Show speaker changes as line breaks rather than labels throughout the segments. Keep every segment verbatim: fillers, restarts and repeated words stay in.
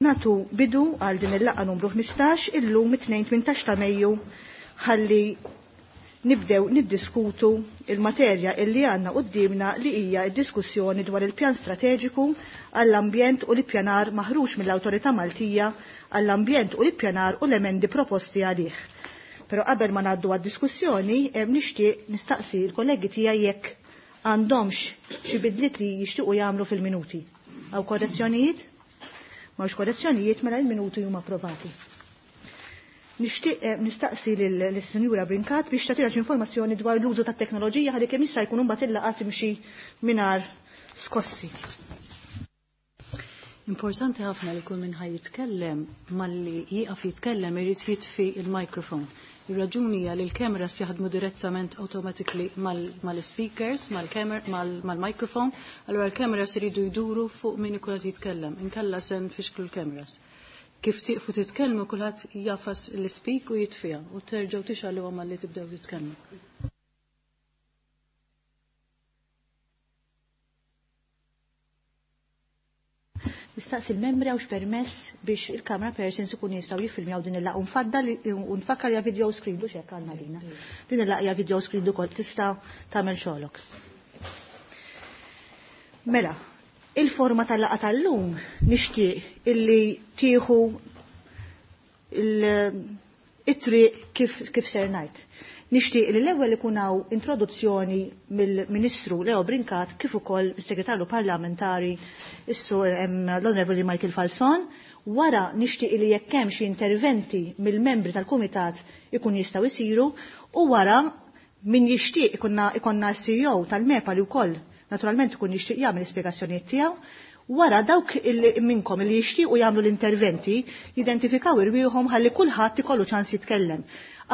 Natu bidu għal din il-laqgħa numru ħmistax illum it-tnejn tmintax ta' Mejju ħalli nibdew niddiskutu il-materja illi għandna qudiemna li hija d-diskussjoni dwar il-pjan strateġiku għall-ambjent u l-ippjanar maħruġ mill-Awtorità Maltija għall-ambjent u l-ippjanar u l-emendi proposti għalih. Però qabel ma ngħaddu għad-diskussjoni nixtieq nistaqsi l-kollegi tiegħi jekk għandhomx xi bidliet li jixtiequ jagħmlu fil-minuti. Aw korrezzjonijiet? M'hawnx korrezzjonijiet, mela il-minuti huma approvati. Nixtieq nistaqsi lis-Sinjura Brincat biex tagħtina xi informazzjoni dwar l-użu tat-teknoloġija ħalli kemm jista' jkun imbagħad il-laqgħa timxi mingħajr skossi.
Importanti ħafna li kull min ħaj jitkellem malli jieqaf jitkellem irid jitfi il-mikrofon. Ir-raġuni hija li l-kameras jaħdmu direttament automatically mal-speakers, mal-microphone, allura l-kameras iridu jduru fuq min ikun qed jitkellem, inkella se nfixklu l-kameras. Kif tieqfu titkellmu kulħadd jafas l-speak u jitfiha u terġgħu tixgħaluha malli tibdew titkellmu.
Nistaqsi l-membri għawx permess biex il-camera persons ikun jistgħu jiffilmjaw din il-laqgħa u nfaddal u nfakkar ja video screen du x'hekk għandna lina. Din il-laqgħa hija video screen ukoll tista' tagħmel xogħolok. Mela, il-forma tal-laqgħa tal-lum nixtieq illi tieħu it-triq kif, kif ser ngħid. Nixtieq li l-ewwel ikun hawn introduzzjoni mill-Ministru Leo Brincat kif ukoll is-Segretarju Parlamentari is-Sur l-Onorevoli Michael Falzon. Wara nixtieq li jekk hemm xi interventi mill-membri tal-Kumitat ikun jistgħu jsiru u wara min jixtieq ikonna ikonna C E O tal-MEPA li wkoll naturalment ikun jixtieq jagħmel l-ispjegazzjonijiet tiegħu. Wara dawk minnkom li jixtiequ jagħmlu l-interventi jidentifikaw irwieħhom ħalli kulħadd ikollu ċans jitkellem.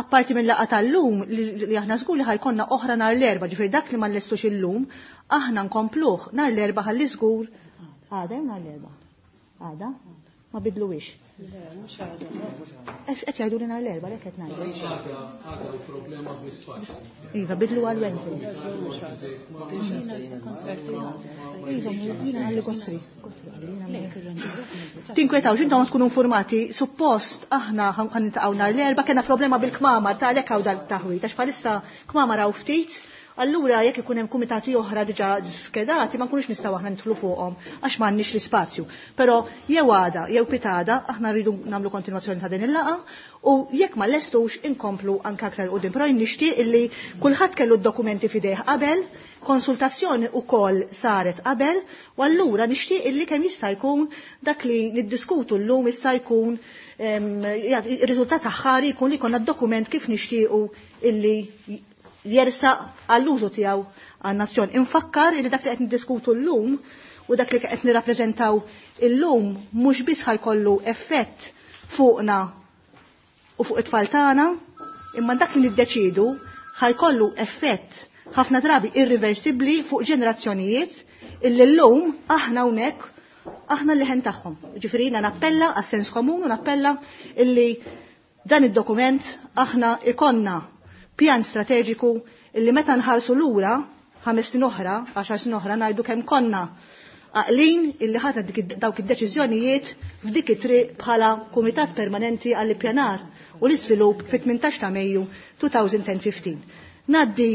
Apparti minn laqgħa tal-lum li aħna żgur li ħajkonna oħra nhar l-Erbgħa, ġifieri dak li ma nlestux illum, aħna nkompluh nhar l-Erbgħa ħalli żgur. Għada jew nhar l-Erbgħa? Għada? Ma bidluwix.
Le, mhux għada.
Qed jgħidu li nhar l-Erbgħa, lek qed ngħidu.
Mhux għada, għada u problema bl-ispazju.
Iva, bidlu għal Wednesday. Iva, jiena għalli Godfrey. Tinkwetawx, intom tkunu informati, suppost aħna ħan niltaqgħu nhar l-Erbgħa, kellna problema bil-kmamar ta' għalhekk hawn dal-taħwit, għax bħalissa kmamar hawn ftit. Allura jekk ikun hemm kumitati oħra diġà skedati ma nkunux nistgħu aħna nidħlu fuqhom għax m'għandniex l-ispazju. Però jew għada jew pitada aħna rridu nagħmlu kontinwazzjoni ta' din il-laqgħa u jekk ma lestux inkomplu anke aktar quddiem. Però nixtieq illi kulħadd kellu d-dokumenti f'idejh qabel, konsultazzjoni wkoll saret qabel, u allura nixtieq illi kemm jista' jkun dak li niddiskutu llum issa jkun ir-riżultat aħħari jkun li jkollna d-dokument kif nixtiequ illi jersaq għall-użu tiegħu għan-nazzjon. Infakkar li dak li qed niddiskutu llum u dak li qed nirrappreżentaw illum mhux biss ħajkollu effett fuqna u fuq it-tfal tagħna, imma dak li niddeċidu ħajkollu effett ħafna drabi irreversibbli fuq ġenerazzjonijiet illi llum aħna hawnhekk aħna l-leħen tagħhom. Ġifieri jiena nappella għas-sens komun u nappella illi dan id-dokument aħna ikonna pjan strateġiku illi meta nħarsu lura ħames snin oħra, għaxar snin oħra ngħidu kemm konna għaqlin illi ħadna dawk id-deċiżjonijiet f'dik it-triq bħala Kumitat Permanenti għall-Ippjanar u l-Iżvilupp fit-tmintax ta' Mejju two thousand fifteen. Ngħaddi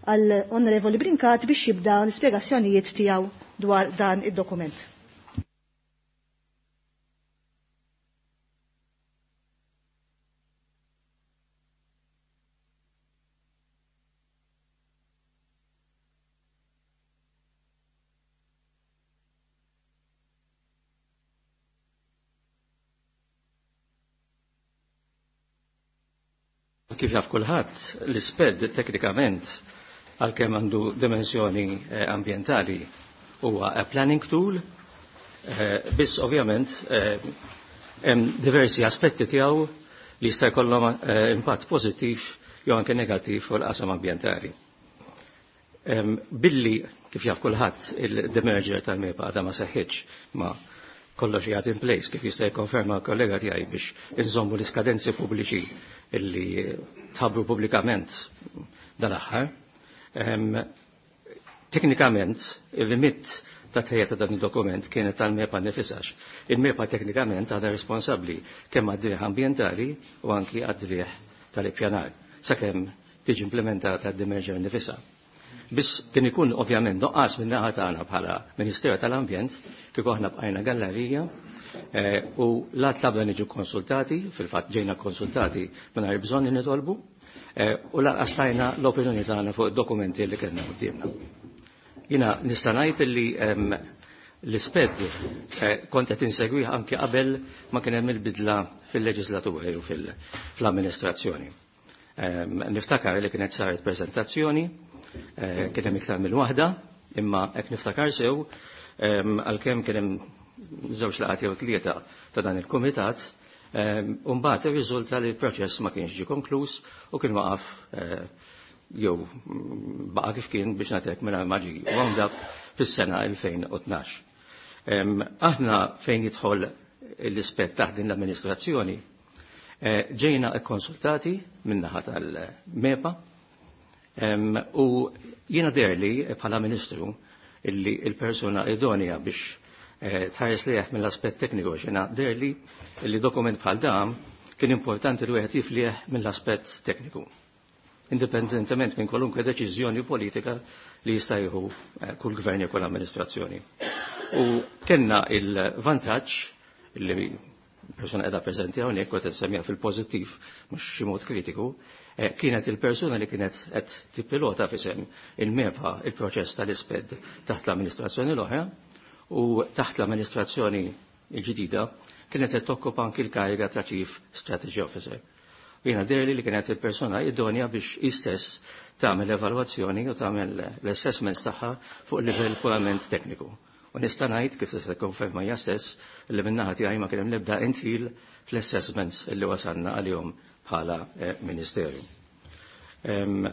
għall-Onorevoli Brincat biex jibda l-ispjegazzjonijiet tiegħu dwar dan id-dokument.
Kif jaf kulħadd, l-isped teknikament għalkemm għandu dimensjoni, eh, ambjentali huwa a planning tool, eh, biss ovvjament, eh, hemm diversi aspetti tiegħu li jista' jkollhom, eh, impatt pożittiv jew anke negattiv fuq il-qasam ambjentali. Em, billi kif jaf kulħadd il-demerger tal-MEPA għadha ma seħħitx ma kollox jgħat in place kif jista' jikkonferma kollega tiegħi biex inżommu l-iskadenzi pubbliċi illi tħabbru pubblikament dal-aħħar. Em, teknikament, il-limit ta' tħejja ta' dan id-dokument kienet tal-MEPA nifisha. Il-MEPA teknikament għadha responsabbli kemm għad-driegħ ambjentali u anki għad-driegħ tal-ippjanar sakemm tiġi implementata d-demerger nifisha. Biss kien ikun ovvjament nuqqas minn naħa tagħna bħala Ministeru tal-Ambjent kieku aħna bqajna gallerija eh, u la tlabna niġu konsultati, fil-fatt ġejna konsultati mingħajr bżonn li nitolbu, eh, u lanqas tajna l-opinjoni tagħna fuq id-dokumenti li kellna quddiemna. Jiena nista' ngħid li em, l-isped eh, kont qed insegwih anke qabel ma kien hemm il-bidla fil-leġislatura u fil-amministrazzjoni. Em, Niftakar li kienet saret prezentazzjoni, eh, kien hemm iktar minn waħda, imma hekk niftakar sew em, għalkemm kien hemm żewġ laqgħat jew tlieta ta' dan il-kumitat, em, u mbagħad irriżulta li l-proċess ma kienx ġie konkluż u kien waqaf eh, jew mm, baqa' kif kien biex nagħtek mingħajr ma ġie wound up fis-sena elfejn u tnax. Em, Aħna fejn jidħol l-ispett taħt din l-amministrazzjoni, eh, ġejna konsultati min-naħa tal-MEPA em, u jiena deherli bħala ministru illi il-persuna idonea biex eh, tħares lieh mill-aspett tekniku, jiena deherli illi dokument bħal dan kien importanti li wieħed jiflieh mill-aspett tekniku, indipendentement minn kwalunkwe deċiżjoni politika li jista' jieħu eh, kull gvern jew kull amministrazzjoni. U kellna il-vantaġġ li persuna qiegħda preżenti hawnhekk u qed fil-pożittiv mhux xi mod kritiku, eh, kienet il-persuna li kienet qed tippilota f'isem il-MEPA il-proċess tal-isped taħt l-amministrazzjoni l-oħra u taħt l-amministrazzjoni il-ġdida kienet qed tokkupa anki l-kariga ta' Chief Strategy Officer. Jiena deherli li kienet il-persona idonja biex istess tagħmel evalwazzjoni u tagħmel l-assessments tagħha fuq livell purament tekniku. U nista' ngħid kif tista' tikkonferma hija stess li min-naħa tiegħi ma kien hemm l-ebda indħil fl-assessments li wasalna għalihom bħala eh, ministeru. Em,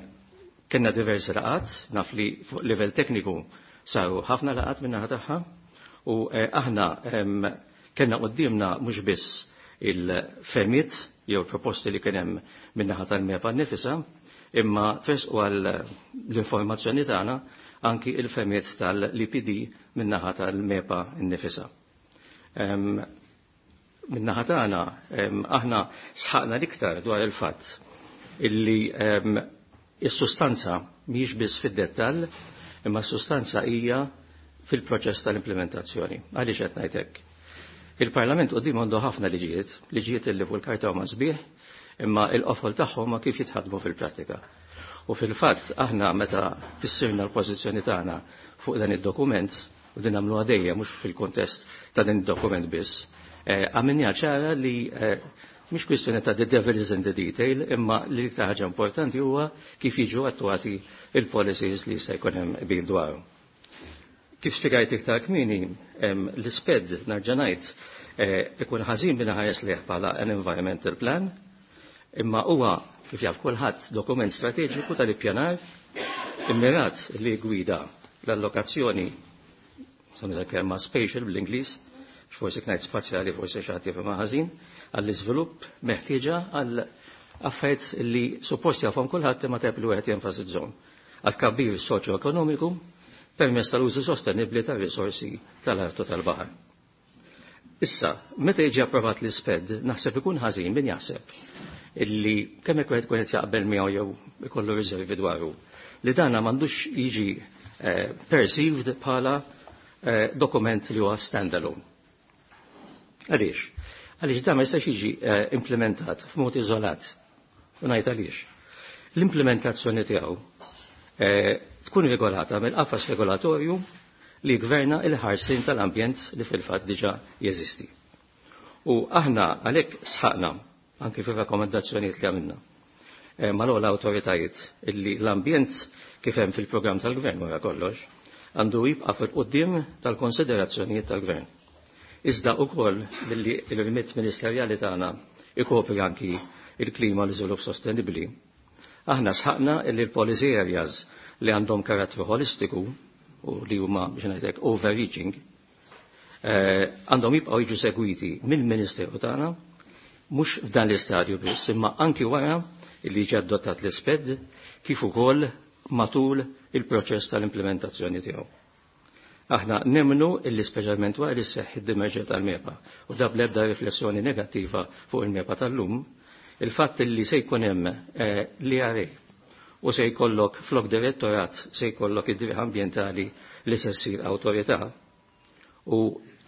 Kellna diversi laqat, naf li fuq livell tekniku saru ħafna laqat min-naħa tagħha u eh, aħna em, kellna quddiemna mhux biss il-fehmiet jew proposti li kien hemm min-naħa tal-MEPA nifisha, imma tresqu għal l-informazzjoni tagħna anki il-fehmiet tal-E P D min-naħa tal-MEPA nifisha. Em, Min-naħa tagħna em, aħna sħaqna l-iktar dwar il-fatt illi em, is-sustanza mhijiex biss fid-dettall, imma s-sustanza hija fil-proċess tal-implementazzjoni. Għaliex qed ngħid hekk? Il-Parlament quddiem għandu ħafna liġijiet, liġijiet illi fuq il-karta huma sbieħ, imma il-qofol tagħhom ma kif jitħadmu fil-prattika. U fil-fatt aħna meta fissirna l-pożizzjoni tagħna fuq dan id-dokument, u din nagħmlu għadejja mhux fil-kontest ta' din id-dokument biss, eh, għamilna ċara li eh, mhix kwistjoni ta' the devil is in the detail, imma li l-iktar ħaġa importanti huwa kif jiġu attuati il-policies li jista' jkun hemm qbil dwarhom. Kif spjegajt iktar kmieni, em, l-isped nerġa' ngħid eh, ikun ħażin bina ħares lieh bħala an environmental plan, imma huwa kif jaf kulħadd dokument strateġiku tal-ippjanar immirat li gwida l-allokazzjoni, sa kelma spatial bl-Ingliż, forsi ngħid spazjali forsi xi ħadd jifhimha ħażin, għall-iżvilupp meħtieġa għal affarijiet li suppost jafhom kulħadd imma tajb li wieħed jenfasizzhom. Għal tkabbir soċjo-ekonomiku permezz tal-użu sostenibbli tar-risorsi tal-art u tal-baħar. Issa, meta jiġi approvat l-isped, naħseb ikun ħażin min jaħseb illi kemm hekk wieħed qed jaqbel miegħu jew ikollu riservi dwaru, li dana m'għandux jiġi eh, perceived bħala eh, dokument li huwa standalone. Għaliex? Għaliex dan ma jistax jiġi eh, implementat f'mod iżolat. U ngħid għaliex. L-implementazzjoni tiegħu eh, tkun regolata mill-qafas regolatorju li gverna il-ħarsin tal-ambjent li fil-fatt diġà jeżisti. U aħna għalhekk sħaqna anki fir-rakkomandazzjonijiet li għamilna eh, mal-ogħla awtoritajiet illi l-ambjent kif hemm fil-programm tal-gvern wara kollox għandu jibqa' fil-quddiem tal-konsiderazzjonijiet tal-gvern. Iżda wkoll billi il-remit ministerjali tagħna ikopri anki il-klima, l-iżvilupp sostenibbli. Aħna sħaqna illi l-policy areas li għandhom karattru holistiku u li huma biex ngħidlek overreaching eh, għandhom jibqgħu jiġu segwiti mill-Ministeru tagħna mhux f'dan l-istadju biss, imma anki wara li ġie adottat l-isped kif ukoll matul il-proċess tal-implementazzjoni tiegħu. Aħna nemmnu illi speċjalment wara li seħħ id-demerger tal-MEPA u da bl-ebda riflessjoni negattiva fuq il-MEPA tal-lum, il-fatt illi se jkun hemm l-E R A u se jkollok flok direttorat se jkollok id-driħ ambjentali li se ssir awtorità u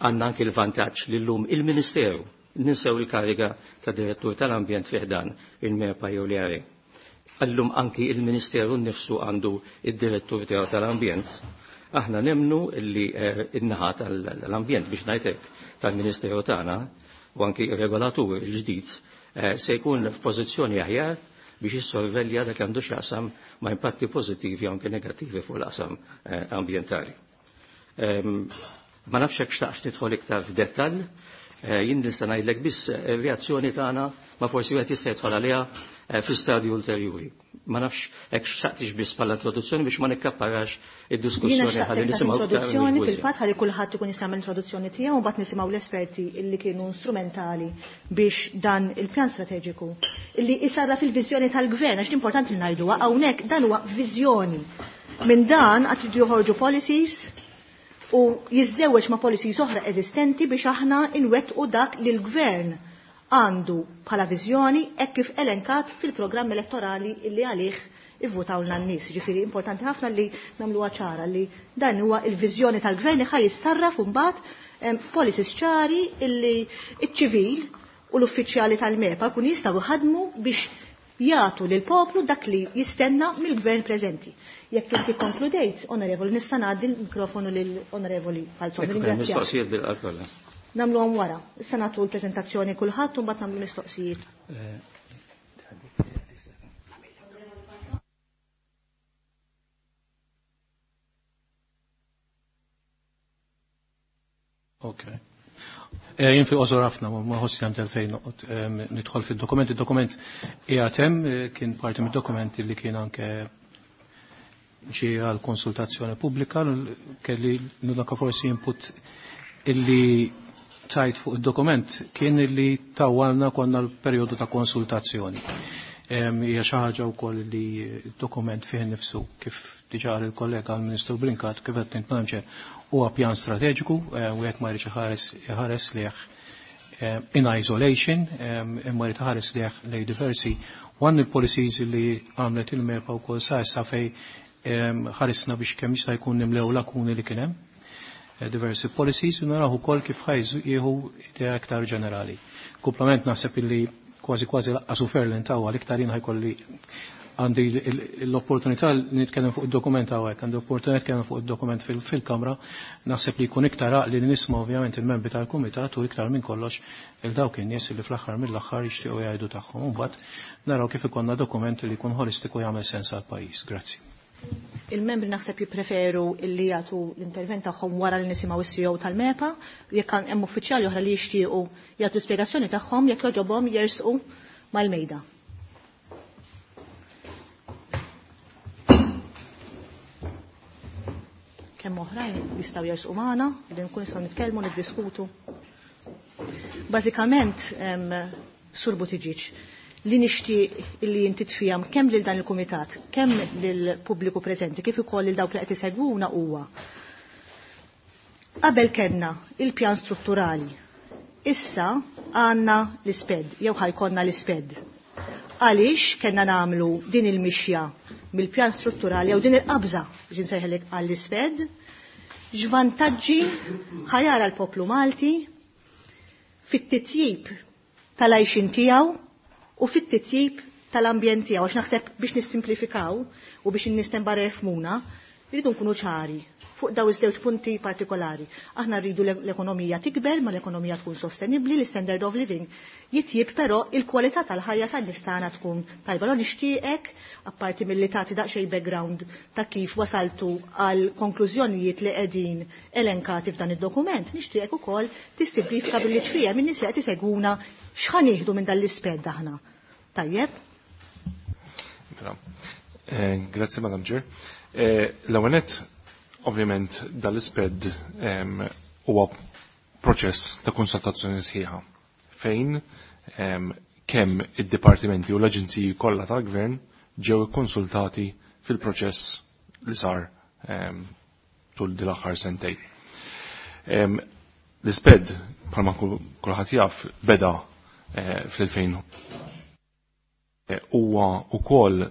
għandna anki l-vantaġġ li llum il-Ministeru ninsew il-kariga ta' direttur tal-ambjent fih dan il-MEPA jew l-E R A. Allum anki il-Ministeru nnifsu għandu id-direttur tiegħu tal-ambjent. Aħna nemmnu illi in-naħa tal-ambjent biex ngħidlek tal-Ministeru tagħna u anki ir-regolatur il-ġdid se jkun f'pożizzjoni aħjar biex jissorvelja dak li għandu x'jaqsam ma' impatti pożittivi u anke negattivi fuq l-qasam ambjentali. Ma nafx hekk xtaqx nidħol iktar f'dettall, jien nista' ngħidlek biss ir-reazzjoni tagħna ma forsi wieħed jista' jidħol għaliha fi stadju ulterjuri. Ma nafx hekk xtaqtix biss bħala introduzzjoni biex ma nikkapparax id-diskussjoni ħalli nisimgħu
introduzzjoni fil-fatt ħalli kulħadd ikun jista' jagħmel introduzzjoni tiegħu u mbagħad nisimgħu l-esperti illi kienu strumentali biex dan il-pjan strateġiku illi isarra fil-viżjoni tal-gvern, għax importanti li ngħiduha hawnhekk dan huwa viżjoni. Minn dan qatt iridu joħorġu policies u jiżżewweġ ma' policies oħra eżistenti biex aħna nwettqu dak li l-gvern għandu bħala viżjoni hekk kif elenkat fil-programm elettorali illi għalih ivvutawlna n-nies. Ġifieri importanti ħafna li nagħmluha ċara li dan huwa il-viżjoni tal-gvern li ħaj jissarraf imbagħad f'policies ċari illi iċ-ċivil u l-uffiċjali tal-MEPA kun jistgħu jħadmu biex jagħtu lil poplu dak li jistenna mill-gvern preżenti. Jekk inti konkludejt, onorevoli, nista' ngħaddi l-mikrofonu lill-onorevoli Falzon.
Ringrazzjak. Mistoqsijiet bil-qalb.
Nagħmluhom wara. Issa nagħtu l-preżentazzjoni kulħadd u mbagħad nagħmlu mistoqsijiet.
Ok. Jien fil-qosor ħafna, ma ħossi għand fejn nidħol fil-dokument. Il-dokument qiegħed hemm, kien parti mid-dokumenti li kien anke ġie għal konsultazzjoni pubblika, kelli l-unika forsi input illi tajt fuq il-dokument kien illi tawalna konna l-perjodu ta' konsultazzjoni. Hija xi ħaġa wkoll li d-dokument fih nifsu kif diġà il-kollega l-Ministru Brincat kif qed nitnamġer huwa pjan strateġiku u jekk ma jridx iħares iħares lejh in isolation, imma jrid iħares lejh lej diversi one il-policies li għamlet il-MEPA wkoll sa issa fej ħarisna biex kemm jista' jkun nimlew lakuni li kien hemm diversi policies u naraw ukoll kif ħajżu jieħu idea iktar ġenerali. Kumplament naħseb illi kważi kważi laqqasu Ferlin tawa l-iktar jien ħajkolli għandi l-opportunità li nitkellem fuq id-dokument hawnhekk, għandi l-opportunità nitkellem fuq id-dokument fil-Kamra, naħseb li jkun iktar għaqli li nisma' ovvjament il-membri tal-Kumitat u iktar minn kollox il dawk in-nies li fl-aħħar mill-aħħar jixtiequ jgħidu tagħhom. Imbagħad naraw kif ikollna dokument li jkun holistiku jagħmel sens għall-pajjiż. Grazzi.
Il-membri naħseb jippreferu illi jagħtu l-intervent tagħhom wara li nisimgħu is-C E O tal-MEPA, jekk hemm uffiċjali oħra li jixtiequ jagħtu spjegazzjoni tagħhom jekk jogħġobhom jersqu mal-mejda. Kemm oħrajn jistgħu jersqu magħna li nkun nistgħu nitkellmu, niddiskutu. Bażikament, Sur Buttigieg, li nixtieq li inti tfihom kemm lil dan il-kumitat, kemm lil pubbliku preżenti, kif ukoll lil dawk li qed isegwuna huwa. Qabel kellna il-pjan strutturali. Issa għandna l-isped, jew ħajkonna l-isped. Għaliex kellna nagħmlu din il-mixja mill-pjan strutturali jew din il-qabża biex insejħelek għall-isped, x'vantaġġi ħajara l-poplu Malti fit-titjib tal-għajxin tiegħu u fit-titjib tal-ambjent tiegħu, għax naħseb biex nissimplifikaw u biex in-nies tembarra jifhmuna, rridu nkunu ċari fuq daw iż-żewġ punti partikolari. Aħna rridu l-ekonomija tikber, ma l-ekonomija tkun sostenibbli, l-standard of living jitjib, però il-kwalità tal-ħajja tan-nies tagħna tkun tajba. Allora nixtieqek, apparti milli tagħti daqsxejn background ta' kif wasaltu għal konklużjonijiet li qegħdin elenkati f'dan id-dokument, nixtieqek ukoll tissimplifika billi tfiehem in-nies li qed isegwuna x'ħa nieħdu minn dan l-isped aħna. Tajjeb?
Eh, grazie, Madam Chair. Eh, l-ewwel nett, ovvjament, dal-isped huwa proċess ta' konsultazzjoni sħiħa fejn kemm id-dipartimenti u l-aġenziji kollha tal-gvern ġew ikkonsultati fil-proċess li sar tul din l-aħħar sentejn. L-isped, bħalma kulħadd jaf, beda fl-elfejn huwa wkoll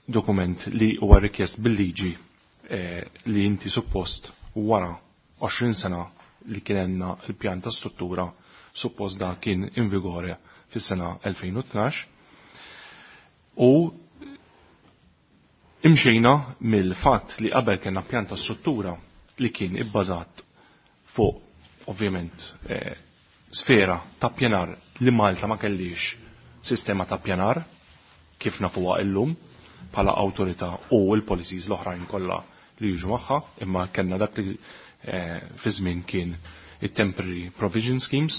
dokument li huwa rikjest bil-liġi li inti suppost wara għoxrin sena li kien għandna l-pjan ta' struttura suppost da kien in vigore fis-sena elfejn u tnax u imxejna mill-fatt li qabel kellna pjan ta' struttura li kien ibbażat fuq ovvjament eh, sfera ta' pjanar li Malta ma kellix sistema ta' pjanar kif nafuha illum bħala awtorità u l-policies l-oħrajn kollha li jiġu magħha, imma kellna dak li eh, fi żmien kien it-temporary provision schemes,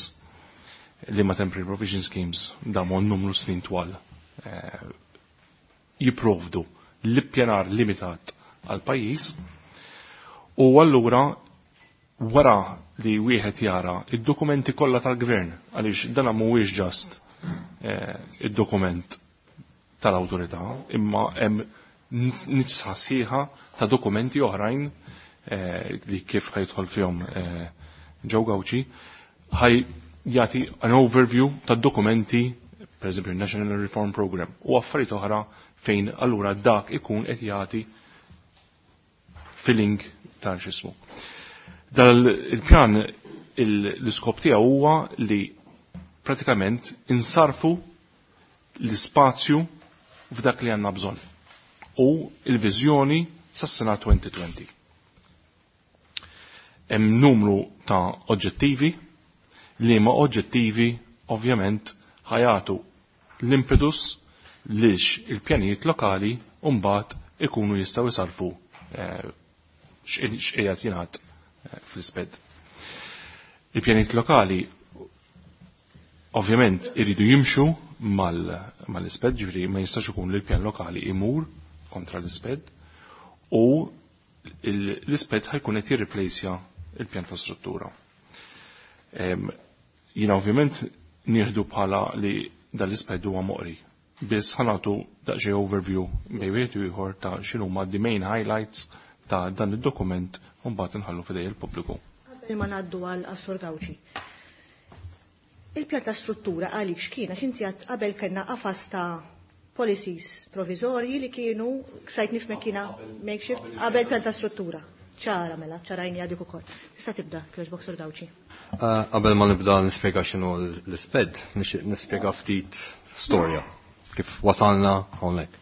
li ma temporary provision schemes damu numru snin twal eh, jipprovdu l-ippjanar limitat għal pajjiż. U allura wara li wieħed jara id-dokumenti kollha tal-gvern, għaliex dan mhuwiex ġast eh, id-dokument tal-awtorità, imma hemm nitsa sħiħa ta' dokumenti oħrajn eh, li kif ħajidħol fihom eh, Joe Gauci, ħaj jagħti an overview ta' dokumenti, per eżempju National Reform Program, u affarijiet oħra fejn allura dak ikun qed jagħti filling ta' x'ismu. Dal il-pjan l-iskop tiegħu huwa li pratikament insarfu l-ispazju f'dak li għandna bżonn u l-viżjoni sas-sena twenty twenty. Hemm numru ta' oġġettivi li ma oġġettivi ovvjament ħajatu l-impetus lix il-pjanijiet lokali u mbagħad ikunu jistgħu jsarfu, eh, x'qiegħed jingħad, eh, fl-isped. Il-pjanijiet lokali ovvjament iridu jimxu mal-, mal-isped, ġifieri ma jistax ikun li l-pjan lokali imur kontra l-isped u il-, l-isped ħajkun qed jirriplejsja il-pjan ta' struttura. Em, jiena ovvjament nieħdu bħala li dal-isped huwa moqri. Biss ħanatu daqsxejn overview bejn wieħed u ieħor ta' x'inhuma the main highlights ta' dan id-dokument u mbagħad inħallu f'idej il-pubbliku.
Qabel ma ngħaddu għal Assur Gauci. Il-pjan ta' struttura għalik x'kien, għax inti għad qabel kellna qafas ta' policies provizorji li kienu ksajt nifmek kiena makeshift qabel pjan ta' struttura. Ċara mela, ċarajni għadik ukoll. Tista' tibda, kjoġbok Sur Gauci.
Eh, qabel ma nibda nispjega x'inhu l-isped, nixtieq nispjega ftit storja kif wasalna hawnhekk.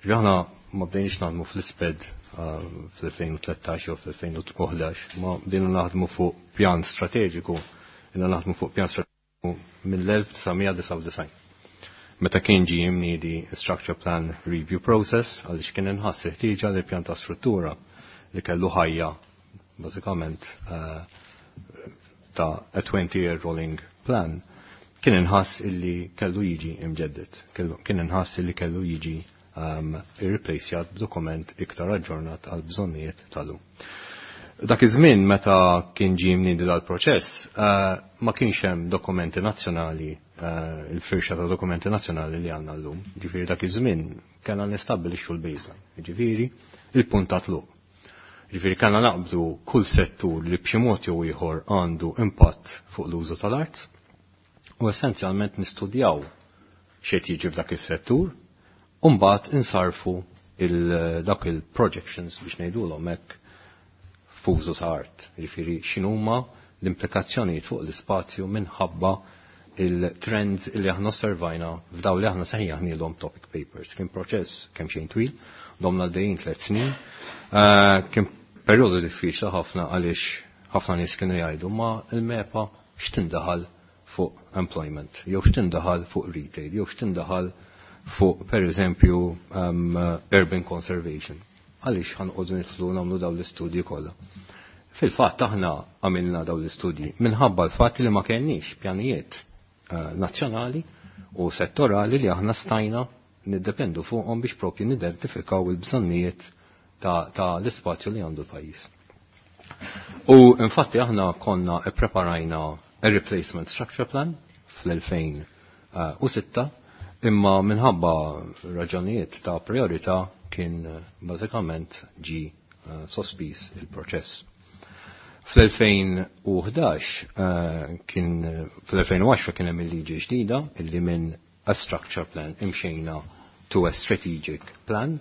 Ġaħna ma bdejniex naħdmu fl-isped, eh, fl-elfejn u tlettax jew fl-elfejn u ħdax, ma bdejna naħdmu fuq pjan strateġiku, ilna naħdmu fuq pjan strateġiku mill-elf disa' mija disgħa u disgħin. Meta kien ġie mniedi Structure Plan Review Process, għaliex kien inħass il-ħtieġa li pjan ta' struttura li kellu ħajja bażikament, eh, ta' a twenty-year rolling plan, kien inħass illi kellu jiġi imġedded, kellu, kien inħass illi kellu jiġi, um, irreplacjat b'dokument iktar aġġornat għal bżonnijiet tal-lum. Dak iż-żmien meta kien ġie mniedi dal-proċess, eh, ma kienx hemm dokumenti nazzjonali, eh, il-firxa ta' dokumenti nazzjonali li għandna llum. Ġifieri dak iż-żmien kellna nistabbilixxu l-baseline, ġifieri il-punt ta' tluq. Ġifieri kellna naqbdu kull settur li b'xi mod jew ieħor għandu impatt fuq l-użu tal-art u essenzjalment nistudjaw x'qed jiġi f'dak is-settur u mbagħad insarfu il-, dak il-projections biex ngħidulhom hekk f'użu ta' art. Ġifieri x'inhuma l-implikazzjonijiet fuq l-ispazju minħabba il-trends li aħna osservajna f'daw li aħna sejjaħnielhom topic papers. Kien proċess kemm xejn twil, domna għaddejjin tliet snin. Eh, kien perjodu diffiċli ħafna għaliex ħafna nies kienu jgħidu ma l-MEPA x'tindaħal fuq employment, jew x'tindaħal fuq retail, jew x'tindaħal fuq per eżempju, um, urban conservation. Għaliex ħanqogħdu nidħlu nagħmlu dawn l-istudji kollha. Fil-fatt aħna għamilna dawn l-istudji minħabba l-fatt li ma kellniex pjanijiet, eh, nazzjonali u settorali li aħna stajna niddependu fuqhom biex propju nidentifikaw il-bżonnijiet ta', ta' l-ispazju li għandu l-pajjiż. U infatti aħna konna ippreparajna a replacement structure plan fl-elfejn u sitta, imma minħabba raġunijiet ta' priorità kien bażikament ġi uh, sospiż il-proċess. Fl-elfejn u ħdax uh, kien fl-elfejn u għaxra kien hemm il-liġi ġdida illi minn a structure plan imxejna to a strategic plan,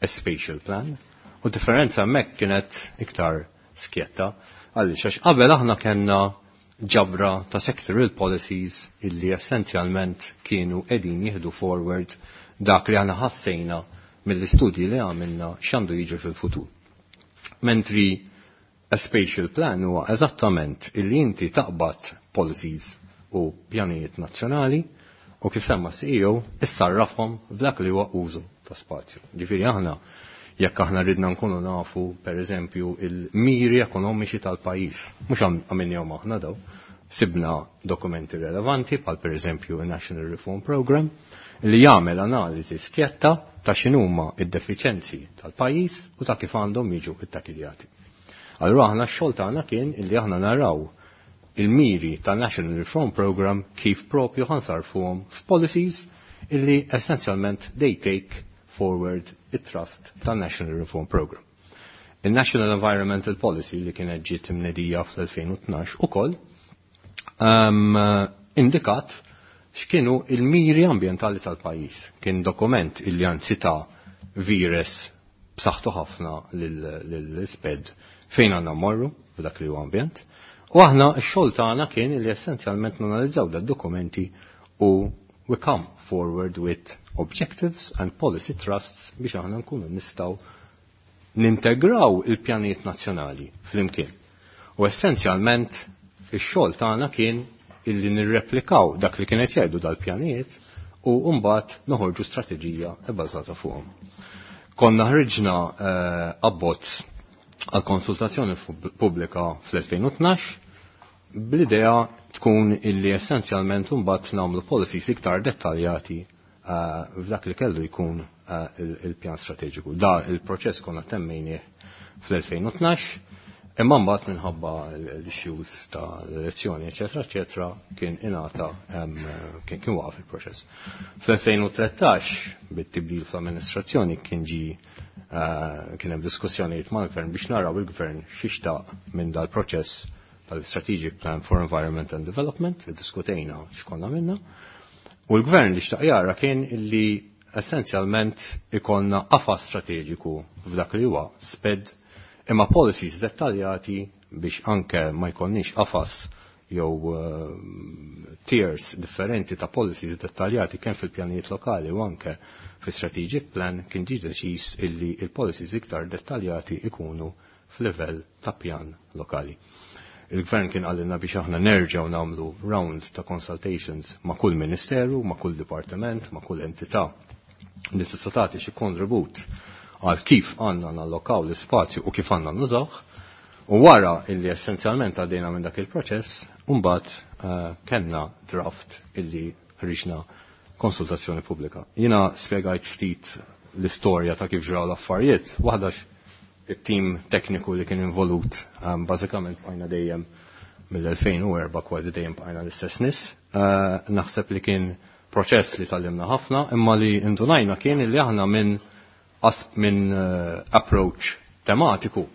a spatial plan, u differenza hemmhekk kienet iktar skjetta għaliex għax qabel aħna kellna ġabra ta' sectoral policies illi essenzjalment kienu qegħdin jieħdu forward dak li aħna ħassejna mill-istudji li għamilna x'għandu jiġri fil-futur. Mentri a spatial plan huwa eżattament illi inti taqbad policies u pjanijiet nazzjonali u kif semma C E O issarrafhom f'dak li huwa użu ta' spazju. Ġifieri aħna jekk aħna ridna nkunu nafu per eżempju il-miri ekonomiċi tal-pajjiż, mhux għamilnihom aħna daw, sibna dokumenti relevanti bħal per eżempju il-National Reform Program li jagħmel analiżi skjetta ta' x'inhuma id-defiċenzi tal-pajjiż u ta' kif għandhom jiġu ittakiljati. Allura aħna x-xogħol tagħna kien illi aħna naraw il-miri tal-National Reform Program kif propju ħansarfuhom f'policies illi essenzjalment they take forward it-trust tal-National Reform Program. Il-National Environmental Policy li kienet ġiet imnedija fl-elfejn u tnax ukoll, um, indikat x'kienu il-miri ambjentali tal-pajjiż. Kien dokument illi anzi ta' vires b'saħħtu ħafna lill-isped fejn għandna mmorru f'dak li huwa ambjent. U aħna x-xogħol tagħna kien li essenzjalment nanalizzaw dad-dokumenti u we come forward with objectives and policy trusts biex aħna nkunu nistgħu nintegraw il-pjanijiet nazzjonali flimkien. U essenzjalment ix-xogħol tagħna kien illi nirreplikaw dak li kienet jgħidu dal-pjanijiet u mbagħad noħorġu strateġija bbażata fuqhom. Konna ħriġna, eh, abbozz għal konsultazzjoni pubblika fl-elfejn u tnax bl-idea tkun illi essenzjalment mbagħad nagħmlu policies iktar dettaljati, eh, f'dak li kellu jkun, eh, il-, il-pjan strateġiku. Da il-proċess konna temmejnieh fl-elfejn u tnax, imma mbagħad minħabba l-issues ta' l-elezzjoni, eċetera, eċetera, kien ingħata, em, kien, kien waqaf il-proċess. Fl-elfejn u tlettax, bit-tibdil fl-amministrazzjoni, kien ġi, eh, kien hemm diskussjonijiet mal-gvern biex naraw il-gvern x'ixtaq minn dal-proċess tal-Strategic Plan for Environment and Development, iddiskutejna x'konna minna. U l-gvern li xtaq jara kien illi essenzjalment ikollna qafas strateġiku f'dak li huwa sped imma policies dettaljati biex anke ma jkollniex qafas jew, eh, tiers differenti ta' policies dettaljati kemm fil-pjanijiet lokali u anke fil-strategic plan kien ġie deċiż illi il-policies iktar dettaljati ikunu f'livell ta' pjan lokali. Il-gvern kien qalilna biex aħna nerġgħu nagħmlu rounds ta' consultations ma' kull ministeru, ma' kull dipartiment, ma' kull entità li tista' tagħti xi kontribut għal kif għandna nallokaw l-ispazju u kif għandna nużawh. U wara illi essenzjalment għaddejna minn dak il-proċess, mbagħad, eh, kellna draft illi ħriġna konsultazzjoni pubblika. Jiena spjegajt ftit l-istorja ta' kif ġraw l-affarijiet, waħda it-tim tekniku li kien involut, ehm, bażikament bqajna dejjem mill-elfejn u erba' kważi dejjem bqajna l-istess nies. Eh, naħseb li kien proċess li tallimna ħafna, imma li indunajna kien li aħna minn qasb minn, eh, approach tematiku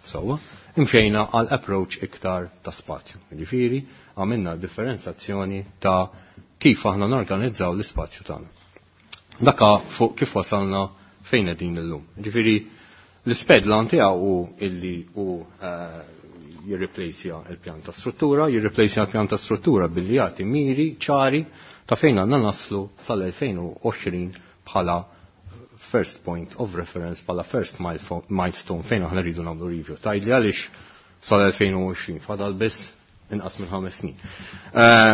sewwa, imxejna għal approach iktar ta' spazju. Ġifieri għamilna differenzazzjoni ta' kif aħna norganizzaw l-ispazju tagħna. Daka fuq kif wasalna fejn qegħdin illum. Ġifieri l-isped lan tiegħu hu illi hu, eh, jirriplejsja il-pjan ta' struttura, jirriplejsja l-pjan ta' struttura billi jagħti miri ċari ta' fejn għandna naslu sal-elfejn u għoxrin bħala first point of reference, bħala first milestone fejn aħna rridu nagħmlu review. Tgħidli għaliex sal-elfejn u għoxrin fadal biss inqas minn ħames snin. Eh,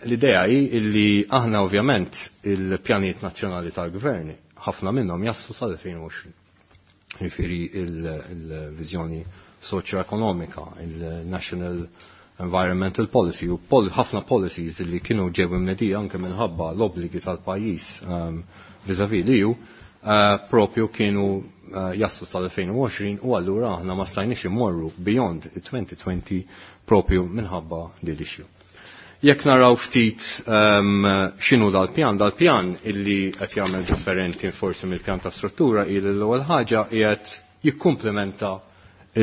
l-idea hi illi aħna ovvjament il-pjanijiet nazzjonali tal-gvern ħafna minnhom jaslu sal-elfejn u għoxrin. Jiġifieri il-viżjoni soċjo-ekonomika, il-National Environmental Policy u pol-, ħafna policies li kienu ġew imnedija anke minħabba l-obbligi tal-pajjiż, ehm, vis-à-vis l-E U, eh, propju kienu, eh, jaslu sal-elfejn u għoxrin u allura aħna ma stajniex immorru beyond twenty twenty propju minħabba din l-issue. Jekk naraw ftit, ehm, x'inhu dal-pjan, dal-pjan illi qed jagħmel differenti forsi mill-pjan ta' struttura hi li l-ewwel ħaġa qiegħed jikkumplementa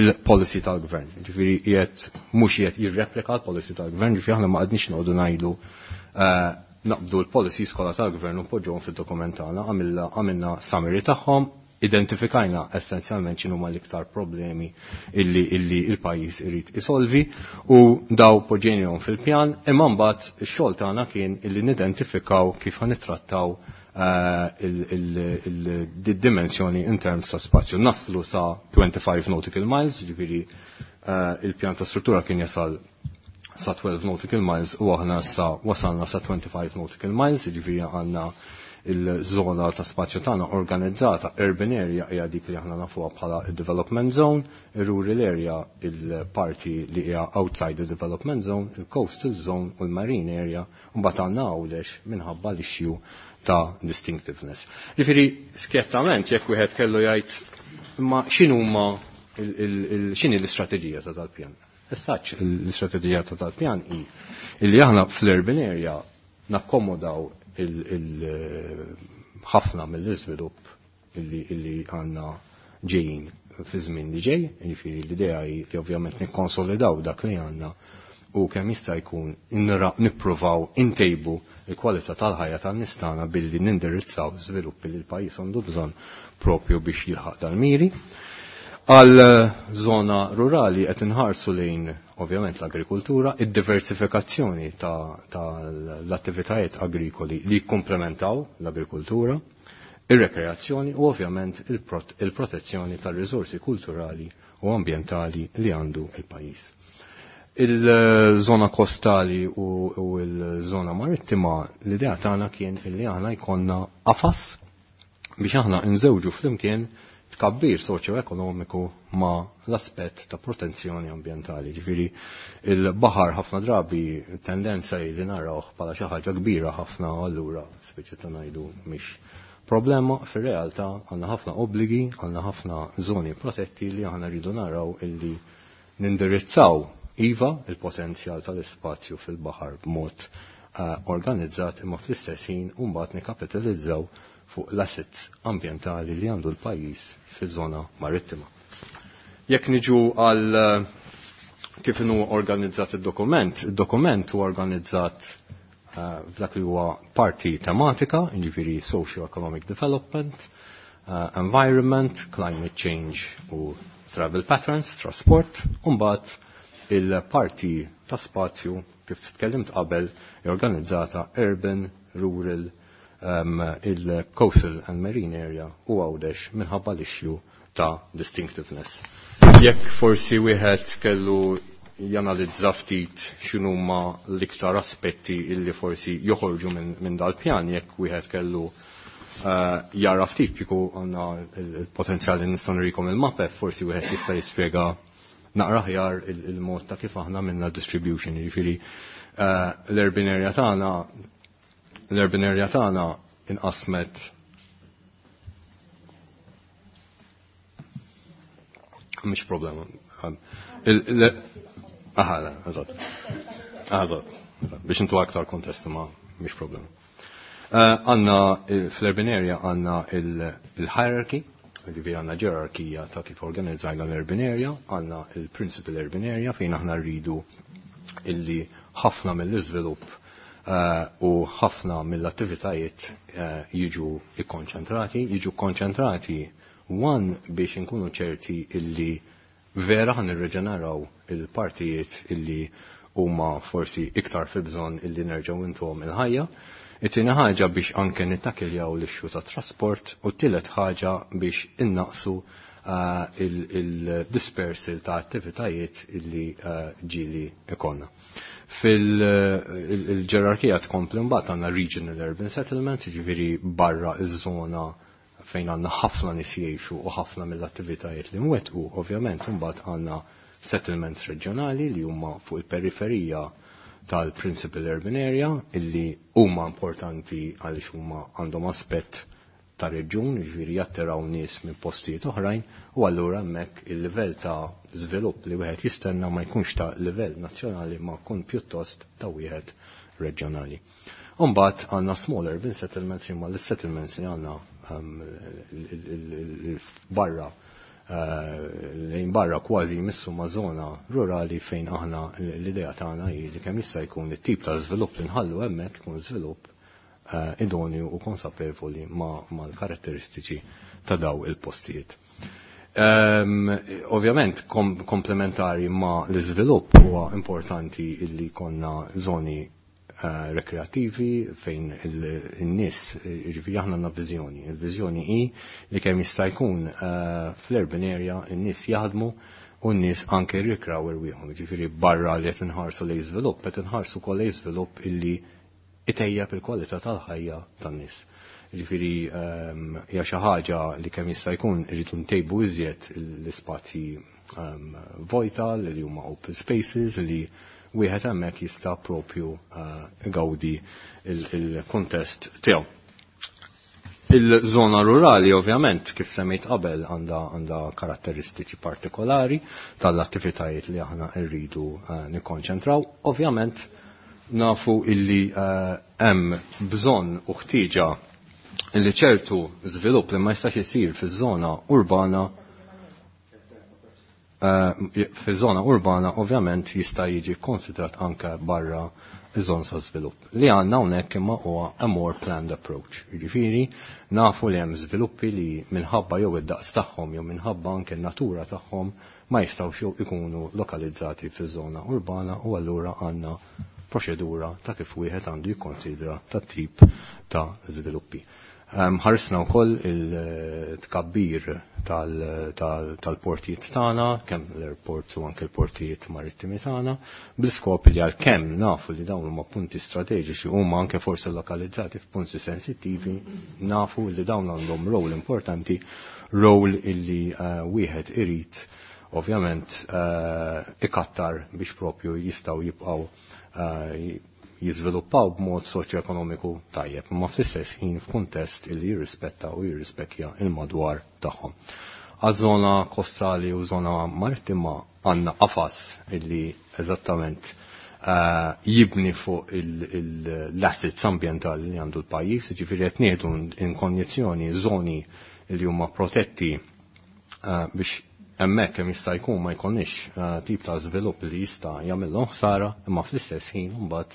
il-policy tal-gvern. Ġifieri qiegħed mhux qiegħed jirreplika l-policy tal-gvern, ġifieri aħna ma qgħadniex noqogħdu ngħidu eh, naqbdu l-policies kollha tal-gvern u poġġuhom fid-dokument tagħna, għamilna summary tagħhom, identifikajna essenzjalment x'inhuma l-iktar problemi illi illi il-pajjiż irid isolvi u daw poġġejnihom fil-pjan, imma mbagħad ix-xogħol tagħna kien illi nidentifikaw kif ħanitrattaw eh, il-dimensjoni in terms ta' spazju. Naslu sa twenty-five nautical miles, ġifieri eh, il-pjan ta' struttura kien jasal sa twelve nautical miles u aħna sa wasalna sa twenty-five nautical miles, ġifieri għandna il-żona ta' spazju tagħna organizzata. Urban area hija dik li aħna nafuha bħala il-development zone, il-rural area il-parti li hija outside the development zone, il-coastal zone u l-marine area, u mbagħad għandna Għawdex minħabba l-issue ta' distinctiveness. Ġifieri skjettament jekk wieħed kellu jgħid imma x'inhuma x'inhi l-istrateġija ta' tal-pjan. Essaċ l-istrateġija ta' tal-pjan hi illi aħna fl-urban area nakkomodaw il-ħafna mill-iżvilupp illi illi għandna ġejjin fi żmien li ġej, jiġifieri l-idea hi li ovvjament nikkonsolidaw dak li għandna u kemm jista' jkun nippruvaw intejbu l-kwalità tal-ħajja tan-nies tagħna billi nindirizzaw żviluppi li l-pajjiż għandu bżonn propju biex jilħaq dal-miri. Għal żona rurali qed inħarsu lejn ovvjament l-agrikultura, id-diversifikazzjoni tal-attivitajiet agrikoli li jikkomplementaw l-agrikultura, ir-rekreazzjoni u ovvjament il-protezzjoni tal-riżorsi kulturali u ambjentali li għandu il-pajjiż. Il-żona kostali u l-żona marittima, l-idea tagħna kien illi aħna jkollna qafas biex aħna nżewġu flimkien tkabbir soċjo-ekonomiku ma l-aspett ta' protezzjoni ambjentali. Ġifieri il-baħar ħafna drabi tendenza li narawh bħala xi ħaġa kbira ħafna, allura speċi ta' ngħidu mhix problema, fir-realtà għandna ħafna obbligi, għandna ħafna żoni protetti li aħna rridu naraw illi nindirizzaw iva il-potenzjal tal-ispazju fil-baħar b'mod uh, organizzat, imma fl-istess ħin u mbagħad nikkapitalizzaw fuq l-assets ambjentali li għandu l-pajjiż fiż-żona marittima. Jekk niġu għal kif inhu organizzat id-dokument, id-dokument huwa organizzat uh, f'dak li huwa parti tematika, jiġifieri socio-economic development, uh, environment, climate change u travel patterns, trasport, u mbagħad il-parti ta' spazju kif tkellimt qabel organizzata urban, rural, um, il-coastal and marine area u Għawdex minħabba l-issue ta' distinctiveness. Jekk forsi wieħed kellu janalizza ftit x'inhuma l-iktar aspetti illi forsi joħorġu minn min dal-pjan, jekk wieħed kellu uh, jara ftit kieku għandna il-potenzjal li nistgħu nurikom il-mapep, forsi wieħed jista' jispjega naqra aħjar il-mod ta' kif aħna minna distribution, jiġifieri uh, l-urban area tagħna l-urban area tagħna inqasmet mhix problema. Aha, la, eżatt. Eżatt. Biex intu aktar kontest ma mhix problema. Għandna fl-urban area għandna il-hierarchy, ġifieri għandna ġerarkija ta' kif organizzajna l-urban area, għandna il-principal urban area fejn aħna rridu illi ħafna mill-iżvilupp u ħafna mill-attivitajiet jiġu ikkonċentrati, jiġu konċentrati one biex inkunu ċerti illi vera ħan irreġeneraw il-partijiet illi huma forsi iktar fi bżonn illi nerġgħu intuhom il-ħajja. It-tieni ħaġa biex anke nittakiljaw l-issue ta' trasport u t-tielet ħaġa biex innaqsu il-dispersal ta' attivitajiet illi ġieli ikonna. Fil-ġerarkija tkompli mbagħad għandna regional urban settlements, jiġifieri barra iż-żona fejn għandna ħafna nies jgħixu u ħafna mill-attivitajiet li mwettqu, ovvjament imbagħad għandna settlements reġjonali li huma fuq il-periferija tal-principal urban area illi huma importanti għaliex huma għandhom aspett ta' reġjun, jiġifieri jattiraw nies minn postijiet oħrajn, u allura hemmhekk il-livell ta' żvilupp li wieħed jistenna ma jkunx ta' livell nazzjonali ma jkun pjuttost ta' wieħed reġjonali. Imbagħad għandna small urban settlements imma l-settlements li għandna barra lejn barra kważi jmissu ma' zona rurali fejn aħna l-idea tagħna hi li kemm jista' jkun it-tip ta' żvilupp li nħallu hemmhekk ikun żvilupp idonju u konsapevoli mal-karatteristiċi ta' daw il-postijiet. Ovvjament, komplementari ma' l-iżvilupp huwa importanti illi konna zoni rekreativi fejn il-nies, ġifieri aħna għandna viżjoni. Il-viżjoni hi li kemm jista' jkun fl-urban area in-nies jaħdmu u n-nies anke jirrikraw irwieħhom. Ġifieri barra li qed inħarsu lejn żvilupp, qed inħarsu wkoll lejn żvilupp illi itejjeb il-kwalità tal-ħajja tan-nies. Ġifieri hija xi ħaġa li kemm jista' jkun irridu ntejbu iżjed l-ispazji vojta li huma open spaces li wieħed hemmhekk jista' propju igawdi il-kuntest tiegħu. Il-żona rurali ovvjament kif semmejt qabel għandha għandha karatteristiċi partikolari tal-attivitajiet li aħna rridu nikkonċentraw. Ovvjament nafu illi hemm bżonn u ħtieġa illi ċertu żvilupp li ma jistax isir fiż-żona urbana fiż-żona urbana ovvjament jista' jiġi konsidrat anke barra iż-żona ta' żvilupp. Li għandna hawnhekk imma huwa a more planned approach. Jiġifieri nafu li hemm żviluppi li minħabba jew id-daqs tagħhom jew minħabba anke n-natura tagħhom ma jistgħux ikunu lokalizzati fiż-żona urbana u allura għandna proċedura ta' kif wieħed għandu jikkonsidra ta' tip ta' żviluppi. Ħarisna wkoll il-tkabbir tal-portijiet tagħna, kemm l-airports u anke l-portijiet marittimi tagħna, bl-iskop li għalkemm nafu li dawn huma punti strateġiċi huma anke forsi lokalizzati f'punti sensittivi, nafu li dawn għandhom rol importanti, rol illi wieħed irid ovvjament ikattar biex propju jistgħu jibqgħu jiżviluppaw b'mod soċjoekonomiku tajjeb, imma fl-istess ħin f'kuntest illi jirrispetta u jirrispekkja il-madwar tagħhom. Għaż-żona kostali u żona marittima għandna qafas illi eżattament jibni fuq l-assets ambjentali li għandu l-pajjiż, ġifieri qed nieħdu in konjizzjoni żoni li huma protetti biex hemmhekk kemm jista' jkun ma jkollniex tip ta' żvilupp li jista' jagħmilhom ħsara, imma fl-istess ħin imbagħad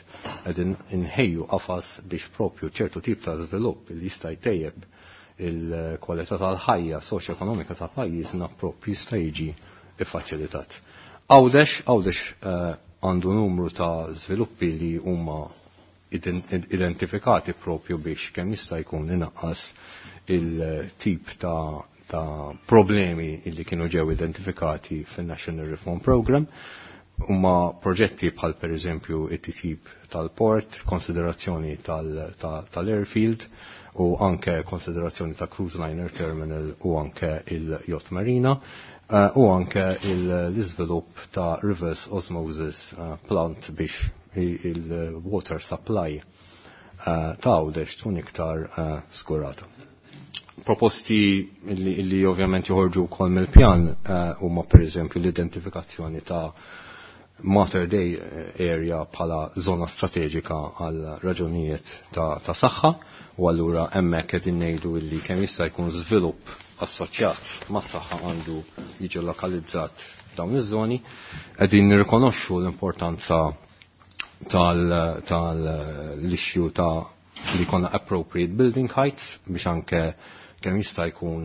qegħdin inħejju qafas biex propju ċertu tip ta' żvilupp li jista' jtejjeb il-kwalità tal-ħajja soċjoekonomika ta' pajjiżna propju jista' jiġi iffaċilitat. Għawdex, Għawdex għandu numru ta' żviluppi li huma identifikati propju biex kemm jista' jkun inaqqas il-tip ta' ta' problemi illi kienu ġew identifikati fin-National Reform Program huma proġetti bħal per eżempju it-titjib tal-port, konsiderazzjoni tal-airfield u anke konsiderazzjoni ta' cruise liner terminal u anke il-yacht marina u anke l-iżvilupp ta' reverse osmosis plant biex il-water supply ta' Għawdex tkun iktar skurata. Proposti illi ovvjament joħorġu wkoll mill-pjan huma per eżempju l-identifikazzjoni ta' Mater Dei area bħala zona strateġika għal raġunijiet ta' saħħa u allura hemmhekk qegħdin ngħidu illi kemm jista' jkun żvilupp assoċjat mas-saħħa għandu jiġi lokalizzat f'dawn iż-żoni. Qegħdin nirrikonoxxu l-importanza tal-issue ta' li jkollna appropriate building heights biex anke kemm jista' jkun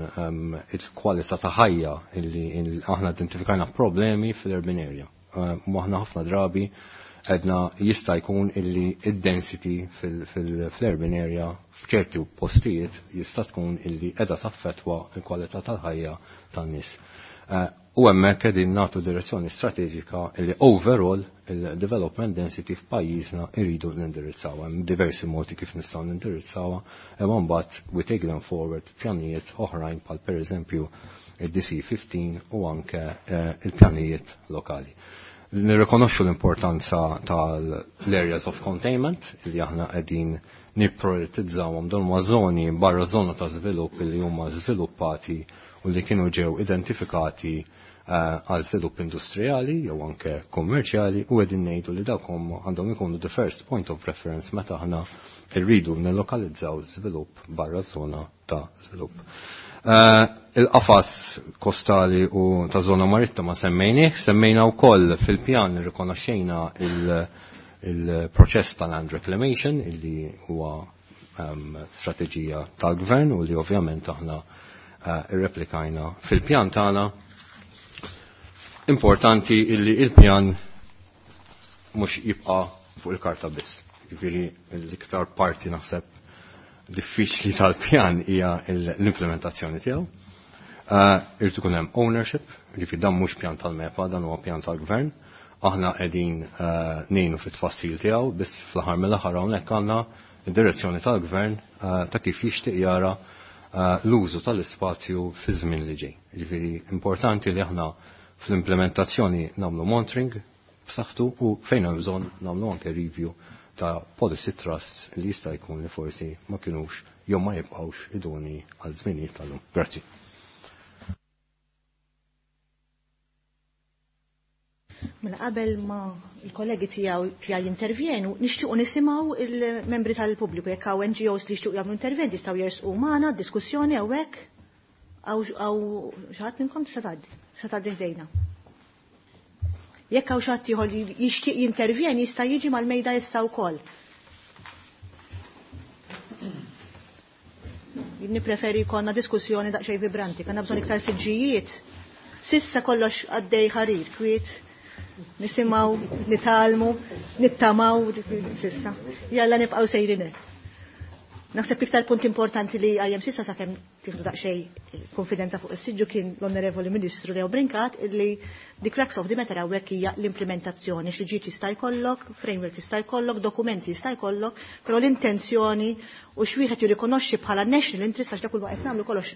il-kwalità ta' ħajja illi aħna identifikajna problemi fil-urban area. U aħna ħafna drabi għedna jista' jkun illi id-density fil-urban area f'ċerti postijiet jista' tkun illi qiegħda taffettwa l-kwalità tal-ħajja tan-nies. U hemmhekk qegħdin nagħtu direzzjoni strateġika illi overall il-development density f'pajjiżna irridu nindirizzaw. Hemm diversi modi kif nistgħu nindirizzawha, imma mbagħad we take them forward pjanijiet oħrajn bħal pereżempju il-D C fifteen u anke il-pjanijiet lokali. Nirrikonoxxu l-importanza tal-areas of containment li aħna qegħdin nipprioritizzawhom dawn huma żoni barra żona ta' żvilupp li huma żviluppati u li kienu ġew identifikati għal żvilupp industrijali jew anke kommerċjali u qegħdin ngħidu li dawk għandhom ikunu the first point of reference meta aħna rridu nillokalizzaw żvilupp barra żona ta' żvilupp. Il-qafas kostali u ta' zona maritta ma semmejnieh, semmejna wkoll fil-pjan rikonoxxejna il-proċess ta' land reclamation illi huwa strateġija tal-gvern u li ovvjament aħna irreplikajna fil-pjan tagħna. Importanti illi il-pjan mhux jibqa' fuq il-karta biss. Jiġifieri l-iktar parti naħseb diffiċli tal-pjan hija l-implementazzjoni tiegħu. Irid ikun hemm ownership, jiġifieri dan mhux pjan tal-MEPA, dan huwa pjan tal-gvern. Aħna qegħdin ngħinu fit-tfassil tiegħu, biss fl-aħħar mill-aħħar hawnhekk għandna id-direzzjoni tal-gvern ta' kif jixtieq jara l-użu tal-ispazju fi żmien li ġej. Jiġifieri importanti li aħna fl-implementazzjoni nagħmlu monitoring b'saħħtu u fejn hemm bżonn nagħmlu anke review ta' policy trusts li jista' jkun li forsi ma kinux jew ma jibqgħux idoni għal żminijiet tal-lum. Grazzi.
Mela qabel ma l-kollegi tiegħu tiegħi jintervjenu, nixtiequ nisimgħu il-membri tal-pubbliku jekk hawn N G Os li jixtiequ jagħmlu interventi jistgħu jersqu magħna diskussjoni hawnhekk hawn xi ħadd minnkom tista' tgħaddi, tista' tgħaddi ħdejna. Jekk hawn xi ħadd ieħor li jixtieq jintervjeni jista' jiġi mal-mejda issa wkoll. Nippreferi jkollna diskussjoni daqsxejn vibranti, kellna bżonn iktar siġġijiet. Sissa kollox għaddej ħarir, kwiet, nisimgħu, nitalmu, nittamaw sissa. Jalla nibqgħu sejrin hekk. Naħseb iktar punt importanti li għajjem sissa sakemm tieħdu daqsxejn konfidenza fuq is-siġġu kien l-Onorevoli Ministru Leo Brincat illi the crux of the matter hawnhekk hija l-implementazzjoni, xi ġiet jista' jkollok, framework jista' jkollok, dokumenti jista' jkollok, però l-intenzjoni u x'wieħed jirrikonoxxi bħala national interest għax dak kull waqt nagħmlu kollox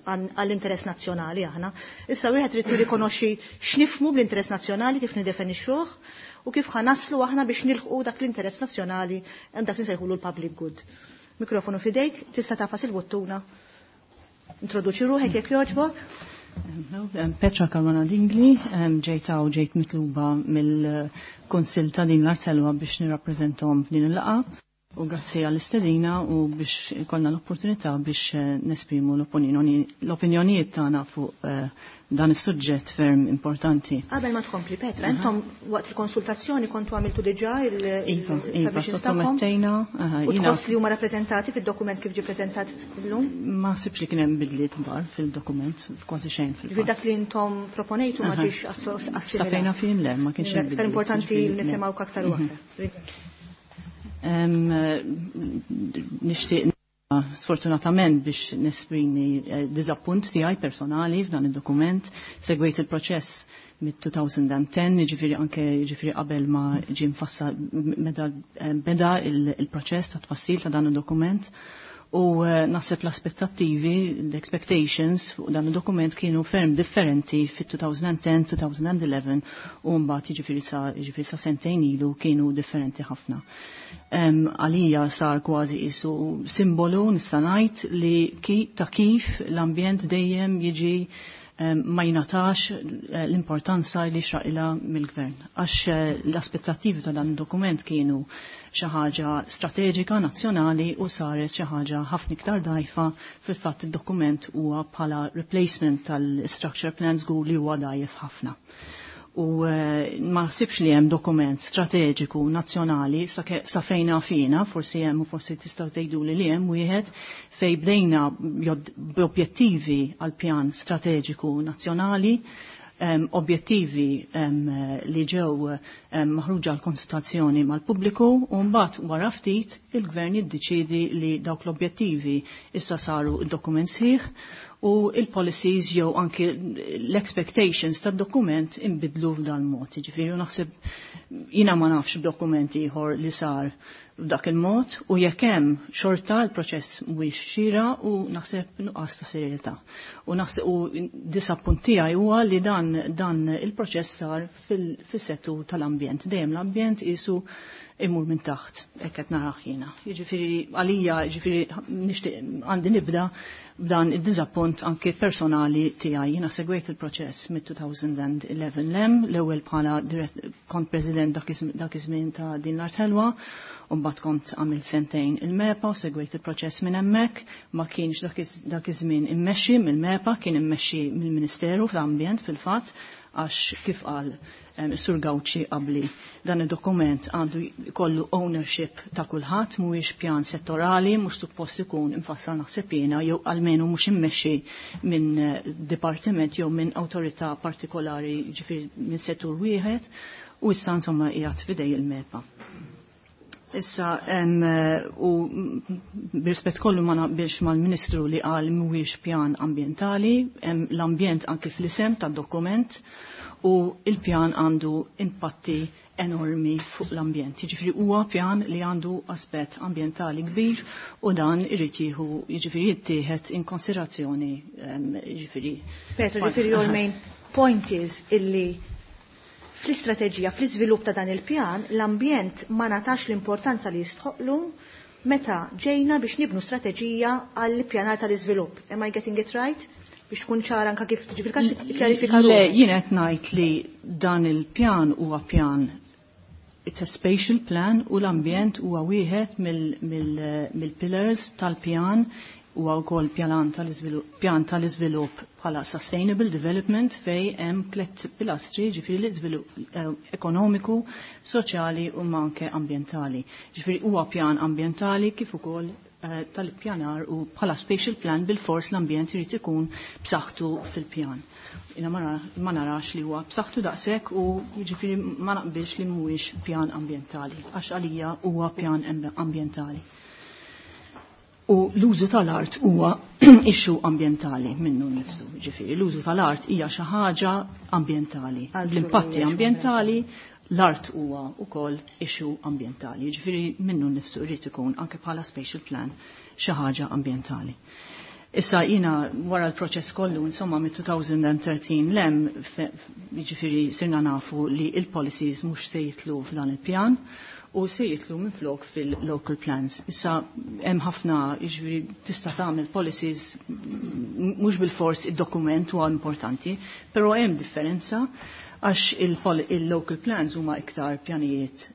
għall-interess nazzjonali aħna. Issa wieħed irid jirrikonoxxi x'nifhmu bl-interess nazzjonali kif nidefinixxuh u kif ħanaslu aħna biex nilħqu dak l-interess nazzjonali hemm dak li nsejħulu l-public good. Mikrofonu fidejk, tista' tafas il-buttuna. Introduċi ruħek jekk jogħġbok.
Petra Caruana Dingli, ġejta u ġejt mitluba mill-Kunsill ta' din l-Artelwa biex nirrappreżentahom f'din il-laqgħa. U grazzi għall-istedina u biex ikollna l-opportunità biex nesprimu l-opinjonijiet tagħna fuq dan is-suġġett ferm importanti.
Qabel ma tkompli Petra, intom waqt il-konsultazzjoni kontu għamiltu diġà il-
Iva, iva, sottomettejna.
U tħoss li huma rappreżentati fid-dokument kif ġie preżentat illum?
Ma ħsibx li kien hemm bidliet kbar fil-dokument, kważi xejn fil-fatt.
Dak li intom proponejtu ma ġiex assimilat.
Safejna fihim le, ma kienx hemm bidliet.
Aktar importanti li nisimgħu aktar u aktar.
Nixtieq sfortunatament biex nesprimi diżappunt tiegħi personali f'dan id-dokument. Segwejt il-proċess mid-two thousand ten, jiġifieri anke jiġifieri qabel ma ġie mfassal meta beda il-proċess ta' tfassil ta' dan id-dokument. U naħseb l-aspettattivi, l-expectations fuq dan id-dokument kienu ferm differenti fit-two thousand ten, two thousand eleven u mbagħad jiġifieri sa, jiġifieri sa sentejn ilu kienu differenti ħafna. Għalija sar kważi isu simbolu nista' ngħid li ki, ta' kif l-ambjent dejjem jiġi ma jingħatax l-importanza li xraqilha mill-gvern. Għax l-aspettattivi ta' dan id-dokument kienu xi ħaġa strateġika nazzjonali u saret xi ħaġa ħafna iktar dgħajfa. Fil-fatt id-dokument huwa bħala replacement tal-structure plan żgur li huwa dgħajjef ħafna. U ma ħsibx li hemm dokument strateġiku nazzjonali sa fejna fina, forsi hemm u forsi tistgħu tgħiduli li hemm wieħed fej bdejna b'objettivi għal pjan strateġiku nazzjonali, objettivi li ġew maħruġa għal konsultazzjoni mal-pubbliku u mbagħad wara ftit il-gvern jiddeċiedi li dawk l-objettivi issa saru d-dokument sħiħ u il-policies jew anki l-expectations tad-dokument inbidlu f'dan mod. Jiġifieri naħseb jiena ma nafx b'dokument ieħor li sar f'dak il-mod u jekk hemm xorta l-proċess mhuwiex xira u naħseb nuqqas ta' serjetà. U naħseb u disappunt tiegħi huwa li dan, dan il-proċess sar fis-settur tal-ambjent. Dejjem l-ambjent qisu Imur minn taħt, hekk qed narah jiena. Jiġifieri għalija, jiġifieri nixtieq għandi nibda b'dan id-diżappunt anke personali tiegħi. Jiena segwejt il-proċess mid-elfejn u ħdax lem, l-ewwel bħala kont president dak iż-żmien ta' Din l-Art Ħelwa, u mbagħad kont għamilt sentejn il-MEPA u segwejt il-proċess minn hemmhekk, ma kienx dak iż-żmien immexxi mill-MEPA, kien immexxi mill-Ministeru fl-Ambjent fil-fatt, għax kif qal Sur Gauci qabli, dan id-dokument għandu jkollu ownership ta' kulħadd, mhuwiex pjan settorali, mhux suppost ikun infassal naħseb jiena jew almenu mhux immexxi minn dipartiment jew minn awtorità partikolari, ġifieri minn settur wieħed, u issa insomma qiegħed f'idej il-MEPA. Issa, u b'rispett kollu ma naqbilx mal-Ministru li qal mhuwiex pjan ambjentali, l-ambjent anke fl-isem tad-dokument u il-pjan għandu impatti enormi fuq l-ambjent. Jiġifieri huwa pjan li għandu aspett ambjentali kbir u dan irid jieħu jiġifieri jittieħed in konsiderazzjoni jiġifieri.
Petro, jiġifieri your main point is illi fl-istrateġija, fl-iżvilupp ta' dan il-pjan, l-ambjent ma natax l-importanza li jistħoqlu meta ġejna biex nibnu strateġija għall-pjanar tal-iżvilupp. Am I getting it right? Biex tkun ċara anka kif tiġi fil-każ kjarifika.
Le, jien qed ngħid li dan il-pjan huwa pjan, it's a spatial plan, u l-ambjent huwa wieħed mill-pillars tal-pjan, huwa wkoll pjan tal-iżvilupp pjan tal-iżvilupp bħala sustainable development fej hemm tliet pilastri, ġifieri l-iżvilupp eh, ekonomiku, soċjali u anke ambjentali. Ġifieri huwa pjan ambjentali kif ukoll eh, tal-pjanar u bħala spatial plan bil-fors l-ambjent irid ikun b'saħħtu fil-pjan. Jiena ma narax li huwa b'saħħtu daqshekk u jiġifieri ma naqbilx li mhuwiex pjan ambjentali, għax għalija huwa pjan ambjentali. U l-użu tal-art huwa issue ambjentali minnu nnifsu, ġifieri l-użu tal-art hija xi ħaġa ambjentali. L-impatti ambjentali, l-art huwa wkoll issue ambjentali, ġifieri minnu nnifsu jrid ikun anke bħala spatial plan xi ħaġa ambjentali. Issa jina wara l-proċess kollu, insomma, mit-elfejn u tlettax lem, ġifieri sirna nafu li il-policies mhux se jitlu f'dan il-pjan u se jitlu minflok fil-local plans. Issa hemm ħafna, jiġifieri tista' tagħmel policies mhux bil-fors id-dokument huwa importanti, però hemm differenza għax il-local plans huma iktar pjanijiet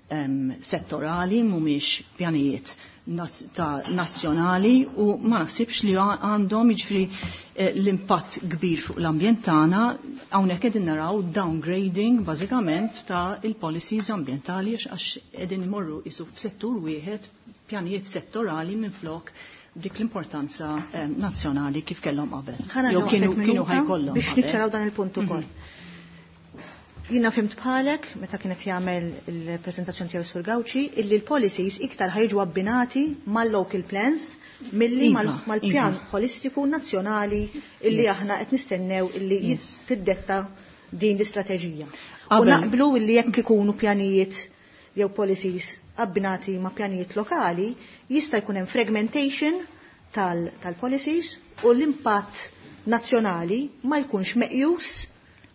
settorali, mhumiex pjanijiet ta' nazzjonali u ma naħsibx li għandhom jiġifieri eh, l-impatt kbir fuq l-ambjent tagħna. Hawnhekk qegħdin naraw downgrading bażikament ta' il-policies ambjentali għax qegħdin imorru isu f'settur wieħed, pjanijiet settorali minflok dik l-importanza eh, nazzjonali kif kellhom qabel.
Jew kienu kienu ħajkollhom. Biex niċċaraw dan il-punt ukoll. Mhm. Jina fhimt bħalek, meta kienet jagħmel il-prezentazzjoni tiegħu Sur Gauci, illi l-policies iktar ħajġu abbinati mal-local plans milli iva, mal-pjan iva. holistiku nazzjonali illi aħna qed nistennew illi tiddetta din l-istrateġija. U naqblu illi jekk ikunu pjanijiet jew policies abbinati ma' pjanijiet lokali, jista' jkun hemm fragmentation tal-policies u l-impatt nazzjonali ma jkunx meqjus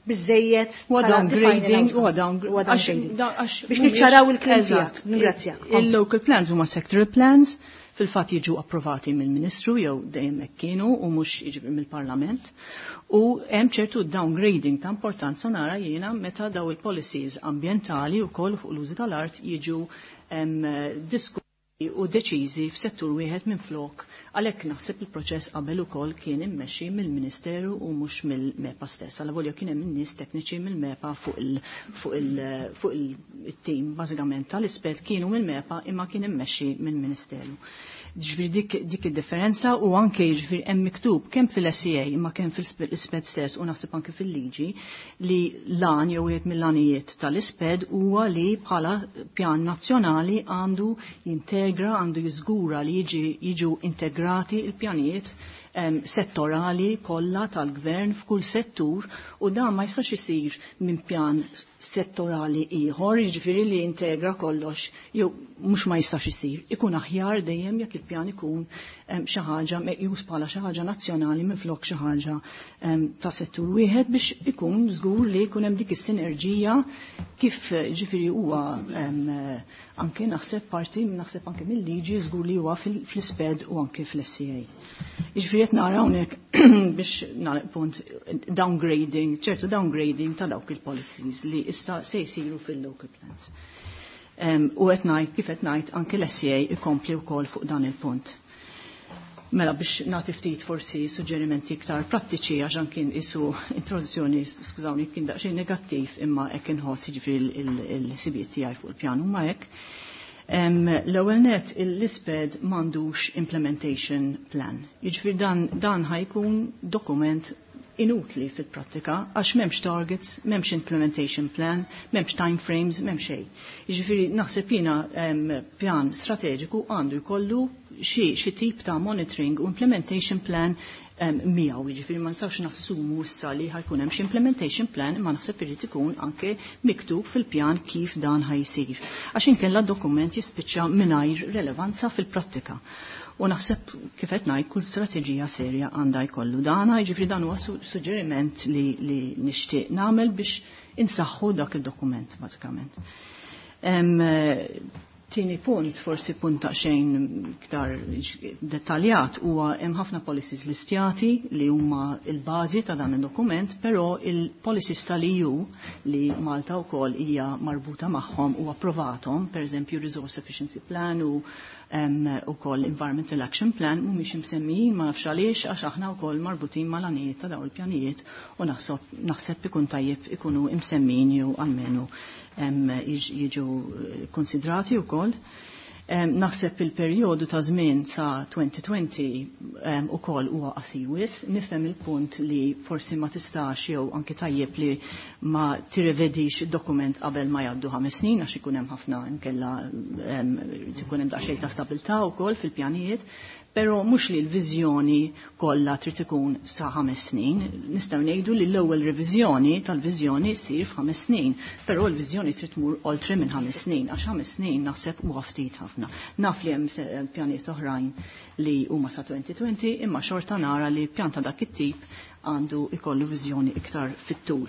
biżejjed.
U downgrading, u downgrading.
Biex niċċaraw il-kliem tiegħek. Ningrazzjak.
Il-local plans huma sectoral plans, fil-fatt jiġu approvati mill-Ministru jew dejjem hekk kienu u mhux jiġi mill-Parlament. U hemm ċertu downgrading ta' importanza nara jiena meta daw il-policies ambjentali wkoll fuq l-użu tal-art jiġu diskussi u deċiżi f'settur wieħed minn flok. Għalhekk naħseb il-proċess qabel ukoll kien immexxi mill-Ministeru u mhux mill-MEPA stess. Għal kien hemm nies tekniċi mill-MEPA fuq il fuq il fuq il-tim bażikament tal-ispet kienu mill-MEPA imma kien immexxi mill-Ministeru. Ġifieri dik, dik id-differenza u anke ġifieri hemm miktub kemm fil-S E A imma kemm fil-isped stess u naħseb anke fil-liġi li lan jew wieħed mill-għanijiet tal-isped huwa li bħala pjan nazzjonali għandu jintegra, għandu jiżgura li jiġi jiġu integrati il-pjanijiet um, settorali kollha tal-gvern f'kull settur u dan ma jistax isir minn pjan settorali ieħor, jiġifieri li integra kollox, jew mhux ma jistax isir. Ikun aħjar dejjem jekk il-pjan ikun xi ħaġa meqjus bħala xi ħaġa nazzjonali minflok xi ħaġa ta' settur wieħed biex ikun żgur li jkun hemm dik is-sinerġija kif ġifieri huwa anke naħseb parti naħseb anke mill-liġi żgur li huwa fl-ISPED u anke fl-S C A. Jiġifieri qed nara hawnhekk, biex nagħlaq punt, downgrading, ċertu downgrading ta' dawk il-policies li issa se jsiru fil-local plans. U qed ngħid, kif qed ngħid, anke l-S C A ikompli wkoll fuq dan il-punt. Mela, biex nagħti ftit forsi suġġerimenti iktar prattiċi, għax kien isu introduzzjoni, skużawni, kien daqsxejn negattiv, imma hekk inħoss, jiġifieri il-ħsibijiet tiegħi fuq il-pjan huma hekk. L-ewwel net, l-ISPED m'għandux implementation plan. Jiġifieri dan dan ħa jkun dokument inutli fil-prattika għax m'hemmx targets, m'hemmx implementation plan, m'hemmx time frames, m'hemmx xejn. Jiġifieri naħseb jiena pjan strateġiku għandu jkollu xi xi tip ta' monitoring u implementation plan miegħu, jiġifieri ma nistgħux nassumu issa li ħa jkun hemm xi implementation plan, imma naħseb irid ikun anke miktub fil-pjan kif dan ħa jsir. Għax inkella dokument jispiċċa mingħajr relevanza fil-prattika. U naħseb, kif qed ngħid, kull strateġija serja għandha jkollu dana, jiġifieri dan huwa suġġeriment li, li nixtieq nagħmel biex insaħħu dak id-dokument bażikament. Tieni punt, forsi punt ta' xejn iktar dettaljat, huwa hemm ħafna policies listjati li huma il-bażi ta' dan id-dokument, però il-policies tal-E U li Malta wkoll hija marbuta magħhom u approvatom, per eżempju Resource Efficiency Plan u ukoll Environmental Action Plan, mhumiex imsemmijin, ma nafx għaliex, għax aħna wkoll marbutin mal-għanijiet ta' dawn il-pjanijiet u naħseb ikun tajjeb ikunu imsemmijin jew almenu jiġu konsidrati wkoll. Naħseb il-perjodu ta' żmien sa' elfejn u għoxrin ukoll huwa qasir wisq, nifhem il-punt li forsi ma tistax jew anke tajjeb li ma tirrevedix dokument qabel ma jgħaddu ħames snin għax ikun hemm ħafna inkella ikun hemm daqsxejn ta' stabilità wkoll fil-pjanijiet, però mhux li l-viżjoni kollha trid ikun sa ħames snin. Nistgħu ngħidu li l-ewwel reviżjoni tal-viżjoni ssir f'ħames snin, però l-viżjoni trid tmur oltre minn ħames snin, għax ħames snin naħseb huwa ftit ħafna. Naf li hemm pjanijiet oħrajn li huma sa elfejn u għoxrin, imma xorta nara li pjan ta' dak it-tip għandu ikollu viżjoni iktar fit-tul.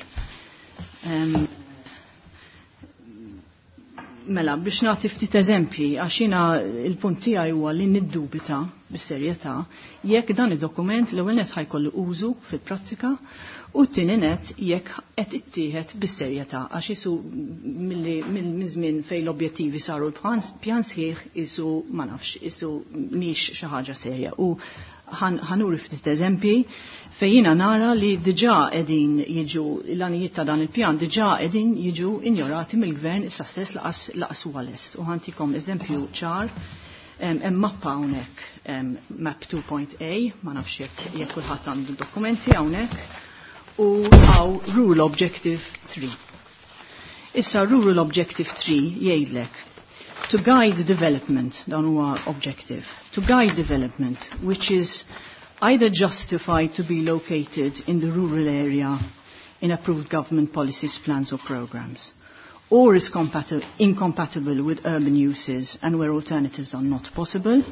Um, Mela, biex nagħti ftit eżempji, għax jiena il-punt tiegħi huwa li niddubita bis-serjetà jekk dan id-dokument l-ewwel net ħa jkollu użu fil-prattika u t-tieni net jekk qed ittieħed bis-serjetà, għax isu milli minn żmien fejn l-objettivi saru l-pjan sħiħ isu, ma nafx, isu mhix xi ħaġa serja. U ħa nuri ftit eżempji fejn jiena nara li diġà qegħdin jiġu l-għanijiet ta' dan il-pjan diġà qegħdin jiġu injorati mill-gvern issa stess, lanqas lanqas huwa lest. U ħa ntikom eżempju ċar. Hemm mappa hawnhekk, map two A, ma nafx jekk jekk kulħadd għandu dokumenti hawnhekk, u hawn Rural Objective three. Issa Rural Objective three jgħidlek to guide development, dan huwa objective, to guide development which is either justified to be located in the rural area in approved government policies, plans or programs, or is incompatible with urban uses and where alternatives are not possible,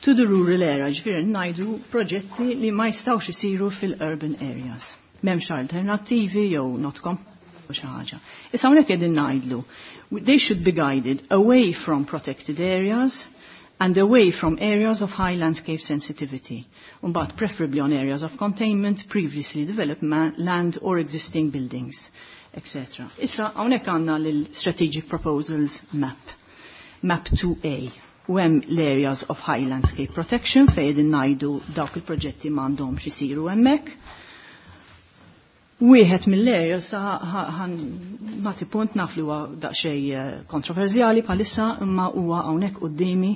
to the rural area, ġifieri ngħidu proġetti li ma jistgħux isiru fil-urban areas. M'hemmx alternattivi jew not xi ħaġa. Issa hawnhekk qegħdin ngħidlu they should be guided away from protected areas and away from areas of high landscape sensitivity, but preferably on areas of containment, previously developed land or existing buildings, et cetera. Issa, hawnhekk għandna l-Strategic Proposals Map, Map two A, u hemm l-areas of high landscape protection fejn ngħidu dawk il-proġetti m'għandhomx isiru hemmhekk. Wieħed mill-areas, ħa nagħti punt, naf li huwa daqsxejn eh, kontroversjali bħalissa, imma huwa hawnhekk quddiemi.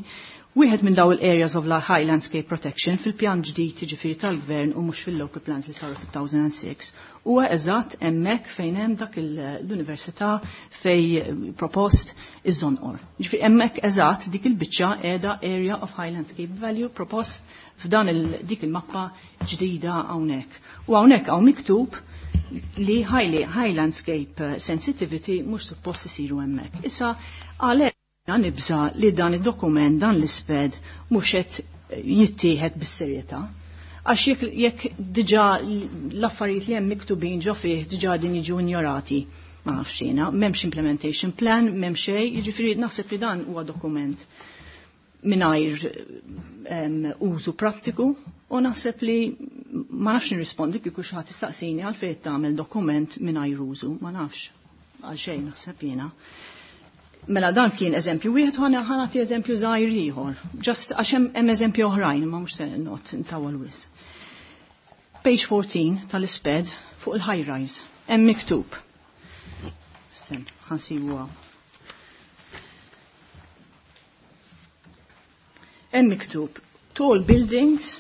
Wieħed minn daw il-areas of high landscape protection fil-pjan ġdid, ġifieri tal-gvern u mhux fil-local plans li saru fil-elfejn u sitta, huwa eżatt hemmhekk fejn hemm dak l-università fej propost iż-Żonqor. Ġifieri hemmhekk eżatt dik il-biċċa qiegħda area of high landscape value propost f'dan il dik il-mappa ġdida hawnhekk. U hawnhekk hawn miktub li high, high landscape sensitivity mhux suppost isiru hemmhekk. Issa għalhekk
Nibża li dan id-dokument, dan l-isped, mhux qed jittieħed bis-serjetà. Għax jekk jekk diġà l-affarijiet li hemm miktubin ġo fih diġà din jiġu injorati, ma nafx jiena, m'hemmx implementation plan, m'hemm xejn, jiġifieri naħseb li dan huwa dokument mingħajr użu prattiku u naħseb li ma nafx nirrispondi kieku xi ħadd istaqsini għalfejn tagħmel dokument mingħajr użu, ma nafx għal xejn naħseb jiena. Mela dan kien eżempju wieħed u ħa nagħti eżempju żgħir ieħor. Just għax hemm eżempju oħrajn ma mhux se noqgħod intawwal wisq. Page fourteen tal-isped fuq il-high rise. Hemm miktub. Sten, ħa nsibuha. Hemm miktub tall buildings.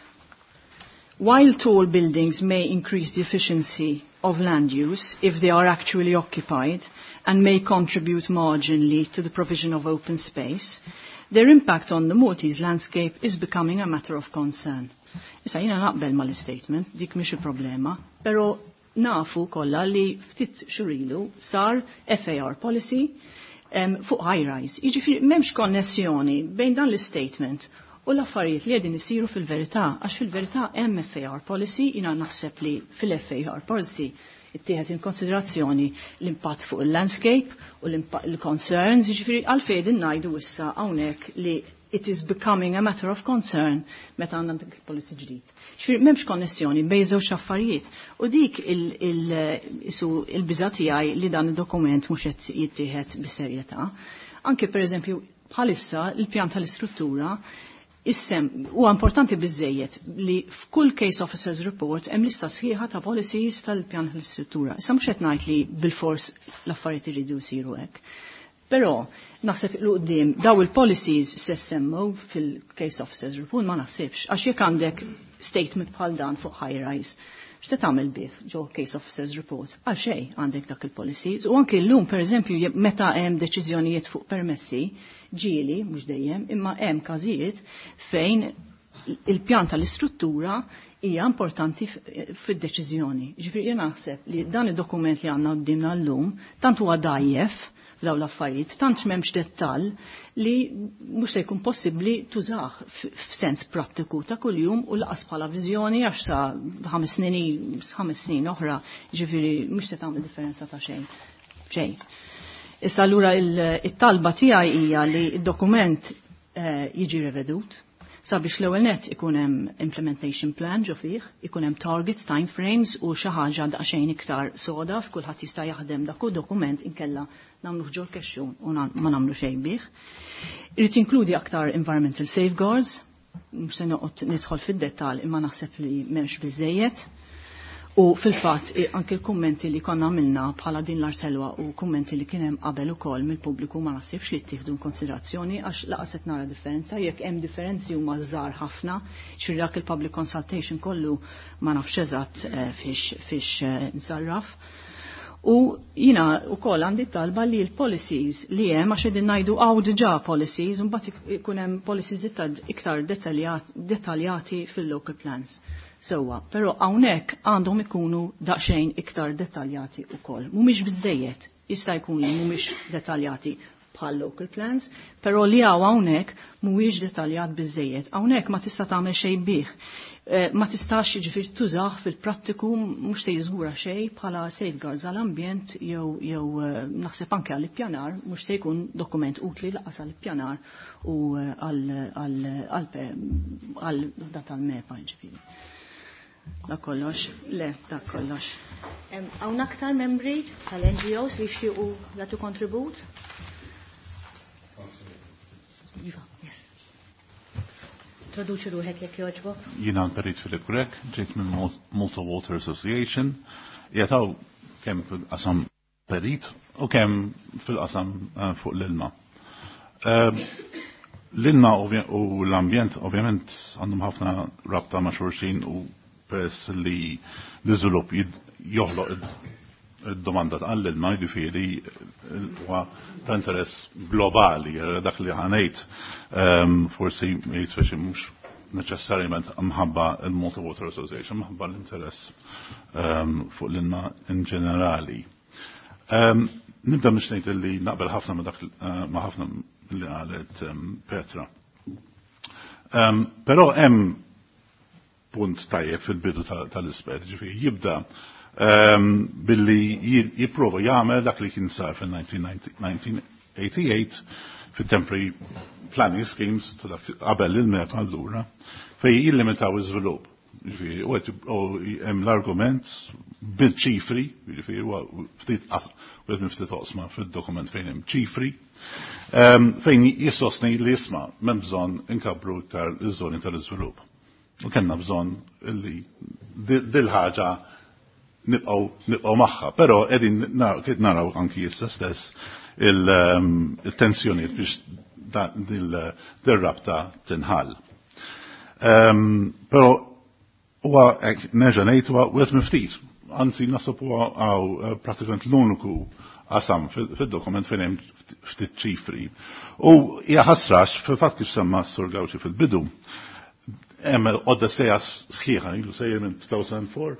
While tall buildings may increase the efficiency of land use if they are actually occupied and may contribute marginally to the provision of open space, their impact on the Maltese landscape is becoming a matter of concern. Issa jiena naqbel mal-statement, dik mhix il-problema, però nafu kollha li ftit xhur ilu sar F A R policy um, fuq high rise. Jiġifieri m'hemmx konnessjoni bejn dan l-statement u l-affarijiet li qegħdin isiru fil-verità, għax fil-verità hemm F A R policy, jiena naħseb li fil-F A R policy ittieħed in konsiderazzjoni l-impatt fuq il-landscape u l-concerns, jiġifieri għalfejn qegħdin ngħidu issa hawnhekk li it is becoming a matter of concern meta għandna dik il-policy ġdid. Ġifieri m'hemmx konnessjoni bejn żewġ affarijiet u dik il-biża' tiegħi li dan id-dokument mhux qed jittieħed bis-serjetà. Anke pereżempju bħalissa il-pjan tal-istruttura issem huwa importanti biżejjed li f'kull case officers report hemm lista sħiħa ta' policies tal-pjan tal-istruttura. Issa mhux qed ngħid li bilfors l-affarijiet iridu jsiru hekk. Però naħseb il quddiem daw il-policies se semmu fil-case officers report ma naħsibx, għax jekk għandek statement bħal dan fuq high rise, x'se tagħmel bih ġo case officers report? Għal xejn għandek dak il-policies. U anke llum pereżempju meta hemm deċiżjonijiet fuq permessi, ġieli, mhux dejjem, imma hemm każijiet fejn il-pjan tal-istruttura hija importanti fid-deċiżjoni. Ġifieri jien naħseb li dan id-dokument li għandna quddiemna llum tant huwa dgħajjef f'dawn l-affarijiet, tant m'hemmx dettall li mhux se jkun possibbli tużah f'sens prattiku ta' kuljum u laqas bħala viżjoni għax sa ħames snin, ħames snin oħra, ġifieri mhux se tagħmel differenza ta' xejn. Xejn. Issa allura it-talba tiegħi hija li d-dokument eh, jiġi revedut sabiex l-ewwel nett ikun hemm implementation plan ġo fih, ikun hemm targets, time frames u xi ħaġa daqsxejn iktar soda f'kulħadd jista' jaħdem dak dokument inkella nagħmluh ġol kexxun u ma nagħmlu xejn bih. Irid jinkludi aktar environmental safeguards, mhux se noqgħod nidħol fid-dettall imma naħseb li m'hemmx biżejjed. U fil-fatt anke l-kummenti li konna għamilna bħala din l-artelwa u kummenti li kien hemm qabel ukoll mill-pubbliku ma naħsibx li ttieħdu konsiderazzjoni għax laqas qed nara differenza, jekk hemm differenzi huma żgħar ħafna, ġifieri dak il-public consultation kollu ma nafx eżatt eh, fiex, fiex, eh, nżarraf. U jina wkoll għandi talba li l-policies li hemm għax qegħdin ngħidu hawn diġà policies u mbagħad ikun hemm policies iktar dettaljati fil-local plans. Sewwa, però hawnhekk għandhom ikunu daqsxejn iktar dettaljati wkoll. Mhumiex biżejjed, jista' jkun li mhumiex dettaljati bħal local plans, però li hawn hawnhekk mhuwiex dettaljat biżejjed. Hawnhekk ma tista' tagħmel xejn bih. Eh, ma tistax jiġifieri tużah fil-prattiku mhux se jiżgura xejn bħala safeguards għall-ambjent jew, jew, eh, naħseb anke għall-ippjanar, mhux se jkun dokument utli laqas għall-ippjanar u, eh, għal, għal, għal, għal dat tal-MEPA jiġifieri. Da kollox, le, da kollox.
Hawn aktar membri tal-N G Os li jixtiequ jagħtu kontribut? Iva, yes. Introduċi ruħek jekk jogħġbok.
Jiena Perit Filip Grech, ġejt minn Malta Water Association. Jataw kemm fil-qasam perit u kemm fil-qasam, eh, fuq l-ilma. Eh, l-ilma u l-ambjent ovvjament għandhom ħafna rabta ma' xulxin u peress li l-iżvilupp joħloq id-domanda għall-ilma, jiġifieri huwa ta' interess globali, dak li ħanejt, ehm, forsi jitfex mhux neċessarjament mħabba il-Malta Water Association, mħabba l-interess, ehm, fuq l-ilma in ġenerali. Ehm, nibda biex ngħid li naqbel ħafna ma' dak, eh, ma' ħafna li qalet Petra. Però hemm punt tajjeb fil-bidu tal-isped, ġifieri jibda billi jipprova jagħmel dak li kien sar fil-nineteen eighty-eight fit-temporary planning schemes qabel il-MEPA allura fejn jillimitaw iż-żvilupp. Ġifieri, u hemm l-argument bil-ċifri, ġifieri huwa ftit wieħed minn ftit oqsma fid-dokument fejn hemm ċifri, fejn jissostni li isma' m'hemm bżonn inkabbru iktar iż-żoni tal-iżvilupp. U kellna bżonn li dil-ħaġa nibqgħu nibqgħu magħha, però qegħdin naraw anki issa stess il-tensjonijiet biex dil-rabta tinħall. Però huwa hekk nerġa' ngħid huwa wieħed miftit, anzi naħseb huwa hawn prattikament l-uniku qasam fid-dokument fejn hemm ftit ċifri. U hija ħasrax fil-fatt kif semma s-Sur Gauci fil-bidu, hemm odesseja sħiħa, ilu sejjer minn two thousand four,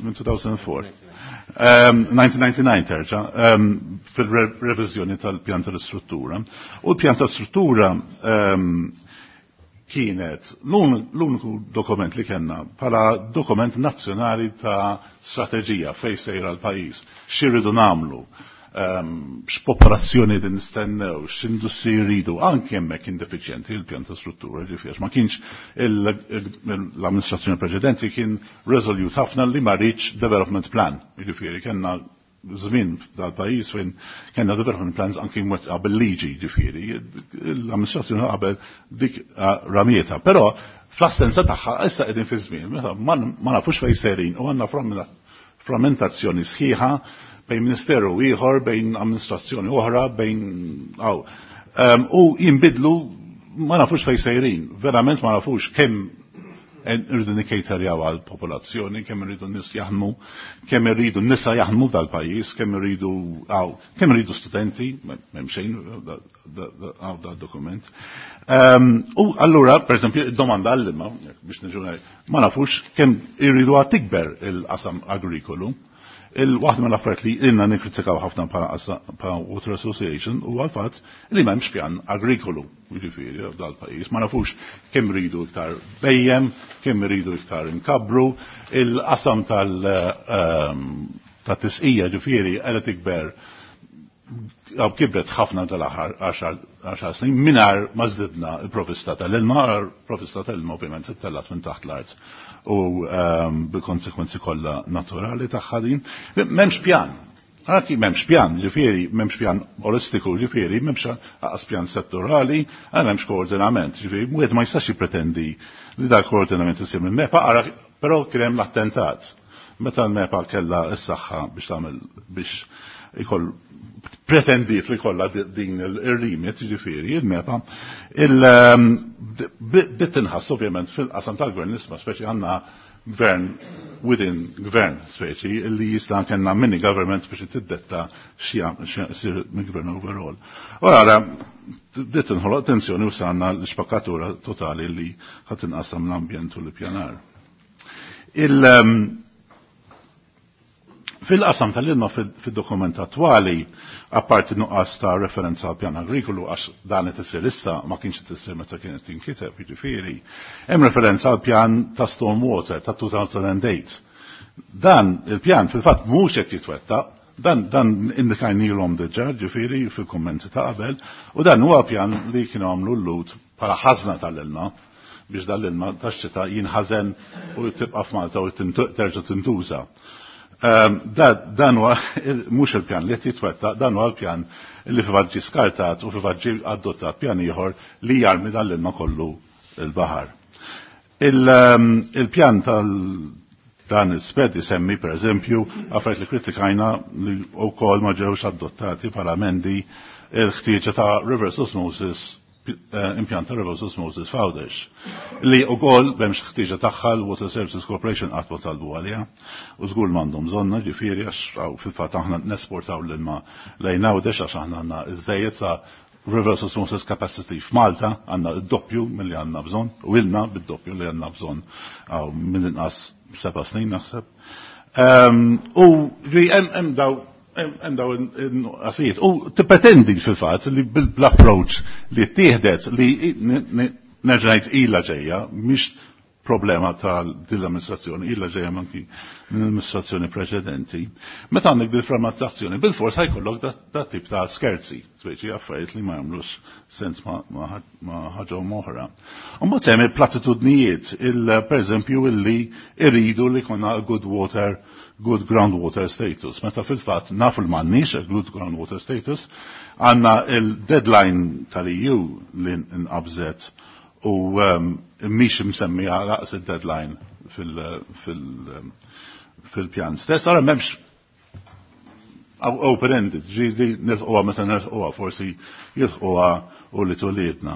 minn two thousand four. nineteen ninety-nine terġa', fil-reviżjoni tal-pjan tal-istruttura. U l-pjan tal-istruttura kienet l-uniku dokument li kellna bħala dokument nazzjonali ta' strateġija fejn sejra l-pajjiż, x'irridu nagħmlu, x'popolazzjoni din nistennew, x'industri jridu, anke hemmhekk kien defiċjenti il-pjan ta' struttura, ġifieri ma kienx l-amministrazzjoni preċedenti kien resolute ħafna li ma rridx development plan, ġifieri kellna żmien dal-pajjiż fejn kellna development plans anke mwettqa bil-liġi, ġifieri l-amministrazzjoni qabel dik ramieta, però fl-assenza tagħha issa qegħdin fi żmien meta ma nafux fejn sejrin u għandna frammentazzjoni sħiħa bejn ministeru ieħor, bejn amministrazzjoni oħra, bejn għaw. U jinbidlu ma nafux fejn sejrin, verament ma nafux kemm irridu nikkejterjaw għal popolazzjoni, kemm irridu nies jaħdmu, kemm irridu nisa jaħdmu dal-pajjiż, kemm irridu għaw, kemm irridu studenti, m'hemm xejn għaw dal-dokument. U allura, per esempio, id-domanda għall-ilma, biex niġu ngħid, ma nafux kemm irridu għad tikber il-qasam agrikolu. Il-waħda mill-affarijiet li ilna nikkritikaw ħafna bħala Water Association huwa l-fatt li m'hemmx pjan agrikolu, jiġifieri dal-pajjiż. Ma nafux kemm iridu iktar bejjem, kemm iridu iktar inkabru, il-qasam tal-tisqija ġifieri qiegħda tikber għaw kibret ħafna tal-aħħar għaxar snin mingħajr ma żdidna l-provvista tal-ilma, l-provvista tal-ilma ovvjament ittellat minn taħt l-art u bil-konsekwenzi kollha naturali tagħha din. M'hemmx pjan. Anki m'hemmx pjan, ġifieri, m'hemmx pjan olistiku, ġifieri, m'hemmx aqas pjan settorali, m'hemmx koordinament, ġifieri, wieħed ma jistax jippretendi li dal koordinament isir minn MEPA, ara, però kien hemm l-attentat. Meta l-MEPA kellha s-saħħa biex tagħmel biex ikoll pretendiet li kollha din il-rimit, ġifieri, il-MEPA, il-bdiet tinħass ovvjament fil-qasam tal-gvern nisma' speċi għandna gvern within gvern speċi li jista' kellna mini government biex tiddetta x'sir minn gvern overall. U ara bdiet tinħoloq tensjoni u sanna l-xpakkatura totali li ħadd inqasam l-ambjent u l-ippjanar. Il- Fil-qasam tal-ilma fil-dokument attwali, apparti nuqqas ta' referenza għal pjan agrikolu, għax dan qed isir issa ma kienx qed isir meta kienet tinkiteb, jiġifieri, hemm referenza għal pjan ta' stormwater ta' two thousand eight. Dan il-pjan fil-fatt mhux qed jitwettaq, dan, dan indikajnilhom diġà, ġifieri fil-kummenti ta' qabel, u dan huwa pjan li kienu għamlu l-lut bħala ħażna tal-ilma biex dan l-ilma tax-xita jinħażen u tibqa' f'Malta u terġa' tintuża. Dan huwa mhux il-pjan li qed jitwettaq, dan huwa l-pjan li fil-fatt ġie skartat u fil-fatt ġie adottat pjan ieħor li jarmi dan l-ilma kollu l-baħar. Il-pjan tal dan il-sped isemmi per eżempju affarijiet li kritikajna li wkoll ma ġewx adottati bħala emendi il-ħtieġa ta' reverse osmosis, impjant ta' reverse osmosis f'Għawdex. Li wkoll m'hemmx ħtieġa tagħha l-Water Services Corporation qatt ma talbu għaliha u żgur m'għandhom bżonna, ġifieri għax fil-fatt aħna nesportaw l-ilma lejn Għawdex għax aħna għandna iżżejjed sa reverse osmosis capacity f'Malta għandna d-doppju milli għandna bżonn u ilna bid-doppju li għandna bżonn għaw mill-inqas seba' snin naħseb. U hemm daw Hemm daw in-nuqqasijiet. U tippretendi fil-fatt li bl-approach li ttieħdet li nerġa' ngħid ilha ġejja, mhix problema tal-amministrazzjoni, illa ġejja manki mill-amministrazzjoni preċedenti. Meta għandek bil-frammentazzjoni, bil-fors ħajkollok dat tip ta' skerzi, speċi affarijiet li ma jagħmlux sens ma' ħaġa oħra. U mbagħad hemm il-platitudnijiet, pereżempju illi irridu li konna good water, good groundwater status. Meta fil-fatt nafu l m'għandniex good groundwater status, għandna il-deadline tal-E U li nqabżet u mhix msemmija laqs il-deadline fil-pjan stess. Ara m'hemmx open-ended, ġieli nilħquha meta nilħquha, forsi jilħquha u li tuliedna.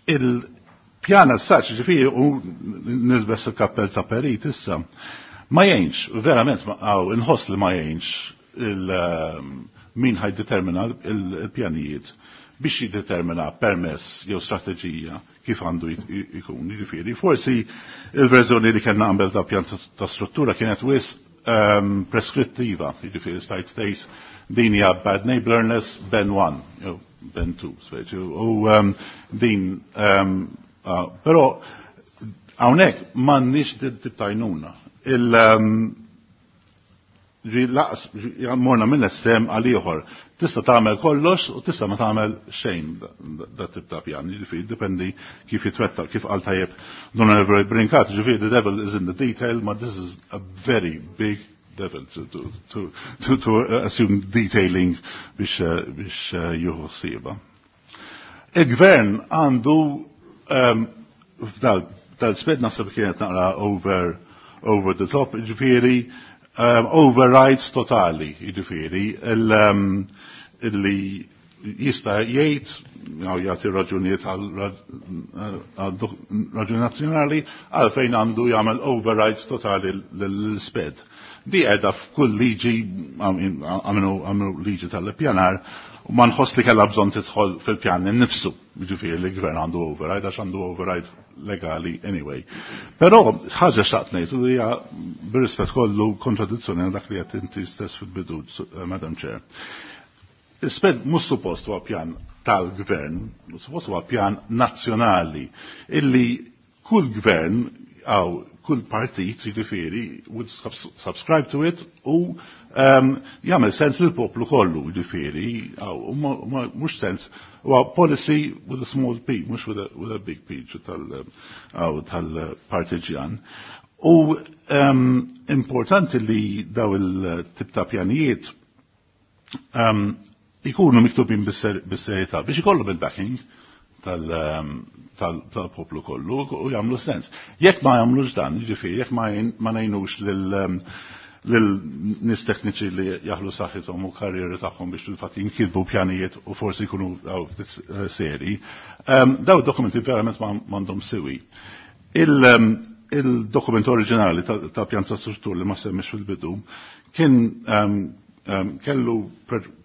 Il-pjan as-saċ, ġifieri, u nilbes il-kappell ta' perit issa, ma jgħinx, verament, inħoss li ma jgħinx min ħajdetermina il-pjanijiet biex jiddetermina permess jew strateġija kif għandu jkun. Jiġifieri, forsi il-verżjoni li kellna qabel ta' pjan ta' struttura kienet wis preskrittiva, jiġifieri stajt state din hija bad neighborness ben one, jew ben two, speċi, u din, però hawnhekk m'għandniex tip ta' għajnuna. Laqs, morna minn estrem għal ieħor. Tista' tagħmel kollox u tista' ma tagħmel xejn da tip ta' pjan. Jiġifieri dipendi kif jitwetta, kif qal tajjeb Don Everett Brincat, ġifieri the devil is in the detail, ma this is a very big devil to, to, to, to, to assume detailing biex, biex jieħu ħsiebha. Il-gvern għandu f'dal dal-sped naħseb kienet naqra over, over the top, ġifieri Um, overrides totali, jiġifieri, illi jista' jgħid, jagħti raġunijiet għal raġuni nazzjonali għalfejn għandu jagħmel overrides totali l-sped. Di qiegħda f'kull liġi, għamlu liġi tal-pjanar, u ma nħoss li kellha bżonn tidħol fil-pjan innifsu, jiġifieri li gvern għandu override għax għandu override legali anyway. Però ħaġa xtaqt ngħid u hija bir-rispett kollu kontradizzjoni għal dak li qed inti stess fil-bidu, Madam Chair. Is-sped mhux suppost huwa pjan tal-gvern, suppost huwa pjan nazzjonali illi kull gvern għaw kull partit, jiġifieri, would subscribe to it u jagħmel sens lil poplu kollu, jiġifieri, mhux sens huwa policy with a small p, mhux with a, with a big p tal-partiġjan. U importanti li daw il-tip ta' pjanijiet ikunu miktubin bis-serjetà biex ikollu bil-backing tal-poplu kollu u jagħmlu sens. Jekk ma jagħmlux dan, jiġifieri, jekk ma ngħinux lil nies tekniċi li jaħlu saħħithom u karrieri tagħhom biex fil-fatt jinkitbu pjanijiet u forsi jkunu seri, daw dokumenti verament m'għandhom siwi. Il-dokument oriġinali ta' pjan ta' struttur li ma semmix fil-bidu kien kellu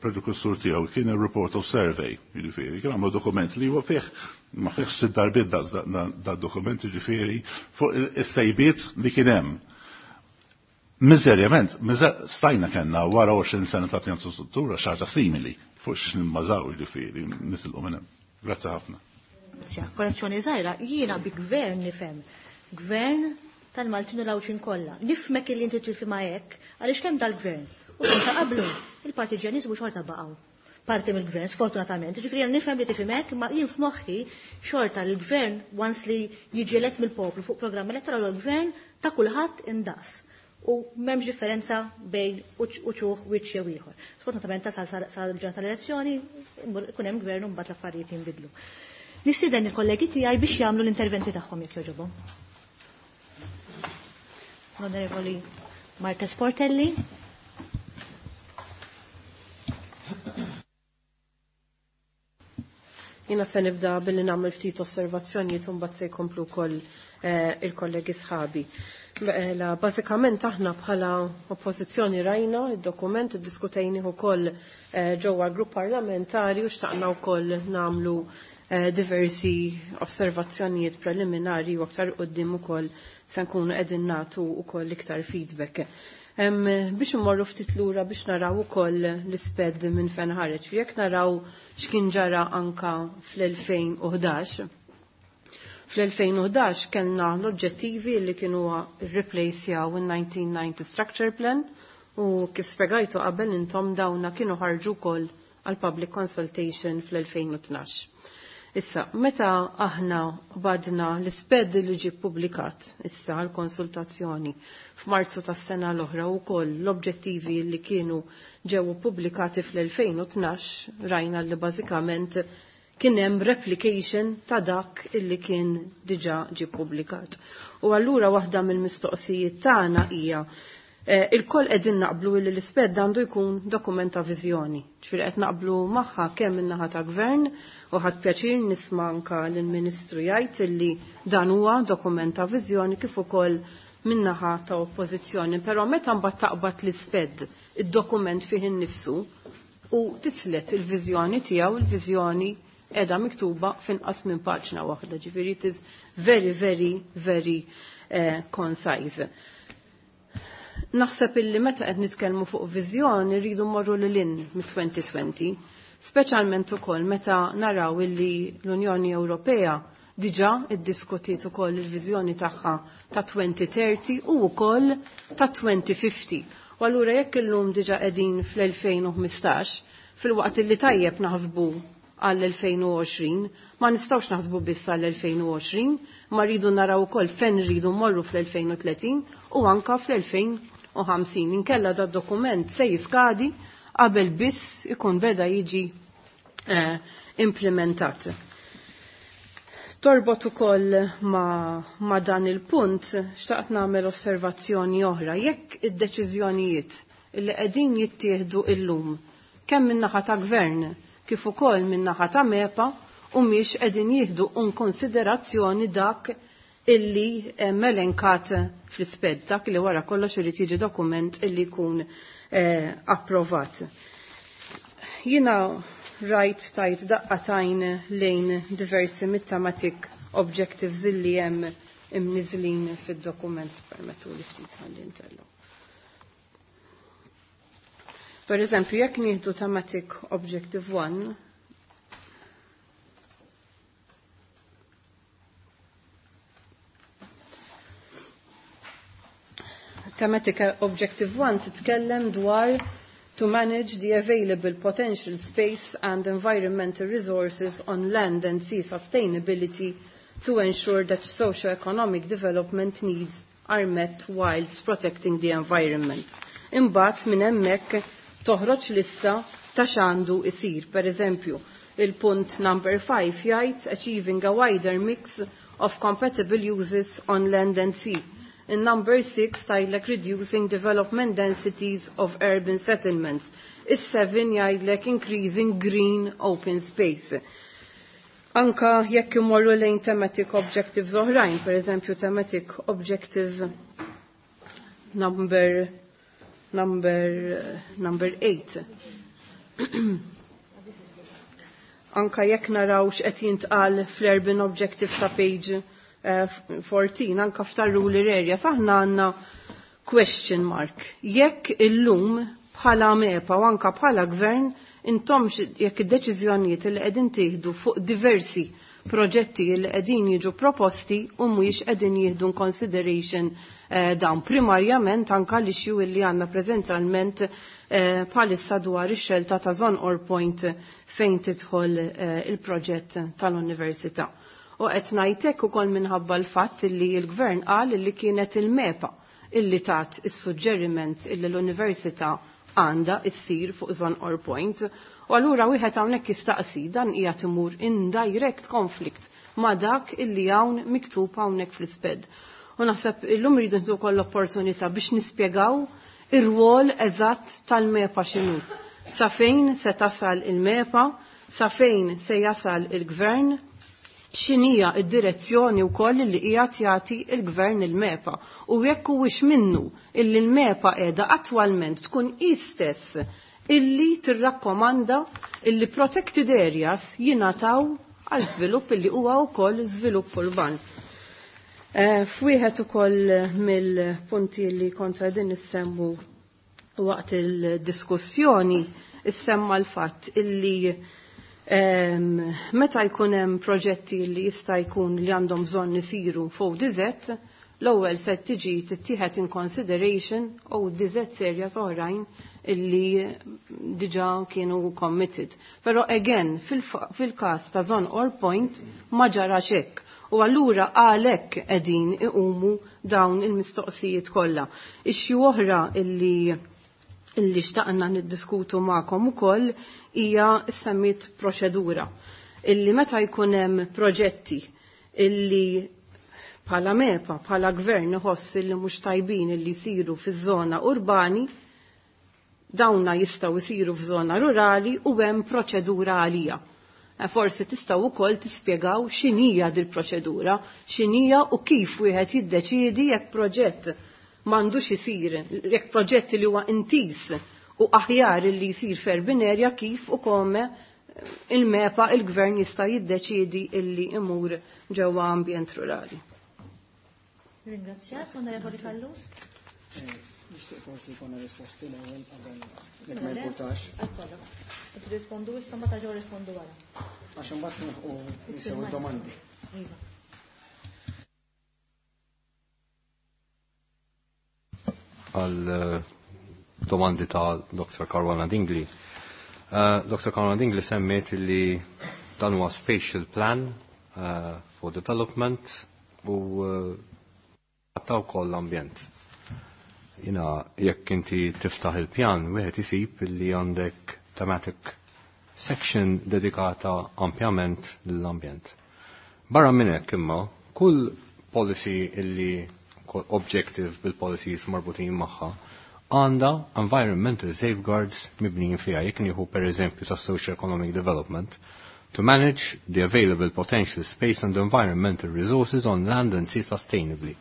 prekursur tiegħu kien il-report of survey, jiġifieri, kien għamlu dokument li huwa fih ma fih sitt darbiet da dokument, jiġifieri, fuq is-sejbiet li kien hemm. Miżerjament, stajna kellna wara għoxrin sena ta' pjan ta' struttura xi ħaġa simili fuq xiex nimmażaw, jiġifieri, nisilqu minn hemm. Grazzi ħafna.
Korrezzjoni żgħira, jiena bi gvern nifhem. Gvern tal-Maltin u l-Għawdxin kollha. Nifhmek illi inti tifhimha hekk, għaliex kemm dal-gvern. U kemm ta' qablu, il-partiġjaniżmu xorta baqgħu parti mill-gvern, sfortunatament. Ġifieri jien nifhem li tifhem hekk, ma jien f'moħħi xorta l-gvern once li jiġi elett mill-poplu fuq programm elettorali l-gvern ta' kulħadd indaqs. U m'hemmx differenza bejn uċuħ wiċċ jew ieħor. Sfortunatament tasal sal-ġurnata tal-elezzjoni ikun hemm gvern u mbagħad l-affarijiet jinbidlu. Nistieden il-kollegi tiegħi biex jagħmlu l-interventi tagħhom jekk jogħġobhom. L-Onorevoli Marta Sportelli.
Jiena se nibda billi nagħmel ftit osservazzjonijiet u mbagħad se jkomplu wkoll il-kollegi sħabi. Mela, bażikament aħna bħala oppożizzjoni rajna id-dokument iddiskutejnih ukoll ġewwa l-grupp parlamentari u xtaqna wkoll nagħmlu diversi osservazzjonijiet preliminari u aktar quddiem ukoll se nkunu qegħdin nagħtu wkoll iktar feedback. Biex immorru ftit lura biex naraw ukoll l-isped minn fejn ħareġ. Jekk naraw x'kien ġara anka fl-elfejn u ħdax. Fl-elfejn u ħdax kellna l-oġġettivi li kienu rreplacjaw in-nineteen ninety Structure Plan u kif spjegajtu qabel intom dawna kienu ħarġu wkoll għal public consultation fl-elfejn u tnax. Issa, meta aħna badna l-isped li ġie ppubblikat issa għal konsultazzjoni f'Marzu tas-sena l-oħra u koll l-oġġettivi li kienu ġew pubblikati fl-elfejn u tnax, rajna li bażikament kien hemm replication ta' dak illi kien diġà ġie ppubblikat. U allura waħda mill-mistoqsijiet tagħna hija il-koll qegħdin naqblu li l-isped għandu jkun dokument ta' viżjoni. Ġifieri qed naqblu magħha kemm min-naħa ta' gvern u ħadd pjaċir nisma' anka lill-Ministru jgħid illi dan huwa dokument ta' viżjoni kif ukoll min-naħa ta' oppożizzjoni. Però meta mbagħad taqbad l-isped id-dokument fih innifsu u tislet il-viżjoni tiegħu, il-viżjoni qiegħda miktuba f'inqas minn paġna waħda. Ġifieri it is very, very, very eh, concise. Naħseb illi meta qed nitkellmu fuq viżjoni rridu mmorru lil hinn mit-twenty twenty, speċjalment ukoll meta naraw illi l-Unjoni Ewropea diġà iddiskutiet ukoll il-viżjoni tagħha ta' twenty thirty u wkoll ta' twenty fifty. U allura jekk illum diġà qegħdin fl-elfejn u ħmistax, fil-waqt illi tajjeb naħsbu għall-elfejn u għoxrin, ma nistgħux naħsbu biss għall-elfejn u għoxrin, ma rridu naraw ukoll fejn rridu mmorru fl-elfejn u tletin u anka fl-elfejn u ħamsin. Inkella da dokument se jiskadi qabel biss ikun beda jiġi, eh, implementat. Torbot ukoll ma, ma dan il-punt, xtaqt nagħmel osservazzjoni oħra. Jekk id-deċiżjonijiet li qegħdin jittieħdu illum kemm min-naħa ta' gvern kif ukoll min-naħa ta' MEPA u mhix qegħdin jieħdu in konsiderazzjoni dak illi melenkat fl-isped, dak li wara kollox irid jiġi dokument illi jkun, eh, approvat. Jiena rajt tajt daqqatajn lejn diversi mit-thematic objectives illi hemm imniżlin fid-dokument, permettu li ftit ħalli ntellu. Per eżempju, jekk nieħdu thematic objective one, thematic objective one titkellem dwar to manage the available potential space and environmental resources on land and sea sustainability to ensure that socio-economic development needs are met whilst protecting the environment. Imbagħad minn hemmhekk toħroġ lista ta' x'għandu isir. Per eżempju, il-punt number five jgħid achieving a wider mix of compatible uses on land and sea. In number six tgħidlek reducing development densities of urban settlements. Is-seven jgħidlek increasing green open space. Anka jekk imorru lejn thematic objectives oħrajn, per eżempju thematic objective number, number, number eight. Anka jekk naraw x'qed jintqal fl-urban objective ta' page, eh, fourteen, anka f'tar rural area, saħna għandna question mark. Jekk illum bħala MEPA u anka bħala gvern intom jekk id-deċiżjonijiet li qegħdin tieħdu fuq diversi proġetti li qegħdin jiġu proposti u mhuwiex qegħdin jieħdu in consideration, eh, dawn primarjament anka l-issue li għandna preżentalment, eh, bħalissa dwar ix-xelta ta' Żonqor Point fejn tidħol, eh, il-proġett tal-università. U qed ngħidlek ukoll minħabba l-fatt li l-gvern qal li kienet il-MEPA illi tat is-suġġeriment illi l-università għandha issir fuq Żonqor Point. U allura wieħed hawnhekk jistaqsi dan qiegħed imur in direct conflict ma' dak illi hawn miktub hawnhekk fl-isped. U naħseb illum rridu nieħdu wkoll l-opportunità biex nispjegaw ir-rwol eżatt tal-MEPA x'inhu. Sa fejn se tasal il-MEPA, sa fejn se jasal il-gvern, x'inhija d-direzzjoni wkoll li qiegħed jagħti il-gvern il-MEPA u jekk huwiex minnu illi l-MEPA qiegħda attwalment tkun hi stess illi tirrakkomanda illi protected areas jingħataw għal żvilupp illi huwa wkoll żvilupp urban. Eh, f'wieħed ukoll mill-punti li kontu qegħdin nissemmu waqt il-diskussjoni issemma l-fatt illi ehm, meta jkun hemm proġetti li jista' jkun li għandhom bżonn isiru fuq dizet, l-ewwel se tiġi tittieħed in consideration u dizet serja oħrajn illi diġà kienu committed. Però again, fil-każ ta' Zon or Point ma ġarax hekk. U allura għalhekk qegħdin iqumu dawn il-mistoqsijiet kollha. Issue oħra illi illi xtaqna niddiskutu magħkom ukoll hija semmit proċedura. Illi meta jkun hemm proġetti illi bħala MEPA, bħala gvern iħoss illi mhux tajbin illi jsiru fiż-żona urbani, dawna jistgħu jsiru f'żona rurali u hemm proċedura għalija. Eh, forsi tistgħu wkoll tispjegaw x'inhija dil-proċedura, x'inhija u kif wieħed jiddeċiedi jekk proġett m'għandux isir, jekk proġett li huwa intis u aħjar li jsir f'urban area kif u kome il-MEPA il-gvern jista' jiddeċiedi illi imur ġewwa ambjent rurali.
Ringrazzja, Onorevoli Callus.
Nixtieq forsi jkollna risposti l-ewwel qabel jekk ma jimpurtax.
Rispondu issa ma taġgħu rispondu wara.
Għax imbagħad nilħqu nisew id-domandi.
Iva.
Għal eh, domandi ta' Doktor Caruana Dingli. Uh, Doktor Caruana Dingli semmiet li dan huwa spatial plan uh, for development u għattaw uh, wkoll l-ambjent. Jina, jekk inti tiftaħ il-pjan, wieħed isib li għandek thematic section dedikata ampjament lill-ambjent. Barra minn hekk imma, kull policy illi objective bil-policies marbutin magħha għandha environmental safeguards mibnijin fiha. Jekk nieħu per eżempju ta' social economic development, to manage the available potential space and environmental resources on land and sea sustainably,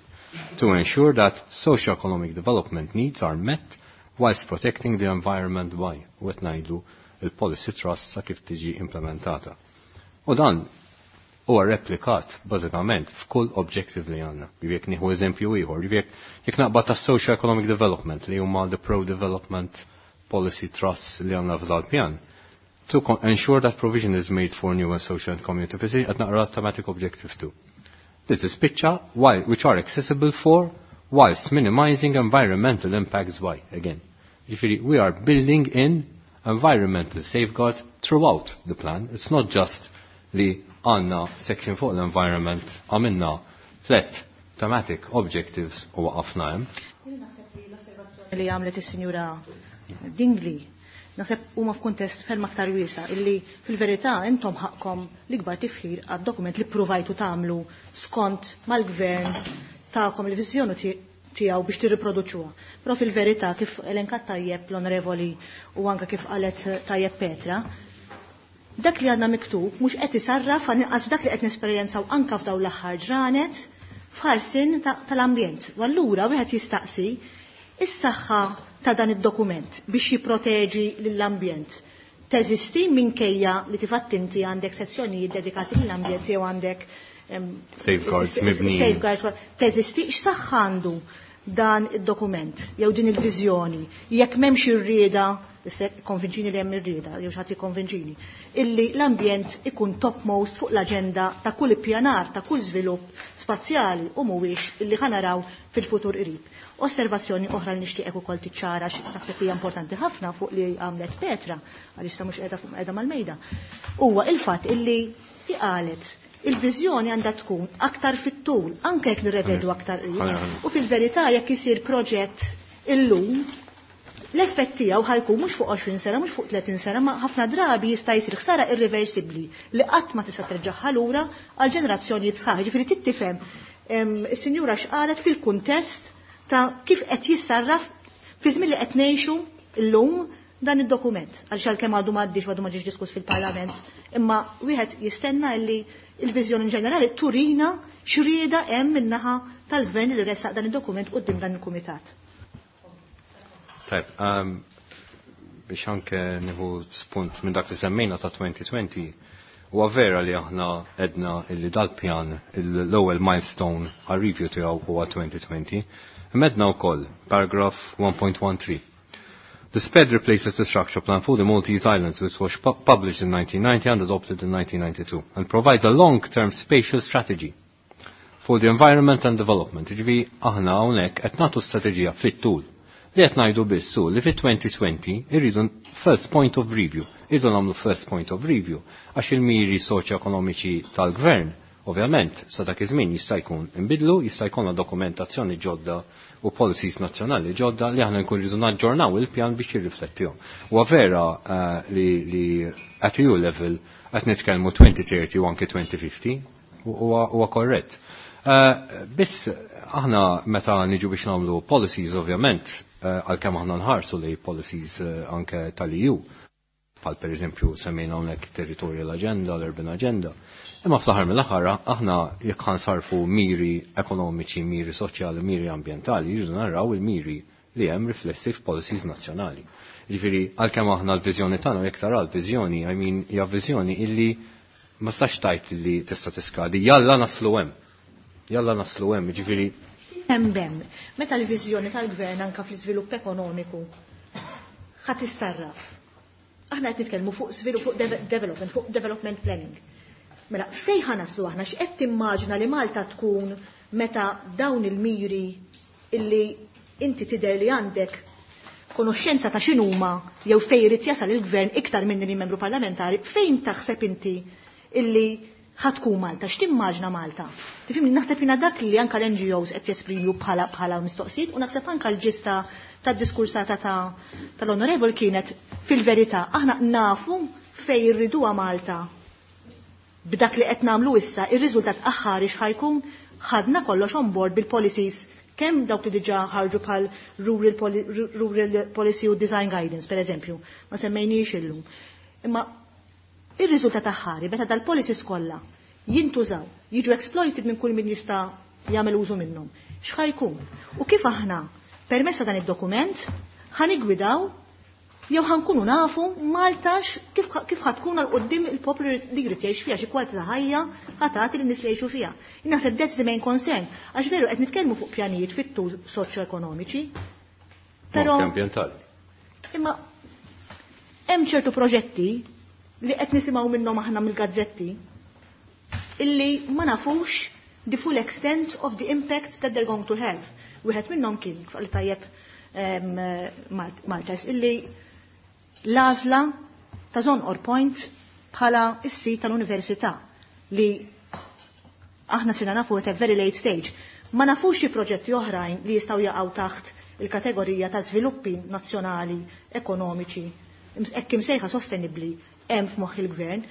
to ensure that socio-economic development needs are met whilst protecting the environment by, u qed ngħidu il-policy trust sa kif tiġi implementata. U dan huwa replikat bażikament f'kull objective li għandna. Jekk nieħu eżempju ieħor, jekk jekk naqbad ta' socio-economic development li huma the pro-development policy trusts li għandna f'dal pjan, to ensure that provision is made for new and social and community facilities qed naqra thematic objective two. This is picture why, which are accessible for whilst minimizing environmental impacts by, again. Ġifieri, we are building in environmental safeguards throughout the plan. It's not just li għanna section fuq l-environment, għamilna flat thematic objectives u waqafna hemm.
Li għamlet is-Sinjura Dingli, naħseb huma f'kuntest ferm aktar wiesa' illi fil-verità intom ħaqkom l-ikbar tifħir għad-dokument li provajtu tagħmlu skont mal-gvern tagħkom il-viżjoni tiegħu biex tirriproduċuha. Però fil-verità kif elenkat tajjeb l-Onorevoli u anke kif qalet tajjeb Petra, dak li għandna miktub mhux qed isarraf għal dak li qed nesperjenzaw anke f'dawn l-aħħar ġranet f'ħarsin tal-ambjent. U allura wieħed jistaqsi is-saħħa ta' dan id-dokument biex jipproteġi lill-ambjent. Teżisti minkejja li kif inti għandek sezzjonijiet dedikati lill-ambjent jew għandek
safeguards mibnijin.
Safeguards, teżisti x'saħħa għandu dan id-dokument jew din il-viżjoni jekk m'hemmx ir-rieda, konvinċini li hemm ir-rieda jew xi ħadd jikkonvinċini, illi l-ambjent ikun topmost fuq l-aġenda ta' kull ippjanar, ta' kull żvilupp spazjali u mhuwiex illi ħanaraw fil-futur qrib. Osservazzjoni oħra li nixtieqek ukoll tiċċara x'naħseb hija importanti ħafna fuq li għamlet Petra, għaliex sa mhux qiegħda fuq qiegħda mal-mejda, huwa il-fatt illi qalet il-viżjoni għandha tkun aktar fit-tul, anke jekk nirrevedu aktar qrib. U fil-verità jekk isir proġett illum, l-effett tiegħu ħajkun mhux fuq għoxrin sena, mhux fuq tletin sena, ma ħafna drabi jista' jsir ħsara irreversibbli li qatt ma tista' terġagħha lura għal ġenerazzjonijiet sħaħ. Ġifieri trid tifhem is-sinjura x'qalet fil-kuntest ta' kif qed jissarraf fi żmien li qed ngħixu llum dan id-dokument. Għaliex għalkemm għadu m'għaddix għadu ma ġiex diskuss fil-Parlament, imma wieħed jistenna li il-viżjoni ġenerali turina x'rieda hemm min-naħa tal-gvern li ressaq dan id-dokument quddiem dan il-kumitat.
Tajb, um, biex anke nieħu spunt minn dak li semmejna ta' twenty twenty, Huwa vera li aħna għedna illi dal-pjan l-ewwel milestone għal review tiegħu huwa twenty twenty. Għedna wkoll paragraph one point one three. The SPED replaces the structure plan for the Maltese Islands, which was pu published in nineteen ninety and adopted in nineteen ninety-two, and provides a long-term spatial strategy for the environment and development. Ġifieri aħna hawnhekk qed nagħtu strateġija fit-tul. Li qed ngħidu biss hu li fit-twenty twenty irridu first point of review. Irridu nagħmlu first point of review għax il-miri soċjo-ekonomiċi tal-gvern ovvjament sa dak iż-żmien jista' jkun inbidlu, jista' jkollna dokumentazzjoni ġodda u policies nazzjonali ġodda li aħna nkun rridu naġġornaw il-pjan biex jirriflettihom. Huwa vera uh, li, li at E U level qed nitkellmu twenty thirty u anke twenty fifty, huwa korrett. Uh, biss aħna meta niġu biex nagħmlu policies, ovvjament uh, għalkemm aħna nħarsu li policies uh, anke tal-E U, bħal per eżempju semmejna hawnhekk territorial agenda, l-urban agenda. Imma fl-aħħar mill-aħħar aħna jekk ħansarfu miri ekonomiċi, miri soċjali, miri ambjentali, jridu naraw il-miri li hemm riflessi f'policies nazzjonali. Ġifieri għalkemm aħna l-viżjoni tagħna, jekk tara l-viżjoni, I mean, hija viżjoni illi ma stax tajt li tista' tiskadi, jalla naslu hemm. Jalla naslu hemm, ġifieri
Hemm hemm, meta l-viżjoni tal-gvern anka fl-iżvilupp ekonomiku ħa tissarraf. Aħna qed nitkellmu fuq żvilupp, fuq development, fuq development planning. Mela, fejn ħa naslu aħna? X'qed timmaġina li Malta tkun meta dawn il-miri illi inti tidher li għandek konoxxenza ta' x'inhuma jew fejn irid jasal il-gvern iktar minni li membru parlamentari, fejn taħseb inti illi ħa tkun Malta, x'timmaġna Malta? Tifhimni, naħseb jiena dak li anka l-N G Os qed jesprimu bħala bħala mistoqsijiet u naħseb anka l-ġista tad-diskursata ta' tal-onorevol kienet fil-verità aħna nafu fejn irriduha Malta b'dak li qed nagħmlu issa, ir-riżultat aħħari x'ħa jkun? Ħadna kollox on board bil-policies, kemm dawk li diġà ħarġu bħal rural, poli rural policy u design guidance, per eżempju, ma semmejniex illum. Imma ir-riżultat aħħari meta dal-policies kollha jintużaw, jiġu exploited minn kull min jista' jagħmel użu minnhom. X'ħa jkun? U kif aħna permezz ta' dan id-dokument ħa niggwidaw jew ħa nkunu nafu Malta kif kif ħa tkun għal quddiem, il-poplu li jrid jgħix fiha, xi kwalità ta' ħajja ħa tagħti lin-nies li jgħixu fiha? Naħseb that's the main concern, għax veru qed nitkellmu fuq pjanijiet fit-tul soċjo-ekonomiċi.
Però ambjentali.
Imma hemm ċertu proġetti li qed nisimgħu minnhom aħna mill-gazzetti illi ma nafux the full extent of the impact that they're going to have. Wieħed minnhom kien li tajjeb Maltes illi l-għażla ta' Żonqor Point bħala is-sit tal-università li aħna sirna nafu at a very late stage. Ma nafux xi proġetti oħrajn li jistgħu jaqgħu taħt il-kategorija ta' żviluppi nazzjonali, ekonomiċi, hekk imsejħa sostenibbli hemm f'moħħ il-gvern.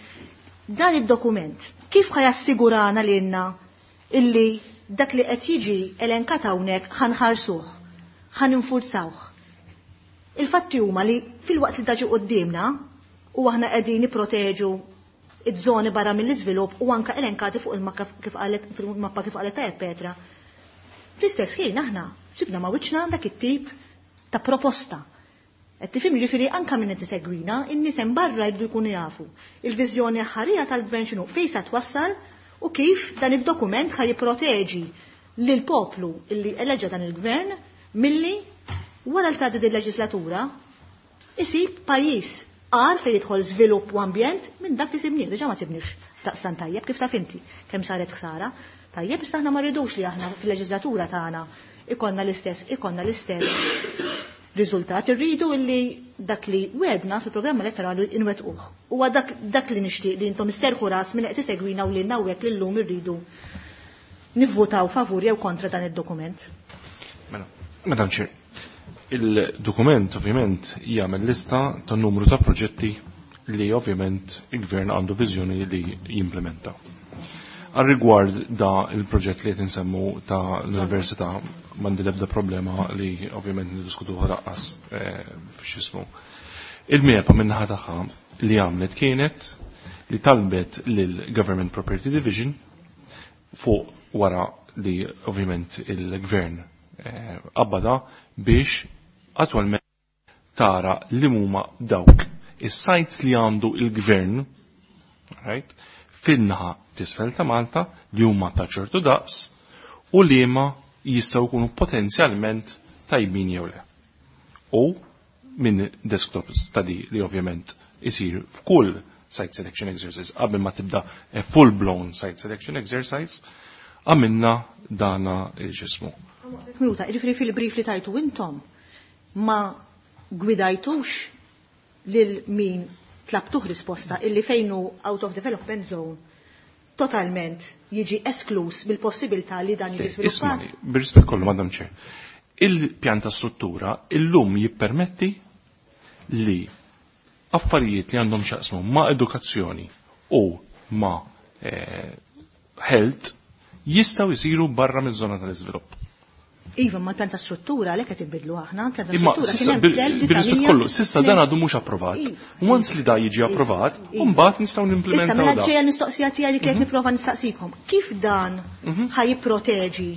Dan id-dokument kif ħa jassigurana lilna illi dak li qed jiġi elenkat hawnhekk ħa nħarsuh, ħa ninfurzawh? Il-fatti huma li fil-waqt li daġi qudiemna u aħna qegħdin nipproteġu iż-żoni barra mill-iżvilupp u anka elenkati fuq il-mappa kif qalet fil-mappa kif qalet tajjeb Petra. Fl-istess ħin aħna sibna ma' wiċċna dak it-tip ta' proposta. Qed tifhem, ġifieri anka minn qed isegwina, in-nies hemm barra jridu jkunu jafu il-viżjoni aħħarija tal-gvern x'inhu, fejn sa twassal u kif dan id-dokument ħa jipproteġi lil poplu illi eleġa dan il-gvern milli wara l tgħaddi din leġislatura isib pajjiż għar fejn jidħol żvilupp u ambjent minn dak li sibnieh. Diġà ma sibniex daqstan tajjeb, kif taf inti kemm saret ħsara. Tajjeb, issa aħna ma rridux li aħna fil-leġislatura tagħna ikonna l-istess ikonna l-istess riżultat. Irridu illi dak li wedna fil-programm elettorali inwettquh. Huwa dak, dak li nixtieq li intom isserħu ras minn qed isegwina u li hawnhekk li llum irridu nivvutaw favur jew kontra dan id-dokument.
Mela, Madam Chair, il-dokument ovvjament jagħmel lista ta' numru ta' proġetti li ovvjament il-gvern għandu viżjoni li jimplementa. Għal rigward da il-proġett li qed insemmu ta' l-università, m'għandi l-ebda problema li ovvjament niddiskutuha laqqas eh, f'xismu. Il-MEPA min-naħa tagħha li għamlet kienet li talbet lil Government Property Division fuq wara li ovvjament il-gvern eh, qabbada biex attualment tara li huma dawk is-sites li għandu il-gvern, Right? Fin-naħa t'isfel ta' Malta li huma ta' ċertu daqs u liema jistgħu jkunu potenzjalment tajbin jew le. U minn desktop study li ovvjament isir f'kull site selection exercise qabel ma tibda a full blown site selection exercise, għamilna dana il-ġismu.
Minuta, ġifieri fil-brief li tajtu intom ma gwidajtux lil min tlabtuh risposta illi fejnu out of development zone totalment jiġi esklus bil-possibilità li dan jiġi sviluppat?
Ismani, bir-rispett kollu, Madam Chair, il-pjan ta' struttura illum jippermetti li affarijiet li għandhom x'jaqsmu ma' edukazzjoni u ma' eh, health jistgħu jisiru barra mill-żona tal-iżvilupp.
Iva, ma pjan ta' struttura għalhekk qed inbidlu aħna, pjan ta'
Imma
struttura kien
sissa,
hemm
bil-
fl-elf
bil-rispett kollu, sissa dan għadu mhux approvat.
Iva.
Once li da jiġi approvat,
Iva.
mbagħad nistgħu
Issa
nimplementaw
mela
da.
ġejja l-mistoqsija tiegħi li kienet nipprova nistaqsikom. Kif dan ħa jipproteġi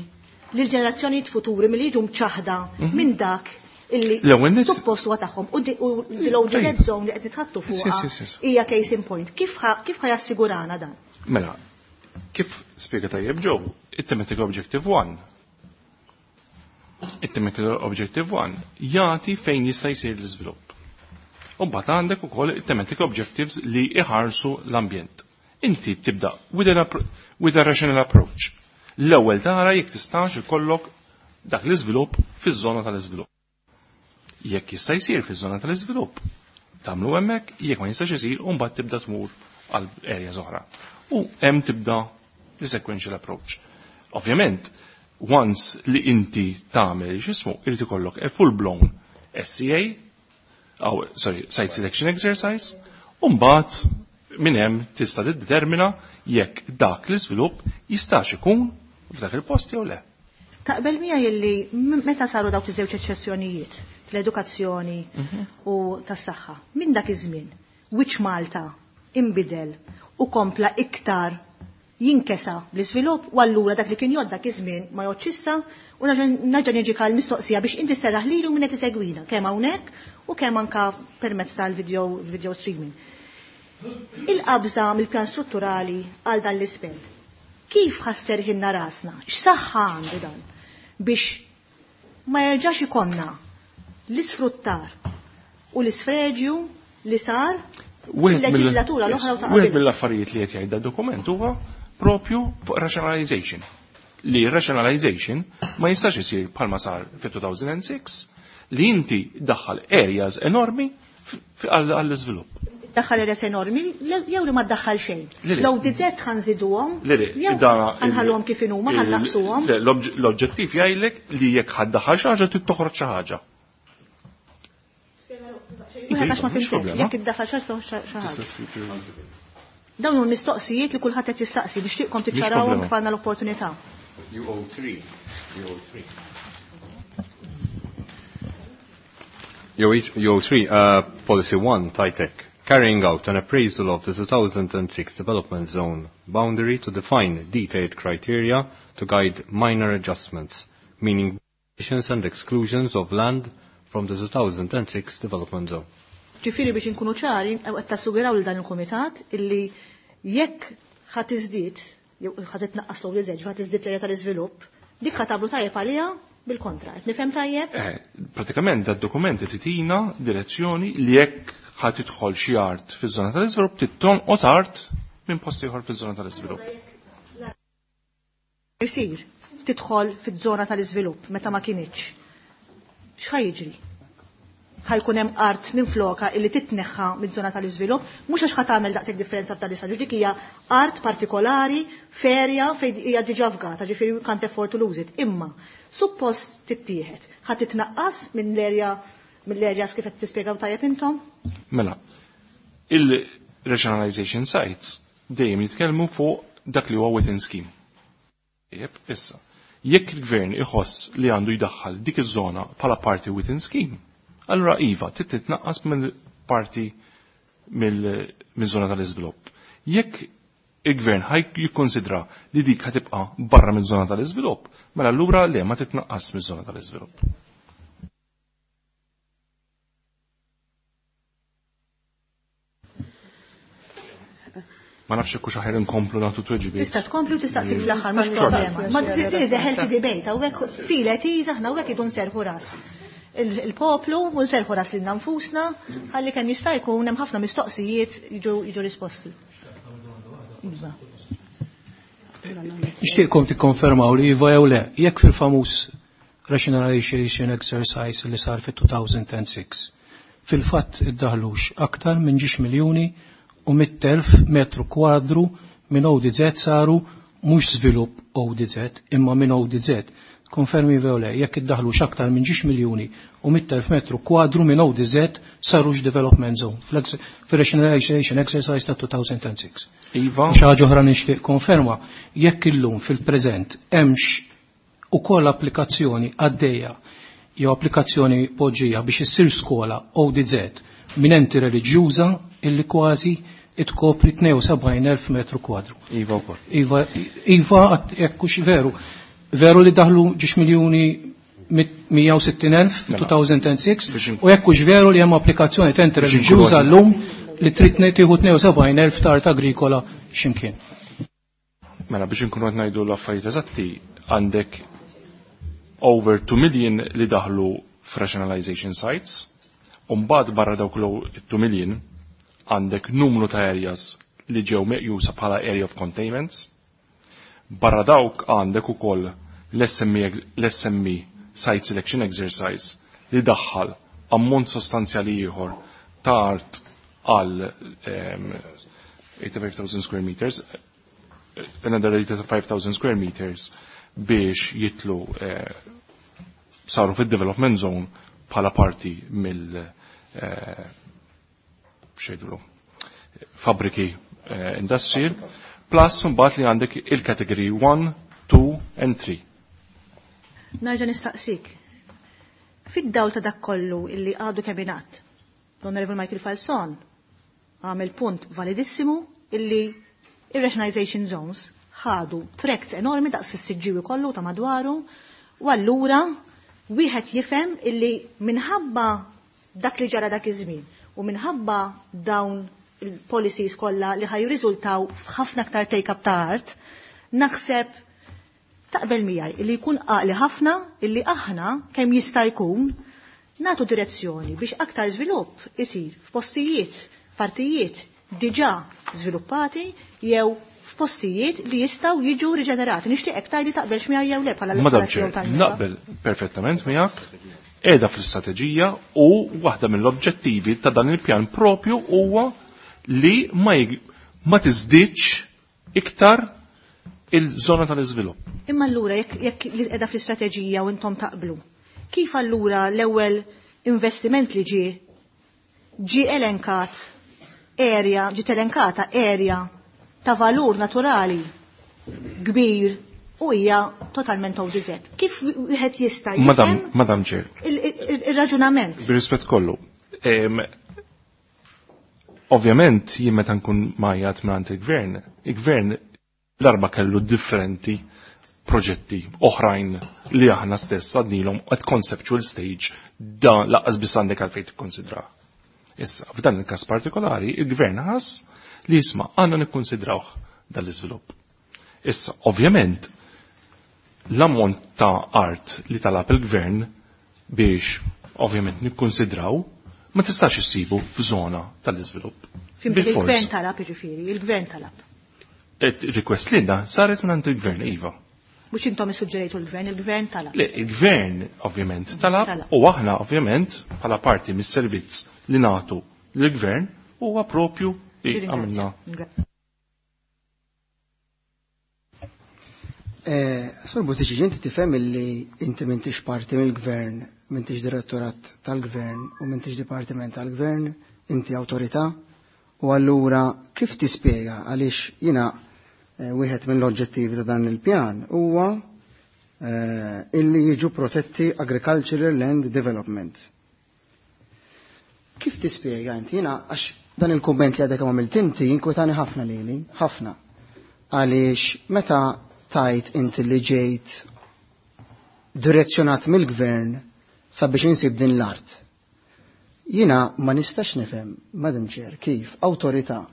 lil ġenerazzjonijiet futuri milli jiġu mċaħda minn dak illi
L-ewwel nett-
suppost huwa tagħhom u di- u l-O D Z
Tajjeb.
zone li qed nitħattu
Yes,
fuqha
yes, yes, yes.
hija case in point. Kif ħa kif ħa jassigurana dan?
Mela, kif spjega tajjeb Joe, it-thematic objective one. It-thematic objective one jagħti fejn jista' jsir l-iżvilupp. U mbagħad għandek ukoll it-thematic objectives li iħarsu l-ambjent. Inti tibda with, an appro- with a rational approach. L-ewwel tara jekk tistax ikollok dak l-iżvilupp fiż-żona tal-iżvilupp. Jekk jista' jsir fiż-żona tal-iżvilupp, tagħmlu hemmhekk, jekk ma jistax isir, u mbagħad tibda tmur għal areas oħra. U hemm tibda the sequential approach. Ovvjament, once li inti tagħmel x'ismu, irid ikollok a full blown S C A, aw, sorry, site selection exercise, u mbagħad minn hemm tista' tiddetermina jekk dak l-iżvilupp jistax ikun f'dak il-post jew le.
Taqbel miegħi illi m- meta saru dawk iż-żewġ eċċezzjonijiet fl-edukazzjoni u tas-saħħa, minn dak iż-żmien, wiċċ Malta imbidel u kompla iktar jinkesa bl-iżvilupp u allura dak li kien jgħod dak iż-żmien ma jgħodx issa u nerġa' niġi għal mistoqsija biex inti serraħ lilu min qed isegwina kemm hawnhekk u kemm anka permezz tal-video video streaming. Il-qabża mill-pjan strutturali għal dan l-ispell. Kif ħa sserrħilna rasna? X'saħħa għandu dan biex ma jerġax ikollna l-isfruttar u l-isfreġju li sar
Wieħed mill-
fil-leġislatura l-oħra u ta'
Wieħed
qabel.
mill-affarijiet li qed jgħid dokument huwa propju fuq rationalization. Li rationalization ma jistax isir bħalma sar fit-two thousand six li inti daħħal areas enormi f- għall-iżvilupp.
Daħħal areas enormi jew li ma ddaħħal xejn.
Le, le.
L-O D Z ħa nżiduhom,
Le, le,
jew
dana-
ħa nħalluhom kif inhuma,
il-
ħa nnaqqsuhom.
Le, l-obġ- L-oġġettiv jgħidlek li jekk ħa ddaħħal xi ħaġa trid toħroġ xi ħaġa.
Wieħed għax ma
Mhux
fimtek,
problema.
jekk iddaħħal xi ħaġa xi ħaġa. Dawn huma mistoqsijiet li kulħadd qed jistaqsi nixtieqkom tiċċarawhom
problema.
kif għandna l-opportunità.
U O three. U O three. U O three, uh, Policy one, TITEC, carrying out an appraisal of the two thousand six Development Zone boundary to define detailed criteria to guide minor adjustments, meaning additions and exclusions of land from the two thousand six Development Zone.
Ġifieri biex inkunu ċari, qed tassuguraw lil dan il-kumitat illi jekk ħa tiżdied, jew ħa titnaqqas l-O D Z, ħa tiżdied l-area tal-iżvilupp, dik ħa tagħmlu tajjeb għaliha bil-kontra. Qed nifhem tajjeb?
Eh, pratikament da dokument titina direzzjoni li jekk ħa tidħol xi art fiż-żona tal-iżvilupp tittonqos art minn post ieħor fiż-żona tal-iżvilupp.
Isir tidħol fiż-żona tal-iżvilupp meta ma kinitx. X'ħa jiġri? Ħa jkun hemm art minn floka illi titneħħa miż-żona tal-iżvilupp, mhux għax ħa tagħmel daqshekk differenza f'dan l-istadju, dik hija art partikolari, ferja fejn hija diġà fgata, ġifieri you can't afford to lose it. Imma suppost tittieħed, ħa titnaqqas minn l-erja mill-areas kif qed tispjegaw tajjeb intom?
Mela, il-rationalization sites dejjem jitkellmu fuq dak li huwa within scheme. Jep, issa, jekk il-gvern iħoss li għandu jdaħħal dik iż-żona bħala parti within scheme, allura iva, trid titnaqqas mill-parti mill-żona tal-iżvilupp. Jekk il-gvern ħaj jikkonsidra li dik ħa tibqa' barra mill-żona tal-iżvilupp, mela allura le, ma titnaqqas miż-żona tal-iżvilupp. Ma nafx hekk hux aħjar inkomplu nagħtu tweġibiet.
Tista' tkompli u tistaqsi fl-aħħar, mhux problema. Ma this a healthy debate, hawnhekk filet aħna hawnhekk idu nserħu ras il-poplu u nserħu ras lilna nfusna ħalli kemm jista' jkun hemm ħafna mistoqsijiet jiġu risposti. Iva.
Nixtieqkom tikkonfermaw li iva jew le, jekk fil-famuż rationalization exercise li sar fit-two thousand and six, fil-fatt iddaħlux aktar minn ġiex miljuni u mitt elf metru kwadru minn O D Z saru mhux żvilupp O D Z imma minn O D Z. Konfermi jew le, jekk iddaħlux aktar minn ġiex miljuni u mitt elf metru kwadru minn O D Z sarux development zone fil-rationalization exercise ta' two thousand and six.
Iva.
Xi ħaġa oħra nixtieq konferma, jekk illum fil-preżent hemmx ukoll applikazzjoni għaddejja jew applikazzjoni poġġija biex issir skola O D Z minn enti reliġjuża illi kważi itkopri tnejn u sebgħin elf metru kwadru.
Iva wkoll.
Iva, iva, jekk hux veru. Veru li daħlu ġiex miljuni mija u sittin elf fi two thousand and six u jekk hux veru li hemm applikazzjoni ta' enti reliġjuża llum li trid tieħu tnejn u sebgħin elf ta' art agrikola x'imkien.
Mela, biex inkunu qed ngħidu l-affarijiet eżatti, għandek over two million li daħlu f'rationalization sites, u mbagħad barra dawk l two million għandek numru ta' areas li ġew meqjusa bħala area of containments. Barra dawk għandek ukoll l-S M E Site Selection Exercise li daħħal ammont sostanzjali ieħor ta' art għal eighty-five thousand square meters, another eighty-five thousand square meters biex jitlu eh, saru fid-development zone bħala parti mill eh, xejdulu fabriki eh, industrial, plus mbagħad li għandek il-category one, two and three.
Nerġa' nistaqsik. Fid-dawl ta' dak kollu illi għadu kemm ingħad, l-Honorable Michael Falzon għamel punt validissimu illi ir-rationalization zones ħadu tracts enormi daqs is-Siġġiewi kollu ta' madwaru, u allura wieħed jifhem illi minħabba dak li ġara dak iż-żmien u minħabba dawn il-policies kollha li ħaj jirriżultaw f'ħafna aktar take-up ta' art, naħseb taqbel miegħi illi jkun għaqli ħafna illi aħna kemm jista' jkun nagħtu direzzjoni biex aktar żvilupp isir f'postijiet, partijiet diġà żviluppati jew f'postijiet li jistgħu jiġu riġenerati. Nixtieqek tgħidli taqbelx miegħi jew le bħala
Madam
l-operazzjoni
Chair,
tal-N E P A.
Naqbel perfettament miegħek, qiegħda fl-istrateġija u waħda mill-oġġettivi ta' dan il-pjan propju huwa li ma, jig- ma tiżdiedx iktar il-żona tal-iżvilupp.
Imma allura jekk jekk li qiegħda fl-istrateġija u intom taqblu, kif allura l-ewwel investiment li ġie ġie elenkat area, ġiet elenkata area ta' valur naturali kbir u hija totalment O D Z? Kif wieħed jista'
Madam,
jifhem
Madam Chair,
il- il- il-raġunament?
Bir-rispett kollu. Em, Ovvjament, jien meta nkun majjat mingħand il-gvern, il-gvern darba kellu differenti proġetti oħrajn li aħna stess għadnilhom at conceptual stage, dan lanqas biss għandek għalfejn tikkonsidrah. Issa, f'dan il-każ partikolari, il-gvern ħass li jisma' għandna nikkonsidrawh dal-iżvilupp. Issa, ovvjament, l-ammont ta' art li talab il-gvern biex ovvjament nikkonsidraw ma tistax issibu f'żona tal-iżvilupp.
Fhimt,
Bil-fors.
il-gvern talab, jiġifieri, il-gvern talab.
Et request lilna saret minn il-gvern, iva.
Mhux intom issuġġerejtu l-gvern, il-gvern talab.
Le, il-gvern ovvjament talab
Talab.
u aħna ovvjament bħala parti mis-servizz li nagħtu lill-gvern huwa propju li għamilna.
Eh, Sur Buttigieg, inti tifhem illi inti m'intix parti mill-gvern, m'intix direttorat tal-gvern u m'intix dipartiment tal-gvern, inti awtorità, u allura kif tispjega għaliex jiena eh, wieħed mill-oġġettivi ta' dan il-pjan huwa eh, illi jiġu protetti agricultural land development. Kif tispjega inti? Jiena għax dan il-kumment li għadek għamilt inti inkwetani ħafna lili, ħafna. Għaliex meta tajt inti li ġejt direzzjonat mill-gvern sabiex insib din l-art. Jiena ma nistax nifhem, Madam Chair, kif awtorità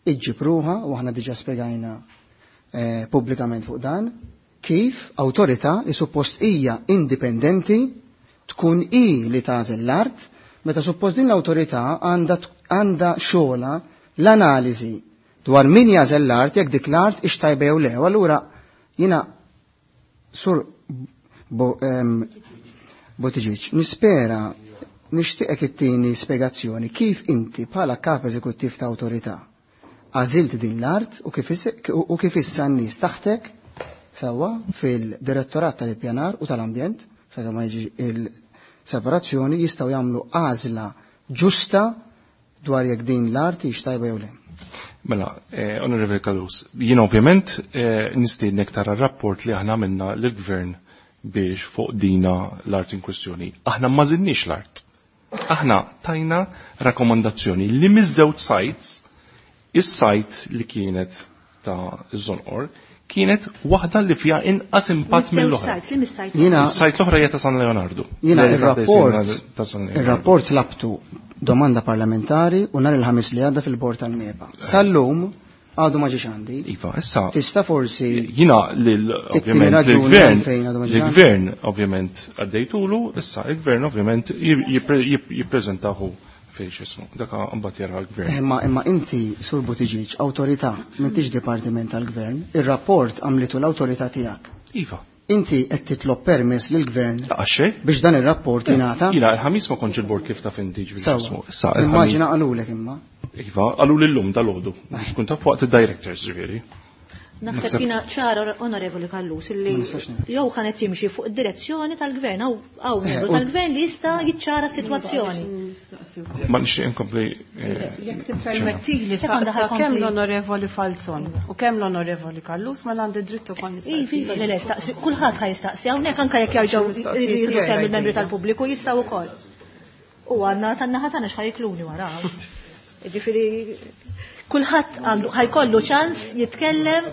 iġġib ruħha u aħna diġà spjegajna eh, pubblikament fuq dan kif awtorità li suppost hija indipendenti tkun i li tagħżel l-art meta suppost din l-awtorità għandha għandha xogħla l-analiżi dwar min jażel l-art jekk dik l-art ix tajba jew le. U allura jiena sur Bo, em, Buttigieg, nispera nixtieqek ittini spjegazzjoni kif inti bħala kap eżekuttiv ta' awtorità għażilt din l-art u kif is- u kif issa n-nies taħtek sewwa fil-direttorat tal-ippjanar u tal-ambjent sakemm ma jiġi il-separazzjoni jistgħu jagħmlu għażla ġusta dwar jekk din l-art hix tajba jew le.
Mela, eh, Onorevoli Callus, jien ovvjament eh, nistiednek tara rapport li aħna għamilna lill-gvern biex fuq dina l-art in kwestjoni. Aħna ma żidniex l-art. Aħna tajna rakkomandazzjoni li miż-żewġ sites, is-site li kienet ta' Żonqor kienet waħda li fiha inqas impatt mill-oħra.
Sites, li mis-site.
Jiena
Is-site l-oħra hija ta' San Leonardo.
Jiena
L-area
ir-rapport
ta' San Leonardo.
ir-rapport labtu domanda parlamentari u nhar il-ħamis li għadda fil-bord tal-MEPA. Sal-lum għadu ma ġiex għandi.
Iva, issa
Tista' forsi
Jina lil
It-tieni
ovvjament
raġuni
l-gvern
għalfejn għadu ma ġiex
l-gvern ovvjament għaddejtulu, issa il-gvern ovvjament jippreżentahu fejn x'ismu. Dak mbagħad jara l-gvern.
Imma imma inti Sur Buttigieg, awtorità, m'intix dipartiment tal-gvern, ir-rapport għamlitu l-awtorità tiegħek.
Iva.
Inti qed titlob permess lill-gvern
Laqgħa xejn.
biex dan ir-rapport jingħata.
Jina il-ħamis ma kontx il-bord kif taf inti ġifieri
Sewwa.
x'ismu. Issa il-ħamis.
Immaġina qalulek imma.
Iva, qalu lillum dal-għodu. Biex tkun taf waqt id-directors ġifieri.
Naħseb
Naħseb-
jina ċara onorevoli Callus illi
Ma nistax ngħid.
jew ħanet jimxi fuq id-direzzjoni tal-gvern hawn hawn
Eh,
membru
u-
tal-gvern li jista' jiċċara s-sitwazzjoni.
Ma nixtieq inkompli. eh,
Jekk tippermettili
Sekonda
sa
ħajkompli.
kemm l-Onorevoli Falzon u kemm l-Onorevoli Callus ma għandi dritt ukoll
Iva, iva, le, le, staqsi, kulħadd ħa jistaqsi hawnhekk anke jekk jerġgħu
Mistoqsijiet
jridu
tiegħi
sem il-membri
għajdejja.
tal-pubbliku jistgħu wkoll. U għandna tan-naħa tagħna x'ħajkluni wara. Ġifieri kulħadd għandu ħajkollu ċans jitkellem,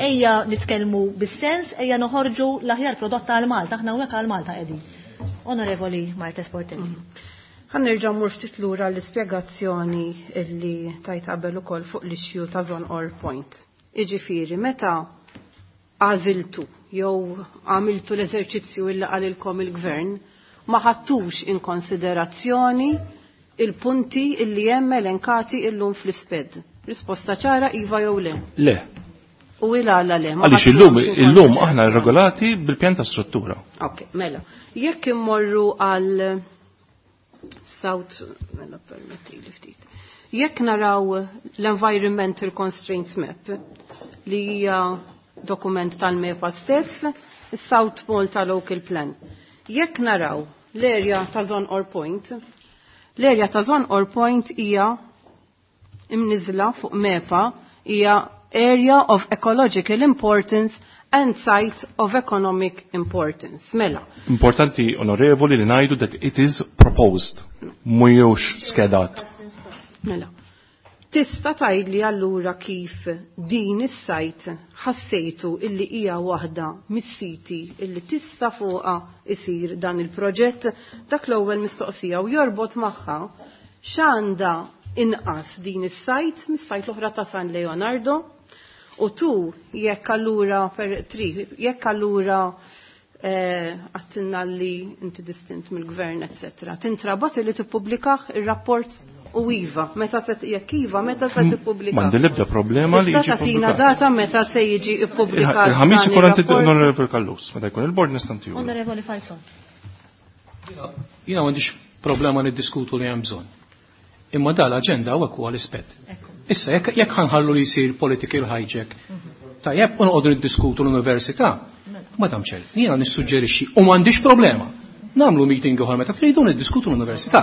ejja nitkellmu bis-sens, ejja noħorġu l-aħjar prodott għal Malta, aħna hawnhekk għal Malta qegħdin. Onorevoli Marthese Portelli.
Ħa nerġa' mmur ftit lura l-ispjegazzjoni illi tajt qabel ukoll fuq l-issue ta' Żonqor Point. Iġifieri, meta għażiltu jew għamiltu l-eżerċizzju illi qalilkom il-gvern, ma ħadtux in konsiderazzjoni il-punti illi hemm elenkati illum fl-isped. Risposta ċara iva jew le.
Le.
U il-għala le. ma
Għaliex
ħadtux
illum
in
illum aħna
konsiderazzjoni.
regolati bil-pjan ta' struttura.
Ok, mela. Jekk immorru għal South, mela permetti li ftit. Jekk naraw l-Environmental Constraints Map li hija dokument tal-MEPA stess, is-South Malta Local Plan. Jekk naraw l-area ta' Żonqor Point, l-area ta' Żonqor Point hija imniżla fuq MEPA hija Area of Ecological Importance and Site of Economic Importance. Mela,
Importanti onorevoli li ngħidu that it is proposed, mhijiex skedat.
Mela. Tista' tgħidli allura kif din is-site ħassejtu illi hija waħda mis-siti illi tista' fuqha isir dan il-proġett dak l-ewwel mistoqsija u jorbot magħha x'għandha inqas din is-site mis-site l-oħra ta' San Leonardo u tu jekk allura per tri jekk allura eh, għattinna li inti distint mill-gvern, etc. Tintrabat li tippubblikaħ ir-rapport u iva, meta se jekk iva, meta se tippubblika.
M'għandi l-ebda problema li
Tista'
jiġi
tagħtina
pubblikat.
data meta se jiġi ippubblikat.
Il-ħamis
dan
ikun għandi
ir-rapport?
onorevoli Callus, meta jkun il-bord nista' ntiju.
Onorevoli Falzon.
Jiena m'għandix problema niddiskutu li hemm bżonn. Imma da l-aġenda hawnhekk huwa l-ispett. Issa jekk jekk ħanħallu li jsir political hijack, tajjeb u noqogħdu niddiskutu l-università, Madam Chair, jiena nissuġġerixxi u m'għandix problema. Nagħmlu meeting ieħor meta tridu niddiskutu l-università.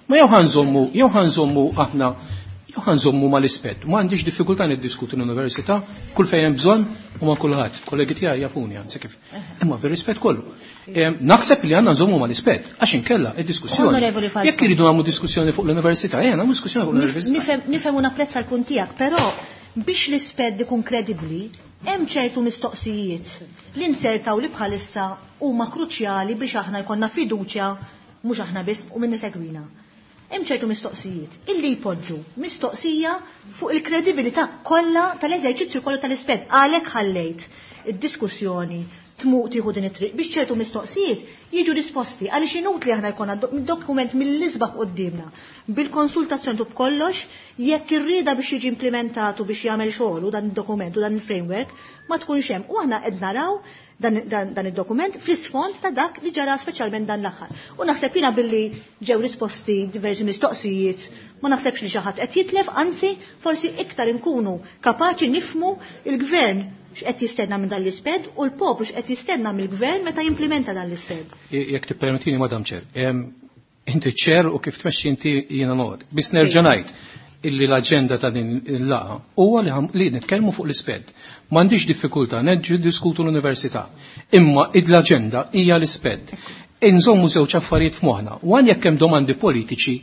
Ma jew ħanżommu, jew ħanżommu aħna jew ħanżommu mal-ispett. Ma għandix diffikultà niddiskutu l-università kull fejn hemm bżonn u ma' kulħadd. Kollegi tiegħi jafuni anzi kif. Imma bir-rispett kollu. Em, Naħseb li għandna nżommu mal-ispett għax inkella id-diskussjoni.
Onorevoli Falzon.
Jekk iridu nagħmlu diskussjoni fuq l-università, ejja nagħmlu diskussjoni fuq l-università.
Nifhem nifhem u napprezza l-punt tiegħek, però biex l-isped ikun kredibbli, hemm ċertu mistoqsijiet li nsertaw li bħalissa huma kruċjali biex aħna jkollna fiduċja mhux aħna biss u min isegwina. Hemm ċertu mistoqsijiet illi jpoġġu mistoqsija fuq il-kredibilità kollha tal-eżerċizzju kollu tal-isped. Għalhekk ħallejt id-diskussjoni tmuq tieħu din it-triq biex ċertu mistoqsijiet jiġu risposti għaliex inutli aħna jkollna dokument mill-isbaħ qudiemna bil-konsultazzjoni tu b'kollox jekk irrieda biex jiġi implementatu biex jagħmel xogħol u dan id-dokument u dan il-framework ma tkunx hemm. U aħna qed naraw dan, dan, dan id-dokument fl-isfond ta' dak li ġara speċjalment dan l-aħħar. U naħseb jiena billi ġew risposti diversi mistoqsijiet, ma naħsebx li xi ħadd qed jitlef, anzi forsi iktar inkunu kapaċi nifmu il-gvern x'qed jistenna minn dan l-isped u l-poplu x'qed jistenna mill-gvern meta jimplementa dan l-isped.
Jekk tippermettini, Madam Chair, inti ċer u kif tmexxi inti jiena noqgħod. Biss nerġa' ngħid illi l-aġenda ta' din il-laqgħa huwa li, li nitkellmu fuq l-isped. M'għandix diffikultà nerġgħu diskutu l-università. Imma l-aġenda hija l-isped. Inżommu żewġ affarijiet f'moħħna. Wan jekk hemm domandi politiċi.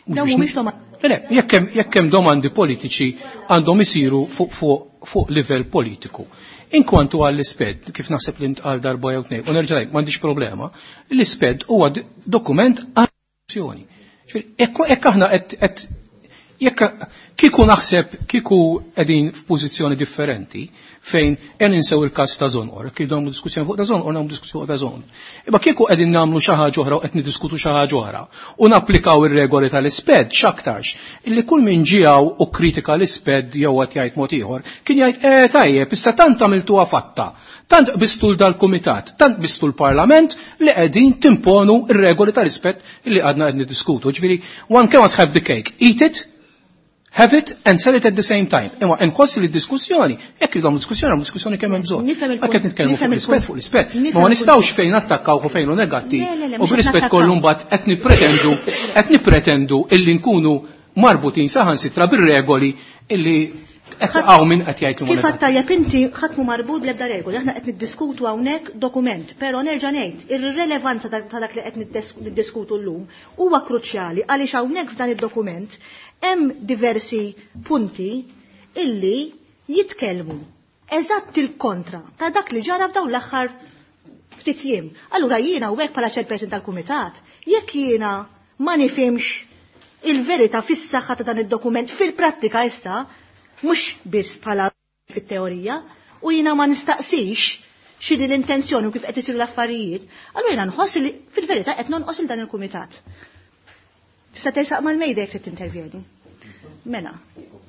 Dawn mhumiex domandi.
Le, jekk hemm domandi politiċi għandhom isiru fuq fuq fuq livell politiku. Inkwantu għall-isped, kif naħseb li ntqal darba jew tnejn, u nerġa' ngħid m'għandix problema, l-isped huwa dokument għal-azzjoni. Jekk aħna qed jekk kieku naħseb kieku qegħdin f'pożizzjoni differenti fejn qed ninsew il-każ ta' Żonqor, kieku nagħmlu diskussjoni fuq ta' Żonqor nagħmlu diskussjoni fuq ta' Żonqor. Imma kieku qegħdin nagħmlu xi ħaġa oħra u qed niddiskutu xi ħaġa oħra u napplikaw ir-regoli tal-isped x'aktarx illi kull min ġiegħu u kritika l-isped jew qed jgħid mod ieħor kien jgħid eh tajjeb issa tant għamiltuha fatta, tant qbistu dal-kumitat, tant qbistu l-Parlament li qegħdin timponu r-regoli tal-isped illi għadna qed niddiskutu. Ġifieri one cannot have the cake, eat it, have it and sell it at the same time. Imma nħoss li d-diskussjoni, jekk irridu diskussjoni, għamlu diskussjoni kemm hemm bżonn. Hekk qed nitkellmu fuq l-ispett fuq l-ispett. Ma ma nistgħux fejn nattakkaw u fejn hu negattiv u b'rispett kollu mbagħad qed nippretendu qed nippretendu illi nkunu marbutin saħansitra bir-regoli illi għaw min qed jgħid
Kif għad tajjeb inti ħadd mhu marbut bl-ebda regoli, aħna qed niddiskutu hawnhekk dokument, però nerġa' ngħid ir-rilevanza ta' dak li qed niddiskutu llum huwa kruċjali għaliex hawnhekk f'dan id-dokument hemm diversi punti illi jitkellmu eżatt il-kontra ta' dak li ġara f'dawn l-aħħar ftit jiem. Allura jiena u hekk bħala chairperson tal-kumitat, jekk jiena ma nifhimx il-verità fis-saħħa ta' dan id-dokument fil-prattika issa, mhux biss bħala fit-teorija, u jiena ma nistaqsix x'inhi l-intenzjoni u kif qed isiru l-affarijiet, allura jiena nħoss li fil-verità qed nonqos il dan il-kumitat. Tista' tersaq mal-mejda jekk trid tintervjeni. Mela,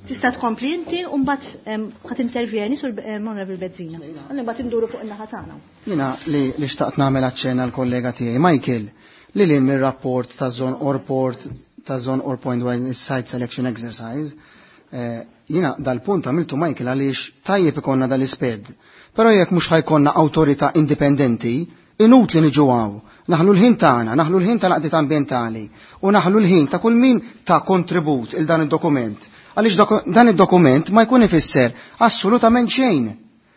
tista' tkompli inti u mbagħad ħa tintervjeni sur Honorable Bezzina. Għalli mbagħad induru fuq in-naħa tagħna.
Jiena li li xtaqt nagħmel aċċenna l-kollega tiegħi Michael li lil mir-rapport ta' Żonqor Port ta' Żonqor Point dwar is-site selection exercise, eh, jiena dal-punt għamiltu Michael għaliex tajjeb ikonna dal-isped. Però jekk mhux ħa jkollna awtorità indipendenti, inutli niġu hawn. Naħlu l-ħin tagħna, naħlu l-ħin tal-għaqdiet ambjentali u naħlu l-ħin ta' kull min ta' kontribut il dan id-dokument. Għaliex dan id-dokument ma jkun ifisser assolutament xejn.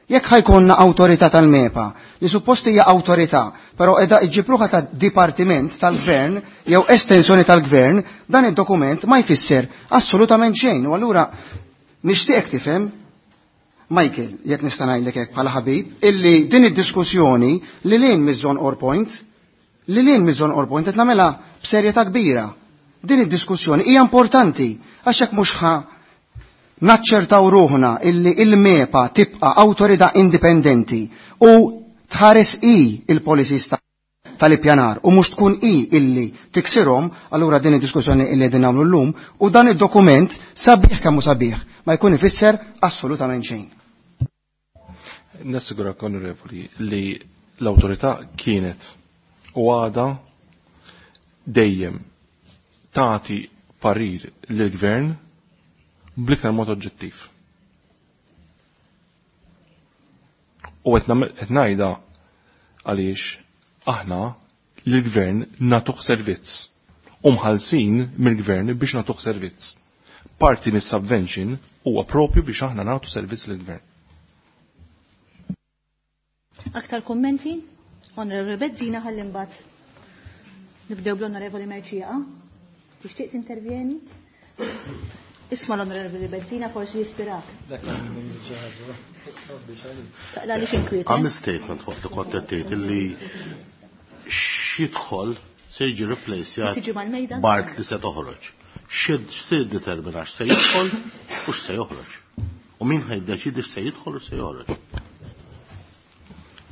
Jekk ħa jkollna awtorità tal-MEPA, li suppost hija awtorità, però qiegħda iġġib ruħha ta' dipartiment tal-gvern jew estensjoni tal-gvern, dan id-dokument ma jfisser assolutament xejn. U allura nixtieq tifhem Michael, jekk nista' ngħidlek hekk bħala ħabib, illi din id-diskussjoni li lil hinn miż-Żonqor Point, li lil hinn miż-Żonqor Point qed nagħmilha b'serjetà kbira. Din id-diskussjoni hija importanti għax jekk mhux ħa naċċertaw ruħna illi il-MEPA tibqa' awtorità indipendenti u tħares i il-policies tal-ippjanar u mhux tkun i illi tiksirhom, allura din id-diskussjoni illi qegħdin nagħmlu llum u dan id-dokument sabiħ kemm hu sabiħ ma jkun ifisser assolutament xejn.
Nassigurak, onorevoli, li l-awtorità kienet u għada dejjem tagħti parir lill-gvern bl-iktar mod oġġettiv. U qed ngħidha għaliex aħna lill-gvern nagħtuh servizz u mħallsin mill-gvern biex nagħtuh servizz. Parti mis-subvention huwa propju biex aħna nagħtu servizz lill-gvern.
Aktar kommenti? Onorevoli Bezzina, ħalli mbagħad nibdew bl-Onorevoli Mercieca. Tixtieq tintervjeni? Isma' l-Onorevoli Bezzina forsi jispirak. Taqla li inkwiet.
Għamil statement fuq li kont qed tgħid illi x'jidħol Se jiġi replacjat
Tiġi mal-mejda?
b'art li se toħroġ. X'se jiddetermina x'se jidħol u x'se joħroġ. U min ħa jiddeċidi x'se jidħol u x'se joħroġ.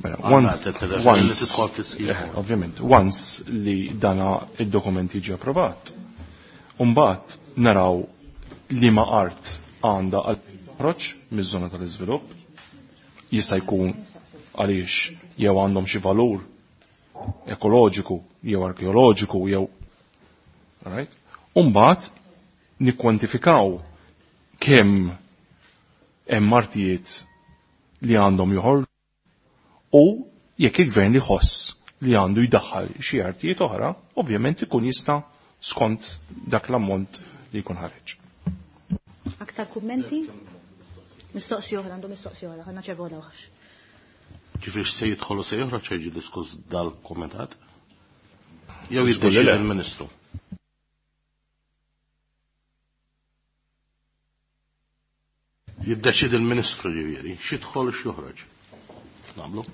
Mela,
Għandna
once,
t-telefon li
once,
tidħol fl-iskema.
eh, ovvjament, once li dana id-dokument jiġi approvat, umbagħad naraw li ma art għandha għal toħroġ miż-żona tal-iżvilupp, jista' jkun għaliex jew għandhom xi valur ekoloġiku jew arkeoloġiku jew right? Umbagħad nikkwantifikaw kemm hemm artijiet li għandhom joħorġu u jekk il-gvern li ħoss li għandu jdaħħal xi artijiet oħra, ovvjament ikun jista' skont dak l-ammont li jkun ħareġ.
Aktar kummenti? Mistoqsi oħra, għandu mistoqsi oħra, ħanna ċevola oħra.
Ġifieri x'se jidħol u se joħroġ jiġi diskuss dal-kumitat? Jew
Żgur li
jiddeċidi
le.
il-Ministru. Jiddeċidi il-Ministru ġifieri, x'jidħol u x'joħroġ. Nagħmlu?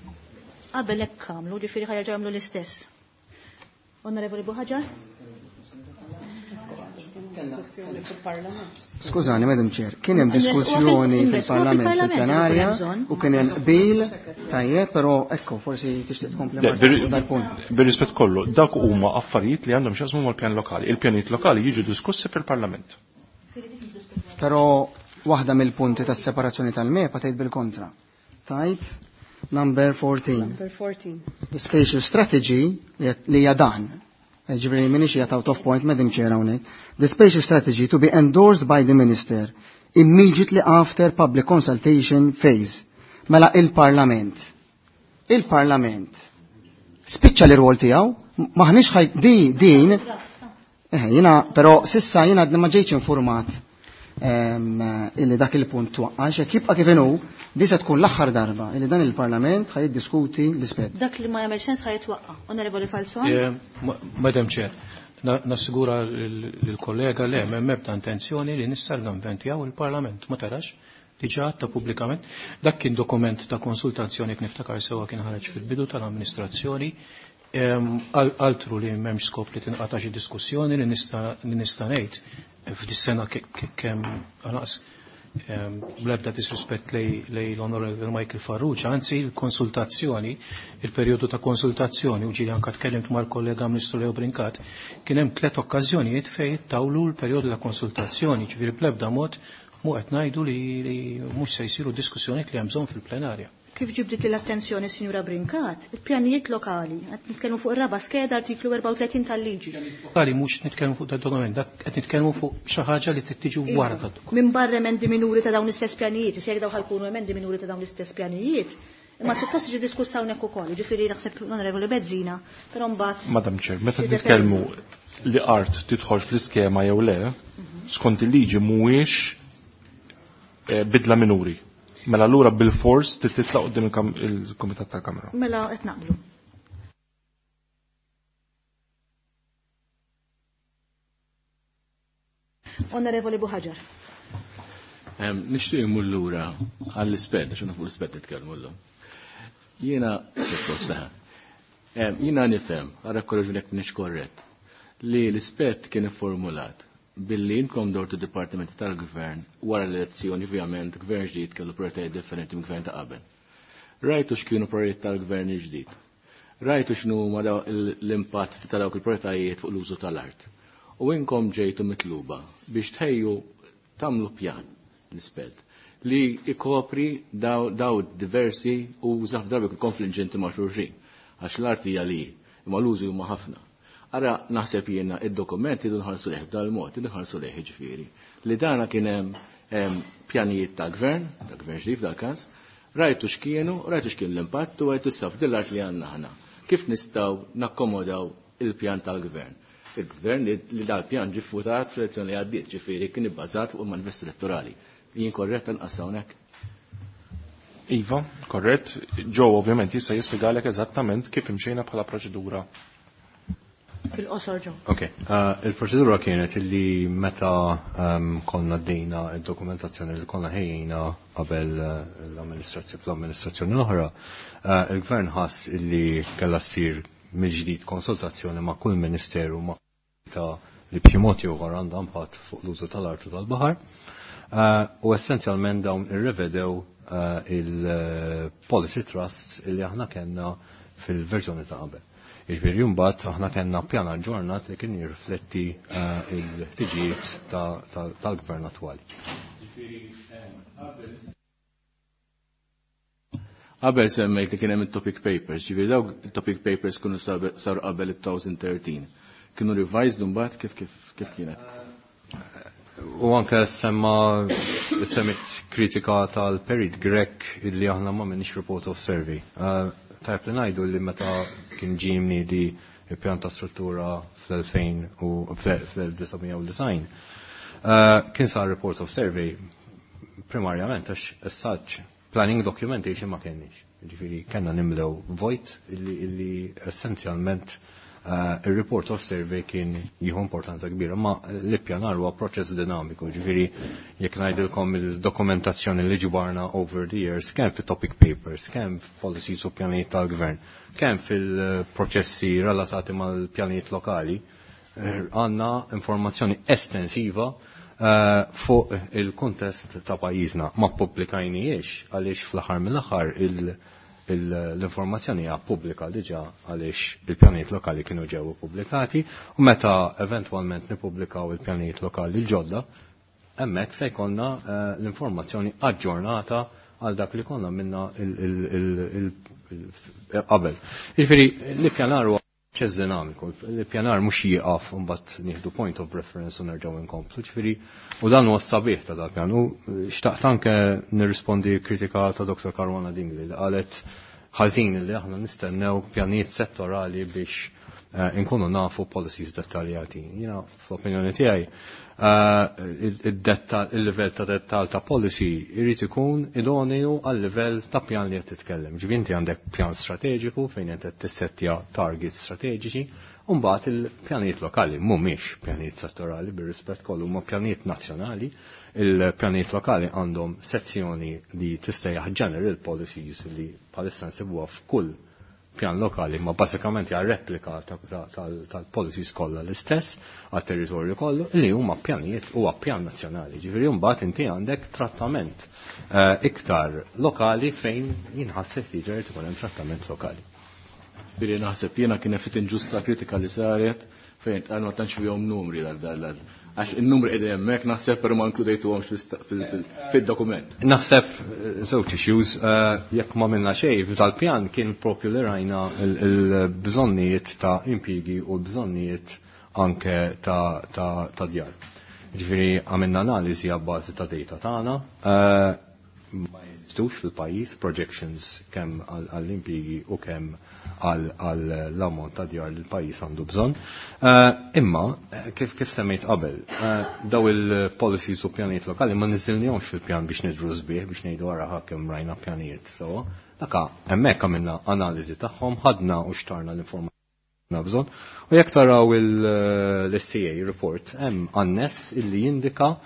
Qabel hekk għamlu, ġifieri ħa jerġgħu jagħmlu l-istess. Onorevoli Buħaġar?
Diskussjoni fil-Parlament.
Skużani, Madam Chair, kien hemm
Inres-
diskussjoni
inres-
fil-Parlament
fil-Parlament
fil-plenarja
ikun hemm bżonn.
u kien hemm qbil tajjeb, però ekku forsi tixtieq tkompli
Le,
Marta
bir-
fuq dal-punt.
Bir-rispett kollu, dak huma affarijiet li għandhom x'jaqsmu mal-pjan lokali. Il-pjanijiet lokali jiġu diskussi fil-Parlament.
Però waħda mill-punti tas-separazzjoni tal-MEPA tgħid bil-kontra. Tajt number fourteen.
Number fourteen.
The spatial strategy li hija dan. Ġifieri minix hija out of point, Madam Chair hawnhekk. The spatial strategy to be endorsed by the minister immediately after public consultation phase. Mela il-Parlament. Il-Parlament spiċċa l-rwol tiegħu, maħniex ħaj di din eh, jiena però sissa jiena għadni ma ġejtx informat ehm, illi dak il-punt twaqqa, jekk jibqa' kif inhu, di se tkun l-aħħar darba illi dan il-Parlament ħaj jiddiskuti l-ispett.
Dak li ma jagħmel sens ħa jitwaqqa. Onorevoli Falzon?
Eh, ma- Madam Chair, na- nassigura l-kollega le m'hemm ebda intenzjoni li nissargamventjaw il-Parlament, ma tarax, diġà għatta pubblikament. Dak kien dokument ta' konsultazzjoni kif niftakar sewwa kien ħareġ fil-bidu tal-amministrazzjoni. Em, al- Altru li m'hemmx skop li tinqata' xi diskussjoni li nista' li nista' ngħid f'dis-sena ke- ke- kemm għanaqs bl-ebda disrispett lej lej l-Onorevole Michael Farrugia, anzi il-konsultazzjoni, il-perjodu ta' konsultazzjoni, u ġili anka tkellimt mal-kollega Ministru Leo Brincat, kien hemm tliet okkażjonijiet fejn tawlu l-perjodu ta' konsultazzjoni, ġifieri bl-ebda mod mu qed ngħidu li, li mhux se jsiru diskussjonijiet li hemm bżonn fil-plenarja.
Kif ġibdit l-attenzjoni Sinjura Brincat, il-pjanijiet lokali, qed nitkellmu fuq ir-raba skeda artiklu erbgħa u tletin tal-liġi.
Lokali mhux nitkellmu fuq dat dokument, dak qed nitkellmu fuq xi ħaġa li trid tiġi wara dat dokument.
Minn barra emendi minuri ta' dawn l-istess pjanijiet, se jekk daw ħalkunu emendi minuri ta' dawn l-istess pjanijiet, imma suppost tiġi diskussa hawnhekk ukoll, jiġifieri naħseb l-Onorevoli Bezzina, però mbagħad
Madam Chair, meta
Xi
nitkellmu li art tidħolx fl-iskema jew le, skont il-liġi mhuwiex eh, bidla minuri. Mela allura bil-fors trid titlaq quddiem il-kam- il-Kumitat tal-Kamra.
Mela qed naqblu. Onorevoli Buħaġar.
Em, Nixtieq immur lura għall-isped, għax fuq l-isped titkellmu llum. Jiena suppost saħ. Em, Jiena nifhem, ara korreġuni jekk m'iniex korrett, li l-isped kien ifformulat billi inkom dortu dipartimenti tal-gvern wara l-elezzjoni, ovvjament, gvern ġdid kellu prioritajiet differenti minn gvern ta' qabel. Rajtu x'kienu prioritajiet tal-gvern il-ġdid. Rajtu x'nu huma daw l-impatt ta' dawk il-prioritajiet fuq l-użu tal-art. U inkom ġejtu mitluba biex tħejju tagħmlu pjan l-isped li ikopri daw, daw diversi uża f'darbi konfliġġenti ma' xulxin. Għax l-art hija li, imma l-użi huma ħafna. Ara naħseb jiena id-dokument idu nħarsu lejh b'dal-mod, idu nħarsu lejh jiġifieri. Li dana kien hemm em, pjanijiet ta' gvern, ta' gvern ġdid f'dal każ, rajtu x'kienu, rajtu x'kien l-impatt u rajtu issa f'din l-art li għandna aħna. Kif nistgħu nakkomodaw il-pjan tal-gvern? Il-gvern li, li dal-pjan ġie votat fl-elezzjoni li għaddiet, ġifieri kien ibbażat fuq il-manifest elettorali. Jien korrett anqas hawnhekk?
Iva, korrett. Joe ovvjament jista' jispjegalek eżattament kif imxejna bħala proċedura.
Fil-qosor Joe.
Ok, uh, il-proċedura kienet illi meta um, konna dejna il-dokumentazzjoni li konna ħejjina qabel uh, l-amministrazzjoni fl-amministrazzjoni l-oħra, uh, il-gvern ħass illi kellha ssir mill-ġdid konsultazzjoni ma' kull ministeru ma' ta' li b'xi mod jew ieħor għandha impatt fuq l-użu tal-art u tal-baħar. Eh, u essenzjalment dawn irrevedew eh, il-policy trust li aħna kellna fil-verżjoni ta' qabel. Jiġifieri mbagħad aħna kellna pjan aġġornat li kien jirrifletti eh, il-ħtiġijiet tal-gvern attwali.
Qabel semmejt li kien hemm it-topic papers, ġifieri dawk it-topic papers kienu saru qabel it-elfejn u tlettax. Kienu revised mbagħad kif kif kif kienet?
U anke semma semmit kritika tal-Perit Grech illi aħna ma minix report of survey. Uh, Tajb li ngħidu li meta kien ġie mniedi il-pjan ta' struttura fl-elfejn u fl-elf disa' mija u disgħin, uh, kien sar report of survey primarjament għax as such planning documentation ma kenniex. Ġifieri kellna nimlew void illi, illi essenzjalment uh, il-report of survey kien jieħu importanza kbira, ma l-ippjanar huwa proċess dinamiku, ġifieri jekk ngħidilkom il-dokumentazzjoni li ġibarna over the years, kemm fit-topic papers, kemm policies u pjanijiet tal-gvern, kemm fil-proċessi relatati mal-pjanijiet lokali, eh, għandna informazzjoni estensiva uh, fuq il-kontest ta' pajjiżna. Ma pubblikajnijiex għaliex fl-aħħar mill-aħħar l-informazzjoni hija pubblika diġà għaliex il-pjanijiet lokali kienu ġew pubblikati u meta eventwalment nippubblikaw il-pjanijiet lokali l-ġodda, hemmhekk se jkollna eh, l-informazzjoni aġġornata għal dak li konna minna qabel. Jiġifieri l-ippjanar huwa proċess dinamiku, l-ippjanar mhux jieqaf u mbagħad nieħdu point of reference u nerġgħu nkomplu. Ġifieri u dan huwa s-sabiħ ta' dak pjan. U xtaqt anke nirrispondi kritika ta' Doktor Caruana Dingli li qalet ħażin li aħna nistennew pjanijiet settorali biex eh, inkunu nafu policies dettaljati. Jiena fl-opinjoni tiegħi eh, il-livell ta' dettal ta' policy irid ikun idoneu għal livell ta' pjan li qed titkellem. Ġifieri inti għandek pjan strateġiku fejn qed tissettja targets strateġiċi, u mbagħad il-pjanijiet lokali mhumiex pjanijiet settorali, bir-rispett kollu huma pjanijiet nazzjonali. Il-pjanijiet lokali għandhom sezzjoni li tissejjaħ general policies li bħalissa nsibuha f'kull pjan lokali, ma basikament hija replika tal-policies kollha l-istess għat-territorju kollu li huma pjanijiet huwa pjan nazzjonali. Ġifieri mbagħad inti għandek trattament eh, iktar lokali fejn jinħasseb li ġerit ikun hemm trattament lokali.
Ġifieri naħseb jiena kien ftit inġusta kritika li saret fejn tqal ma tantx fihom numri dal dal għax il-numri qegħdin hemmhekk naħseb, però ma inkludejtuhomx fil-dokument.
Naħseb eh, żewġ issues, eh, jekk ma minna xejn f'dal-pjan kien propju li rajna il-bżonnijiet ta' impjiegi u l-bżonnijiet anke ta' djar. Ġifieri għamilna analiżi għabbażi ta' data tagħna. Eh, ma jeżistux fil-pajjiż projections kemm għall-impjiegi u kemm għall-ammont ta' djar li l-pajjiż għandu bżonn. Eh, imma, eh, kif kif semmejt qabel, eh, daw il-policies u pjanijiet lokali ma niżilnihomx fil-pjan biex nidru sbieħ, biex ngħidu wara kemm rajna pjanijiet. So, daka hemmhekk għamilna analiżi tagħhom, ħadna u xtarna l-informazzjoni bżonn. U jekk taraw l-S T A report, hemm annes illi jindika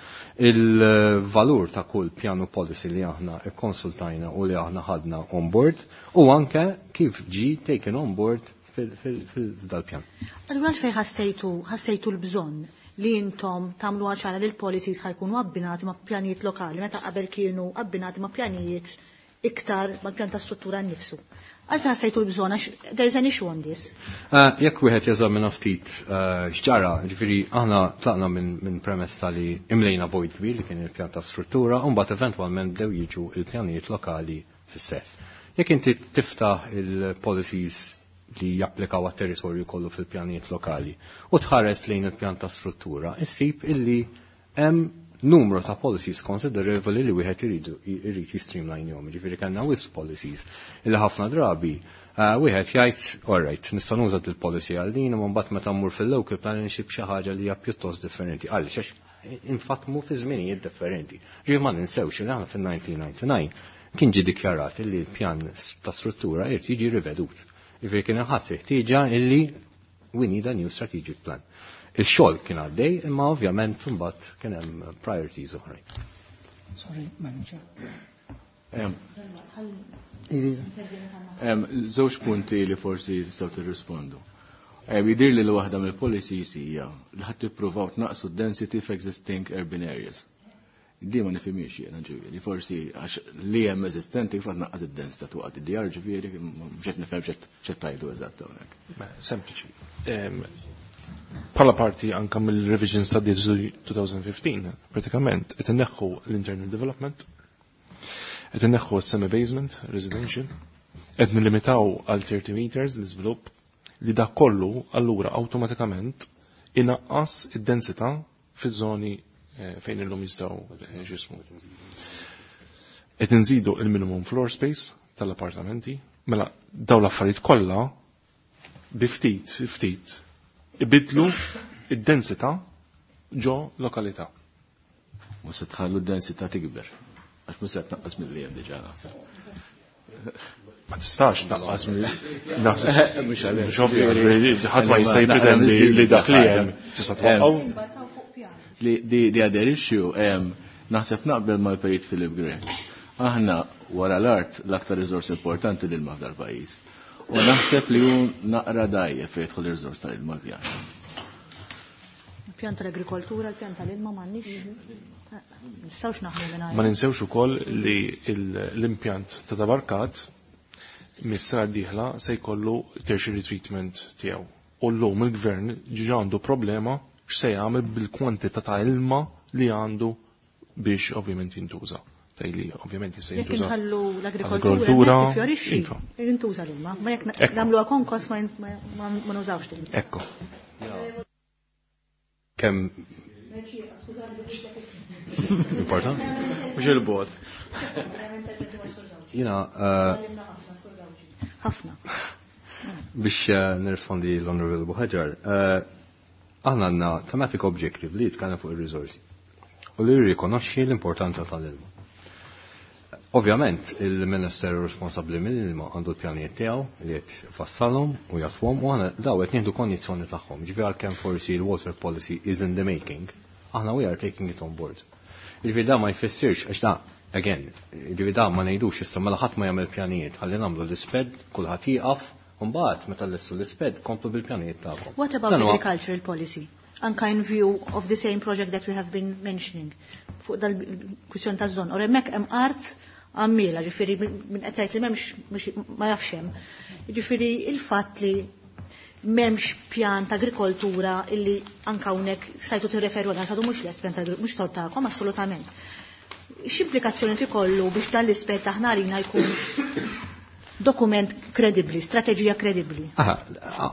il-valur ta' kull pjanu policy li aħna ikkonsultajna u li aħna ħadna on board u anke kif ġi taken on board fil-dal-pjan.
Allura għalfejn ħassejtu ħassejtu l-bżonn li intom tagħmlu ċara li l-policies ħa jkunu abbinati ma' pjanijiet lokali meta qabel kienu abbinati ma' pjanijiet iktar ma' pjan ta' struttura nnifsu? Għalfejn ħassejtu l-bżonn, għax there's an issue on this?
Uh, jekk wieħed jeżamina ftit uh, x'ġara, ġifieri aħna tlaqna minn min premessa li imlejna void kbir li kien il-pjan ta' struttura u mbagħad eventwalment bdew jiġu il-pjanijiet lokali fis-seħħ. Jekk inti tiftaħ il-policies li japplikaw għat-territorju kollu fil-pjanijiet lokali u tħares lejn il-pjan ta' struttura, issib illi hemm numru ta' policies considerevoli li wieħed iridu irid jistreamline jom. Ġifieri kellna wisq policies illi ħafna drabi uh, wieħed jgħid, "Alright, nista' nuża il-policy għal din, imma mbagħad meta mmur fil-local plan insib xi ħaġa li hija pjuttost differenti." Għaliex? Għax infatmu fi żminijiet differenti. Ġifieri ma ninsewx li aħna fil-elf disa' mija u disgħa u disgħin kien ġi dikjarat li l-pjan ta' struttura irid jiġi rivedut. Ġifieri kien ħass ħtieġa illi we need a new strategic plan. Il-xogħol kien għaddej, imma ovvjament mbagħad kien hemm priorities oħrajn.
Sorry, manager.
Żewġ punti li forsi tistgħu tirrispondu. Jidir li l-waħda mill-policies hija li ħadd tippruvaw tnaqqsu d-density f'existing urban areas. Di ma nifhimiex jiena ġifieri, forsi għax li hemm eżistenti kif tnaqqas id-densità twaqgħet id-djar ġifieri mhux qed nifhem x'qed tgħidu eżatt hawnhekk.
Sempliċi. Bħala parti anka mill-revisions ta' D twenty fifteen, pratikament qed inneħħu l-internal development, qed inneħħu s-semi-basement residential, qed nillimitaw għal thirty meters l-iżvilupp li dak kollu allura awtomatikament inaqqas id-densità fiż-żoni fejn illum jistgħu x'ismu. Qed inżidu il-minimum floor space tal-appartamenti, mela dawn l-affarijiet kollha bi ftit ftit ibidlu id-densità ġo lokalità.
Mhux se tħallu d-densità tikber, għax mhux se tnaqqas milli hemm diġà naħseb.
Ma tistax tnaqqas milli naħseb. Mhux ovvju, ħadd ma jista' jippretendi li dak li hemm tista' twaqqgħu.
Li di other issue, naħseb naqbel mal-Perit Philip Grech. Aħna wara l-art l-aktar riżors importanti lil ma f'dal pajjiż. U naħseb li hu naqra dajjef fejn jidħol ir-riżors tal-ilma l-pjan.
Il-pjan tal-agrikoltura, il-pjan tal-ilma m'għandniex. Nistgħux naħdmu mingħajr.
Ma ninsewx ukoll li l-impjant ta' Tabarkat mis-sena d-dieħla se jkollu tertiary treatment tiegħu. U llum il-gvern ġiġa għandu problema x'se jagħmel bil-kwantità ta' ilma li għandu biex ovvjament jintuża. Tajli ovvjament jista' jintuża.
Jekk inħallu l-agrikoltura tifjorixxi, jintuża l-ilma, ma jekk nagħmluha konkos ma nużawx l-ilma.
Ekku.
Kemm important?
Mhux il-bot.
Jiena
ħafna.
Biex nirrispondi l-Honorable Buhaġar, aħna għandna thematic objective li jitkellem fuq ir-riżorsi u li jirrikonoxxi l-importanza tal-ilma. Ovvjament, il-Ministeru responsabbli mill-ilma għandu l-pjanijiet tiegħu li qed fassalhom u jatwhom u aħna daw qed nieħdu kondizzjoni tagħhom. Ġifieri għalkemm forsi l-water policy is in the making, aħna we are taking it on board. Ġifieri da ma jfissirx għax da again, ġifieri da ma ngħidux issa mela ħadd ma jagħmel pjanijiet, ħalli nagħmlu l-isped, kulħadd jieqaf, u mbagħad meta llestu l-isped komplu bil-pjanijiet tagħkom.
What about agricultural policy? Anka in view of the same project that we have been mentioning fuq dal-kwistjoni taż-żon. Or hemmhekk hemm art għammiela, ġifieri minn qed tgħid li m'hemmx ma jafx hemm. Ġifieri il-fatt li m'hemmx pjan ta' agrikoltura illi anka hawnhekk stajtu tirreferu għal għadu mhux lest pjan ta' mhux tort tagħkom assolutament. X'implikazzjoni tikollu biex dan l-ispett aħna għalina jkun dokument kredibli, strateġija kredibli?
Aha,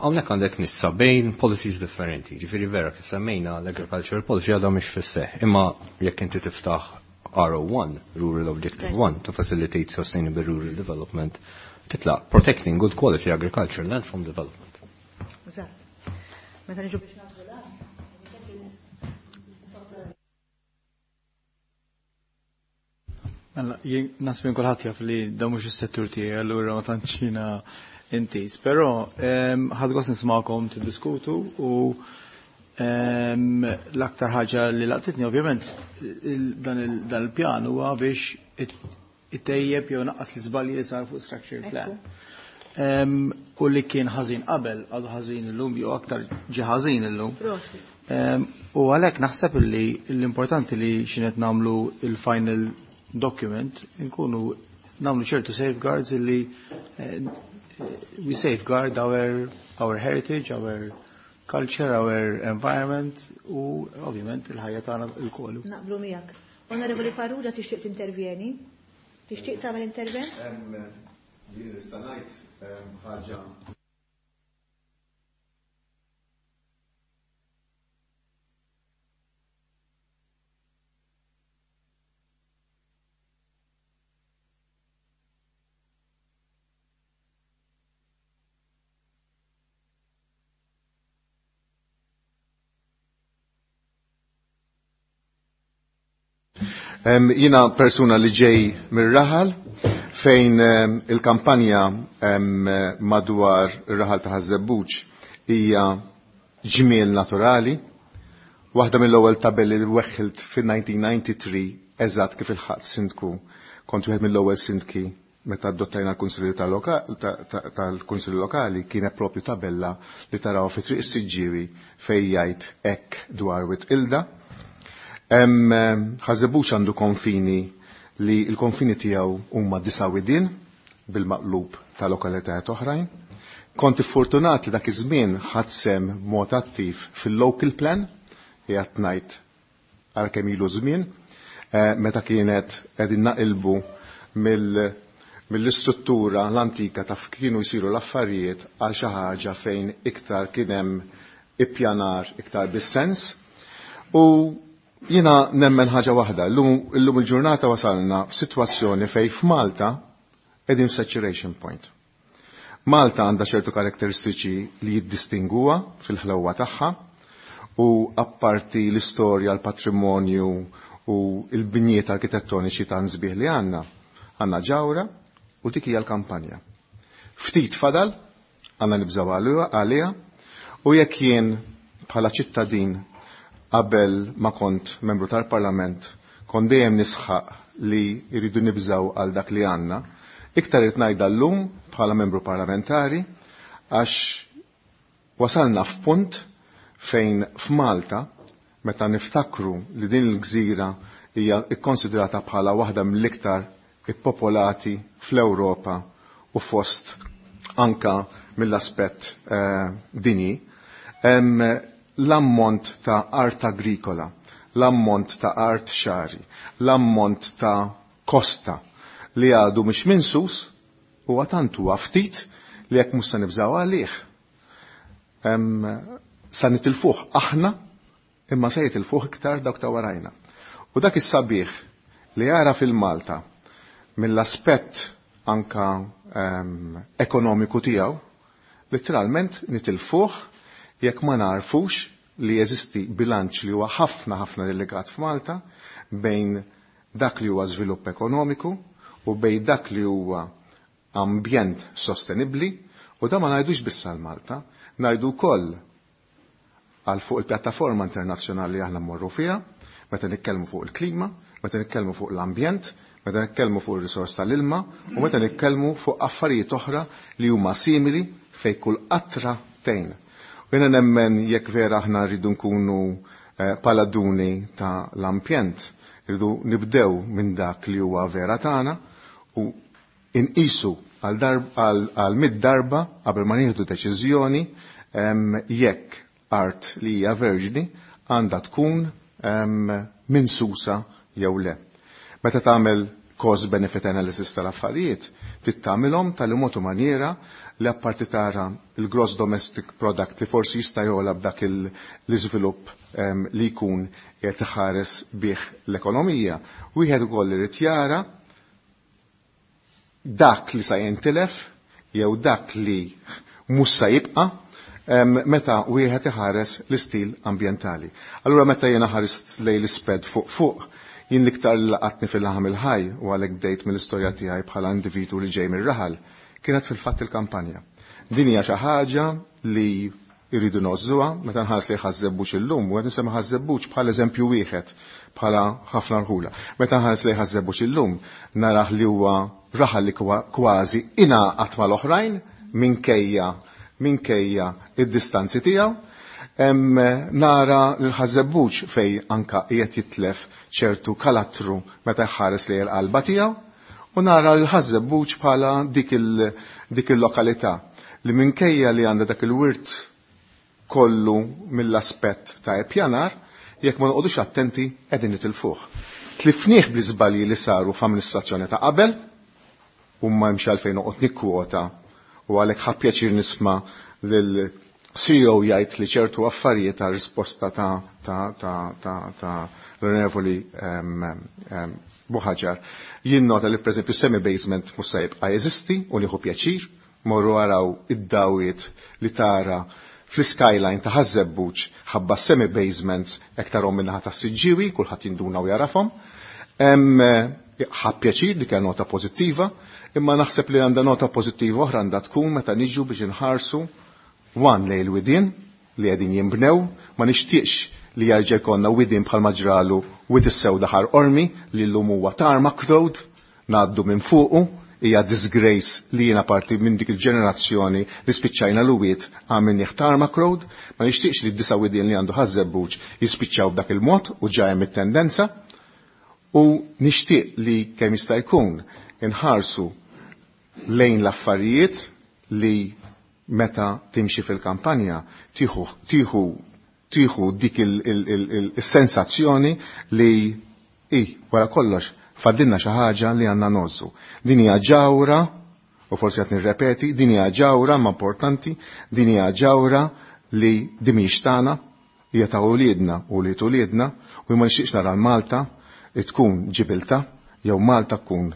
hawnhekk għandek nissa bejn policies differenti. Ġifieri vera kif semmejna l-agricultural policy għadha mhix fis-seħħ, imma jekk inti tiftaħ R O one, Rural Objective one, to facilitate sustainable rural development, titlaq protecting good quality agricultural land from development.
Eżatt. Meta niġu biex nagħmlu l-art.
Mela, jien naħseb minn kulħadd jaf li da mhux is-settur tiegħi, allura ma tantx jiena intiż. Però ħadd gost nismagħkom tiddiskutu u l-aktar ħaġa li laqtitni ovvjament dan il-pjan huwa biex ittejjeb jew naqqas l-iżbalji li sar fuq structure plan. U li kien ħażin qabel għadu ħażin illum jew aktar ġi ħażin illum. U għalhekk naħseb li l-importanti li x'inhet nagħmlu il-final document nkunu nagħmlu ċertu safeguards li we safeguard our our heritage, our culture, our environment u ovvjament il-ħajja tagħna lkoll.
Naqblu miegħek. Onorevoli Farrugia tixtieq tintervjeni? Tixtieq tagħmel intervent?
Jien nista' ngħid ħaġa. Jina persuna li ġej mir-raħal fejn il-kampanja madwar ir-raħal ta' Ħaż-Żebbuġ hija ġmiel naturali. Waħda mill-ewwel tabelli li weħħilt fin-nineteen ninety-three eżatt kif il-ħadd sindku Kont wieħed mill-ewwel sindki meta adottajna l-Kunsilli tal-Kunsilli Lokali, kienet propju tabella li taraw fi Triq is-Siġġiewi fejn jgħid hekk dwar Wied Ilda. Ħaż-Żebbuġ għandu konfini li l-konfini tiegħu huma disa' widien bil-maqlub ta' lokalitajiet oħrajn. Kont iffortunat li dak iż-żmien ħadt sehem mod attiv fil-local plan, qiegħed ngħid għal kemm ilu żmien, meta kienet qegħdin naqilbu mill mill-istruttura l-antika ta' kienu jsiru l-affarijiet għal xi ħaġa fejn iktar kien hemm ippjanar iktar bis-sens. U jiena nemmen ħaġa waħda, illum il-ġurnata wasalna f'sitwazzjoni fejn f'Malta qegħdin f'saturation point. Malta għandha ċertu karakteristiċi li jiddistinguha fil-ħlewwa tagħha, u apparti l-istorja, l-patrimonju u l-binjiet arkitettoniċi ta' sbieħ li għandna, għandna ġawra u dik hija l-kampanja. Ftit fadal, għandna nibżgħu għaliha, u jekk jien bħala ċittadin qabel ma kont membru tal-Parlament kont dejjem nisħaq li jridu nibżgħu għal dak li għandna, iktar irid ngħidha llum bħala membru parlamentari, għax wasalna f'punt fejn f'Malta, meta niftakru li din il-gżira hija kkonsidrata bħala waħda mill-iktar ippopolati fl-Ewropa u fost anka mill-aspett eh, dinji, l-ammont ta' art agrikola, l-ammont ta' art xari, l-ammont ta' kosta li għadu mhix minsus huwa tant huwa ftit li jekk mhux se nibżgħu għalih. Sa nitilfuh aħna, imma se jitilfuh iktar dawk ta' warajna. U dak is-sabiħ li jara fil-Malta mill-aspett anka um, ekonomiku tiegħu, literalment nitilfuh jekk ma narfux li jeżisti bilanċ li huwa ħafna ħafna delegat f'Malta bejn dak li huwa żvilupp ekonomiku u bejn dak li huwa ambjent sostenibbli, u da ma ngħidux biss għal Malta, ngħidu wkoll għal fuq il-pjattaforma internazzjonali li aħna mmorru fiha, meta nitkellmu fuq il-klima, meta nitkellmu fuq l-ambjent, meta nitkellmu fuq ir-risors tal-ilma u meta nitkellmu fuq affarijiet oħra li huma simili fejn kull qatra tgħin. U jiena nemmen jekk vera aħna rridu nkunu paladuni ta' l-ambjent, rridu nibdew minn dak li huwa vera tagħna u inqisu għal mid-darba qabel ma nieħdu deċiżjoni jekk art li hija verġni għandha tkun minsusa jew le. Meta tagħmel cost benefit analysis tal-affarijiet, tittamilhom tal-mod u maniera li apparti tara il-gross domestic product li forsi jista' jogħla b'dak l-iżvilupp li jkun qed iħares bih l-ekonomija, wieħed ukoll irid jara dak li sa jintilef jew dak li mhux sa jibqa' meta wieħed iħares l-istil ambjentali. Allura meta jiena ħarist lejn l-isped fuq fuq, jien l-iktar li laqatni fil-laħam il-ħaj u għalhekk bdejt mill-istorja tiegħi bħala individwu li ġej mir-raħal, kienet fil-fatt il-kampanja. Din hija xi ħaġa li jridu nożżuha, meta nħares li Ħaż-Żebbuġ illum, u qed nisemma Ħaż-Żebbuġ bħala eżempju wieħed bħala ħafna rħula. Meta nħares li Ħaż-Żebbuġ illum narah li huwa raħal li kważi ingħaqad mal-oħrajn minkejja minkejja id-distanzi tiegħu. Nara l-Ħaż-Żebbuġ fej anka qiegħed jitlef ċertu karattru meta jħares li l-qalba tiegħu, u nara l-Ħaż-Żebbuġ bħala dik il-lokalità li minkejja li għandha dak il-wirt kollu mill-aspett ta' ippjanar, jekk ma noqogħdux attenti qegħdin nitilfuh. Tlifnieh bl-iżbalji li saru f'amministrazzjoni ta' qabel, u ma hemmx għalfejn noqgħod nikkwota, u għalhekk ħa pjaċir nisma' lil C E O jgħid li ċertu affarijiet ta' risposta ta' ta' ta' ta' ta' l-Onorevoli Buhaġar. Jien nota li pereżempju semi-basement mhux se jibqa' jeżisti u nieħu pjaċir, morru araw id-dawiet li tara fl-skyline ta' Ħaż-Żebbuġ ħabba semi-basements hekk tarhom min-naħa tas-Siġġiewi, kulħadd jinduna u jarafhom. Ħa pjaċir li kien nota pożittiva, imma naħseb li għandha nota pożittiva oħra għandha tkun meta niġu biex inħarsu wan lejn il-widien li qegħdin jinbnew, ma nixtieqx li jerġa' jkollna widien bħal maġralu Wied is-Sewda Ħar Qormi li llum huwa tarmac road, ngħaddu minn fuqu, hija disgrace li jiena parti minn dik il-ġenerazzjoni li spiċċajna l-wiet għamil tarmac road, ma nixtieqx li d-disa widien li għandu Ħaż-Żebbuġ jispiċċaw b'dak il-mod u ġa hemm it-tendenza, u nixtieq li kemm jista' jkun inħarsu lejn l-affarijiet li meta timxi fil-kampanja tieħu tieħu tieħu dik il-sensazzjoni li i wara kollox faddilna xi ħaġa li għandna nozzu. Din hija ġawra, u forsi qed nirrepeti, din hija ġawra ma importanti, din hija ġawra li din mhijiex tagħna, hija ta' uliedna u li uliedna, u ma nixtieqx nara Malta tkun Ġibilta jew Malta tkun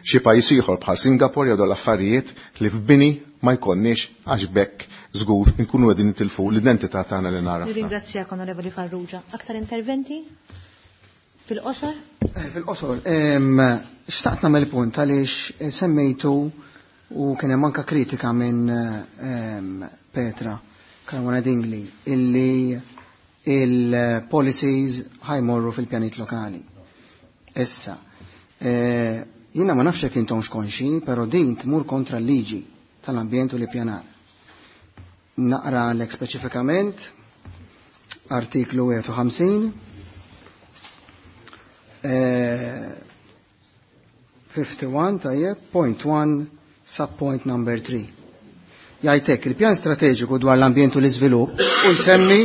xi pajjiż ieħor bħal Singapore jew l-affarijiet li f'bini ma jkollniex għax bekk żgur inkunu qegħdin nitilfu l-identità tagħna li nara.
Nirringrazzjak Onorevoli Farrugia. Aktar interventi? Fil-qosor?
Fil-qosor, xtaqt nagħmel punt għaliex semmejtu u kien hemm anke kritika minn Petra Caruana Dingli illi il-policies ħajmorru fil-pjanit lokali. Issa, jiena ma nafx jekk intom xkonxi, però din tmur kontra l-liġi tal-ambjent u l-pjanar. Naqra lek speċifikament artiklu wieħed u ħamsin fifty-one tajjeb, point one sub point number three. Jgħidlek il-pjan strateġiku dwar l-ambjent u l-iżvilupp u jsemmi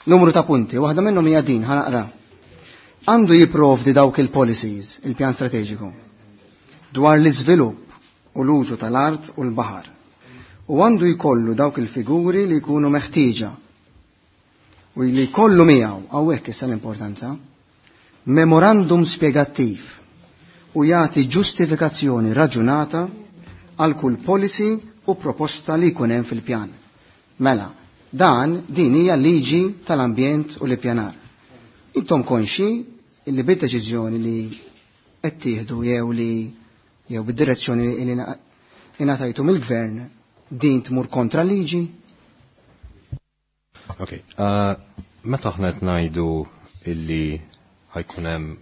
numru ta' punti, waħda minnhom hija din, ħanaqra. Għandu jipprovdi dawk il-policies, il-pjan strateġiku, dwar l-iżvilupp u l-użu tal-art u l-baħar. U għandu jkollu dawk il-figuri li jkunu meħtieġa u li jkollu miegħu, hawnhekk issa l-importanza, memorandum spjegattiv u jagħti ġustifikazzjoni raġunata għal kull policy u proposta li jkun hemm fil-pjan. Mela, dan din hija liġi tal-ambjent u l-ippjanar. Intom konxi illi bid-deċiżjoni li qed tieħdu jew li jew bid-direzzjoni li ingħatajtu mill-gvern din tmur kontra liġi?
Ok, uh, meta aħna qed ngħidu illi ħajkun hemm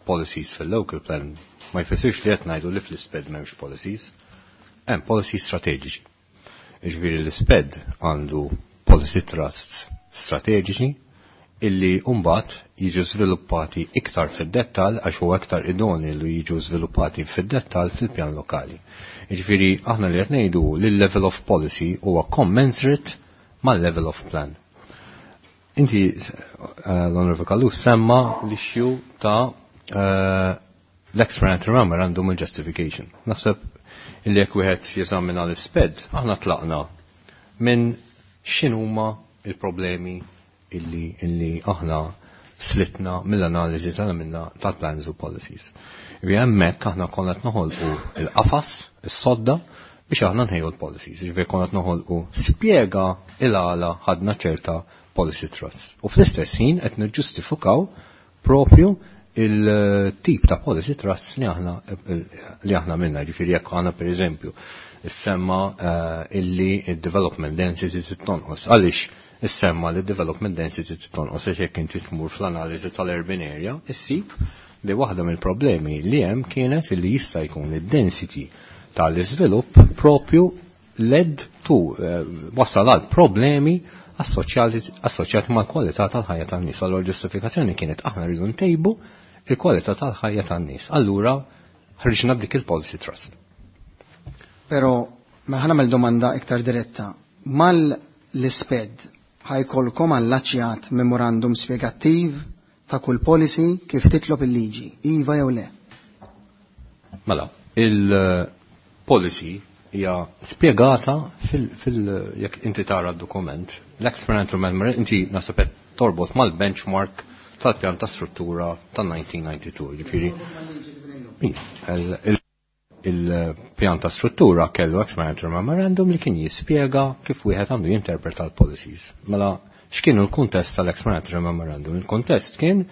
policies fil-local plan, ma jfissirx li qed ngħidu li fl-isped m'hemmx policies. Hemm policies strateġiċi. Jiġifieri l-isped għandu policy trusts strateġiċi illi mbagħad jiġu żviluppati iktar fid-dettall għax huwa iktar idoni li jiġu żviluppati fid-dettall fil-pjan lokali. Jiġifieri aħna li qed ngħidu li l-level of policy huwa commensurate mal-level of plan. Inti l-Onorevole Callus semma l-issue ta' l-explanatory memorandum u justification. Naħseb illi jekk wieħed jeżamina l-isped, aħna tlaqna minn x'inhuma il-problemi illi illi aħna slitna mill-analiżi tal-minna tal-plans u policies. Ġifieri hemmhekk aħna konna qed noħolqu il-qafas, is-sodda biex aħna nħejju l-policies. Ġifieri konna qed noħolqu spjega il-għala ħadna ċerta policy trust. U fl-istess ħin qed niġġustifikaw propju il-tip ta' policy trust li aħna li aħna minna. Ġifieri jekk aħna pereżempju issemma illi il-development density tonqos. Għaliex issemma li development density tonqos għax jekk inti tmur fl-analiżi tal-urban area, issib li waħda mill-problemi li hemm kienet li jista' jkun id-density tal-iżvilupp propju led to wassal għal problemi assoċjati mal-kwalità tal-ħajja tan-nies. Allura ġustifikazzjoni kienet aħna rridu ntejbu il-kwalità tal-ħajja tan-nies. Allura ħriġna b'dik il-policy trust.
Però ma ħa nagħmel domanda iktar diretta. Mal l-isped ħajkolkom allaċjat memorandum spjegattiv ta' kull policy kif titlob il-liġi, iva jew le?
Mela, il-policy hija spjegata fil, fil jekk inti tara d-dokument, l-experimental memorandum inti naħseb qed torbot mal-benchmark tal-pjan ta' struttura tal-nineteen ninety-two, ġifieri. Il-pjan ta' struttura kellu experimental memorandum li kien jispjega kif wieħed għandu jinterpreta l-policies. Mela, x'kienu l-kuntest tal-explanatory memorandum? Il-kuntest kien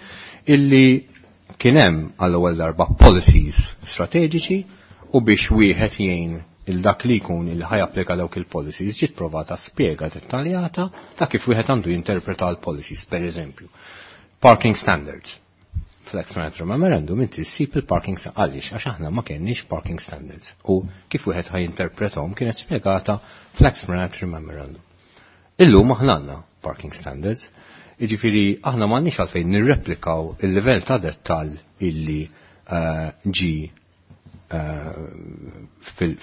illi kien hemm għall-ewwel darba policies strateġiċi u biex wieħed jgħin il-dak li jkun il ħajapplika dawk il-policies ġiet provata spjega dettaljata ta' kif wieħed għandu jinterpreta l-policies, per eżempju. Parking standards. Fl-explanatory memorandum inti ssib il-parking għaliex għax aħna ma kenniex parking standards u kif wieħed ħa jinterprethom kienet spjegata fl-explanatory memorandum. Illum aħna għandna parking standards, jiġifieri aħna m'għandniex għalfejn nirreplikaw il-livell ta' dettall illi eh, ġi eh,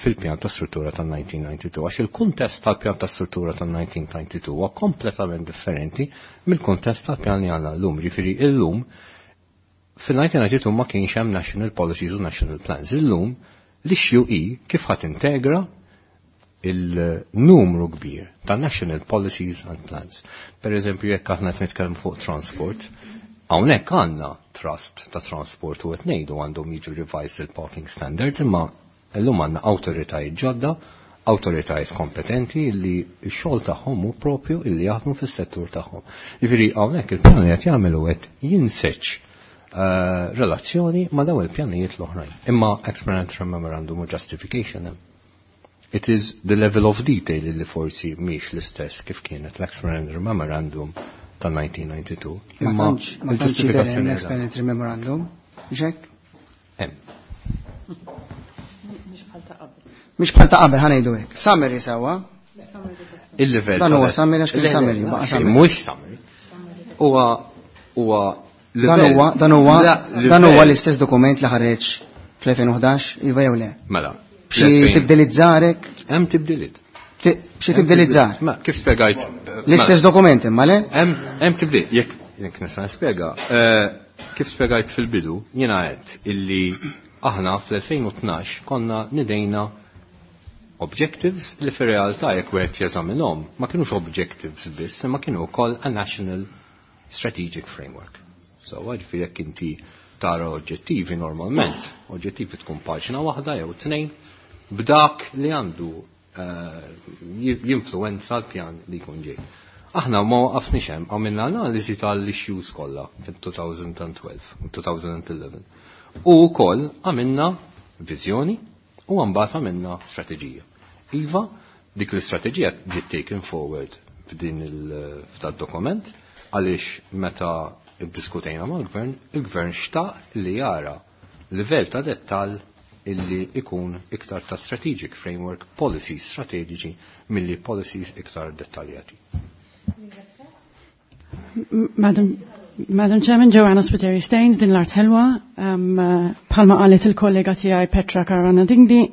fil-pjan ta' struttura tal-elf disa' mija u disgħa u disgħin, għax il-kuntest tal-pjan ta' struttura tal-elf disa' mija u disgħa u disgħin huwa kompletament differenti mill-kuntest tal-pjan li għandna llum. Ġifieri illum, fil-elf disa' mija u disgħa u disgħin ma kienx hemm national policies u national plans. Illum l-issue hi kif ħa tintegra il-numru kbir ta' national policies and plans. Per eżempju, jekk aħna qed nitkellmu fuq transport, hawnhekk għandna trust ta' transport u qed ngħidu għandhom jiġu revised il-parking standards, imma llum għandna awtoritajiet ġodda, awtoritajiet kompetenti li x-xogħol tagħhom hu propju illi jaħdmu fis-settur tagħhom. Jiġifieri hawnhekk il-pjan li qed jagħmlu qed jinseġ eh, relazzjoni ma' dawn il-pjanijiet l-oħrajn. Imma explanatory memorandum u justification hemm. It is the level of detail li forsi mhix l-istess kif kienet l-explanatory memorandum tal-elf disa' mija u disgħa u disgħin.
Ma tantx ma tantx jidher hemm l-explanatory memorandum. Ġek?
Hemm.
Mhix bħal ta' qabel, ħa ngħidu hekk. Summary sewwa.
Il-level.
Dan huwa summary għax kien summary, baqa' summary.
Mhux summary. Huwa huwa
Dan huwa dan huwa dan huwa l-istess dokument li ħareġ fl-elfejn u ħdax, iva jew le?
Mela.
B'xi tibdiliet żgħar?
Hemm tibdiliet.
B'xi tibdiliet żgħar?
Ma kif spjegajt?
L-istess dokument imma le?
Hemm tibdil, jekk jekk nista' nispjega. Eh, kif spjegajt fil-bidu, jiena għedt illi aħna fl-elfejn u tnax konna nidejna objectives li fir-realtà, jekk wieħed jeżaminhom, ma kinux objectives biss, imma kienu wkoll a national strategic framework. So, ġifieri jekk inti tara oġġettivi normalment, oġġettivi tkun paġna waħda jew tnejn, b'dak li għandu eh, jinfluenza l-pjan li jkun ġej. Aħna ma waqafniex hemm, għamilna analiżi tal-issues kollha fil-elfejn u tnax u elfejn u għaxra. U wkoll għamilna viżjoni u mbagħad għamilna strateġija. Iva, dik l-istrateġija ġiet taken forward f'din il-dokument għaliex meta iddiskutejna mal-gvern, il-gvern xtaq li jara livell ta' dettall illi ikun iktar ta' strategic framework, policies strategiċi milli policies iktar dettaljati.
Madam, Madam Chairman, Joanna Spiteri Staines, Din l-Art Ħelwa, um, bħalma qalet il-kollega tiegħi Petra Caruana Dingli,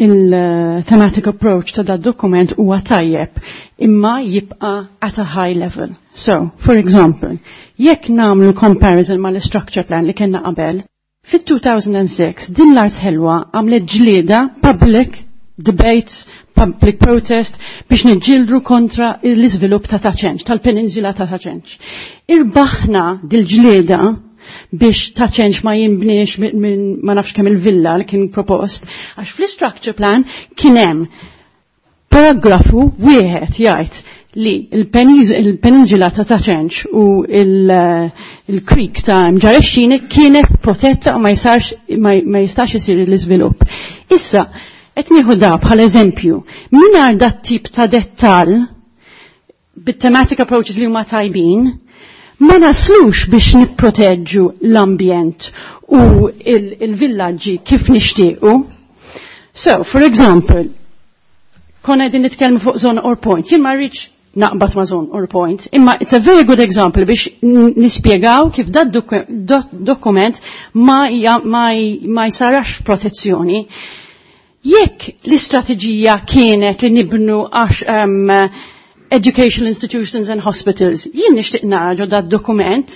il-thematic approach ta' dad dokument huwa tajjeb, imma jibqa' at a high level. So, for example, jekk nagħmlu comparison mal structure plan li kellna qabel, fit-elfejn u sitta Din l-Art Ħelwa għamlet ġlieda, public debates, public protest biex niġġieldu kontra l-iżvilupp ta' Ta' Ċenċ, tal-peninsula ta' Ta' Ċenċ. Irbaħna dil-ġlieda biex Ta' Ċenċ ma jimbniex minn ma nafx kemm il-villa li kien propost, għax fl-structure plan kien hemm paragrafu wieħed jgħid li il-peninsula ta' Ta' Ċenċ u il-creek ta' Mġarr ix-Xini kienet protetta u ma jistax isir l-iżvilupp. Issa, qed nieħu da bħal eżempju, mingħajr dat tip ta' dettal bit-thematic approaches li huma tajbin, ma naslux biex nipproteġġu l-ambjent u il-villaġġi kif nixtiequ. So, for example, konna qegħdin nitkellmu fuq Żonqor Point. Jien ma rridx naqbad ma' Żonqor Point, imma it's a very good example biex nispjegaw kif dat dokument ma, ma, ma jsarax protezzjoni. Jekk l-istrateġija kienet li nibnu għax um, educational institutions and hospitals, jien nixtieq nara dat dokument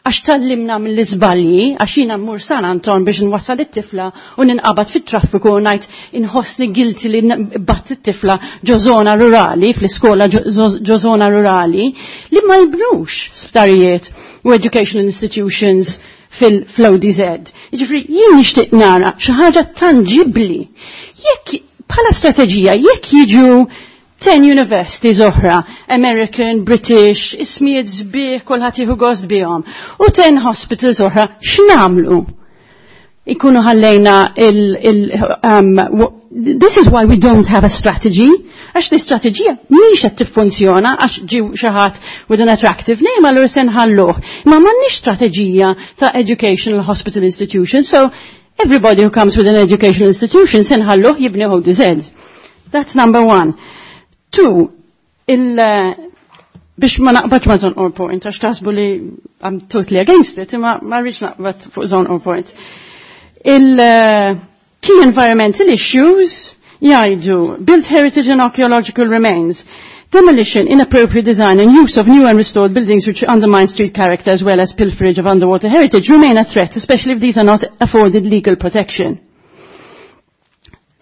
għax tgħallimna mill-iżbalji, għax jiena mmur San Anton biex nwassal it-tifla u ninqabad fit-traffiku u ngħid inħossni guilty li bgħatt it-tifla ġo zona rurali, fl-iskola ġo zona rurali, li ma jibnux sptarijiet u educational institutions fil-O D Z. Jiġifieri jien nixtieq nara xi ħaġa tangibbli. Jekk bħala strateġija, jekk jiġu ten universities oħra, American, British, ismijiet sbieħ, kulħadd jieħu gost bihom, u ten hospitals oħra, x'nagħmlu? Ikunu ħallejna il, il um, this is why we don't have a strategy. Għax l-istrateġija mhix qed tiffunzjona għax ġie xi ħadd with an attractive name allura se nħalluh. Ma m'għandniex strateġija ta' educational hospital institution, so everybody who comes with an educational institution se nħalluh jibni O D Z. That's number one. Two, il, biex ma naqbadx ma' Żonqor Point, għax taħsbu li I'm totally against it, imma ma rridx naqbad fuq Żonqor Point. Il-key environmental issues jgħidu built heritage and archaeological remains, demolition, inappropriate design and use of new and restored buildings which undermine street character as well as pilferage of underwater heritage remain a threat, especially if these are not afforded legal protection.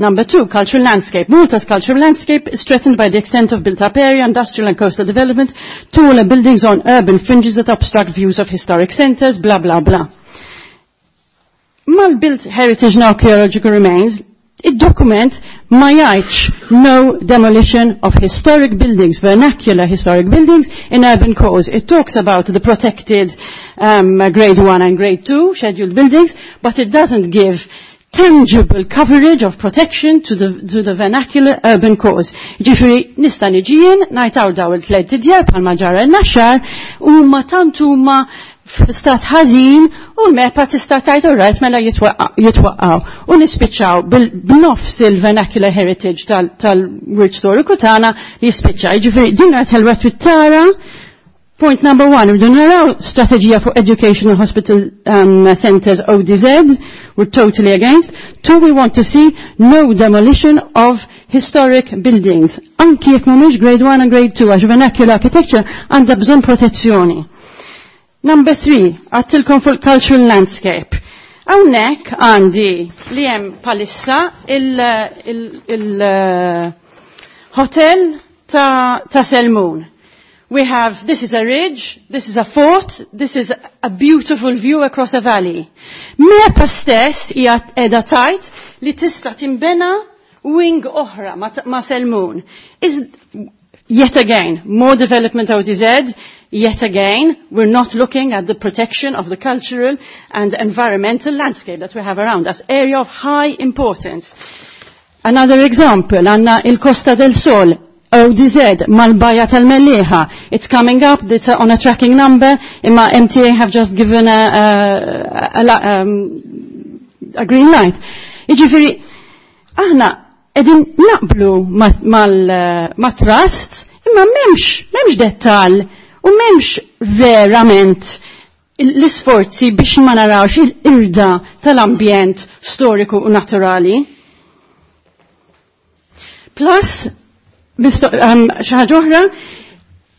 Number two, cultural landscape. Malta's cultural landscape is threatened by the extent of built-up area, industrial and coastal development, taller buildings on urban fringes that obstruct views of historic centers, blah, blah, blah. Mal-built heritage and archaeological remains, id-dokument ma jgħidx no demolition of historic buildings, vernacular historic buildings in urban cores. It talks about the protected um, grade one and grade two scheduled buildings, but it doesn't give tangible coverage of protection to the, to the vernacular urban cores. Ġifieri, nista' niġi jien, ngħid daw il-tliet djar bħalma ġara n-Naxxar u ma tant huma f'stat ħażin u l-MEPA tista' tgħid alright, mela jitwaqqgħu. U nispiċċaw bil-nofs il-vernacular heritage tal-wirt storiku tagħna li jispiċċa. Ġifieri din l-art ħelwa tara. Point number one, rridu naraw strateġija for educational hospital um, centers O D Z, we're totally against. Two, we want to see no demolition of historic buildings. Anki jekk mhumiex grade one and grade two, għax vernacular architecture għandha bżonn protezzjoni. Number three, għedtilkom fuq cultural landscape. Hawnhekk għandi li hemm bħalissa il-hotel ta', ta Selmun. We have, this is a ridge, this is a fort, this is a beautiful view across a valley. MEPA stess hija qiegħda tgħid li tista' timbena wing oħra ma, ma Selmun. Is, yet again, more development O D Z, yet again, we're not looking at the protection of the cultural and environmental landscape that we have around us, area of high importance. Another example, għandna il-Costa del Sol, O D Z mal-Bajja tal-Mellieħa. It's coming up, it's on a tracking number, imma M T A have just given a, a, a, a, um, a green light. Iġifiri, aħna qegħdin naqblu ma' trust, imma m'hemmx, m'hemmx dettal u m'hemmx verament l-isforzi biex ma narawx il-qirda tal-ambjent storiku u naturali. Plus, Um, xi ħaġa oħra,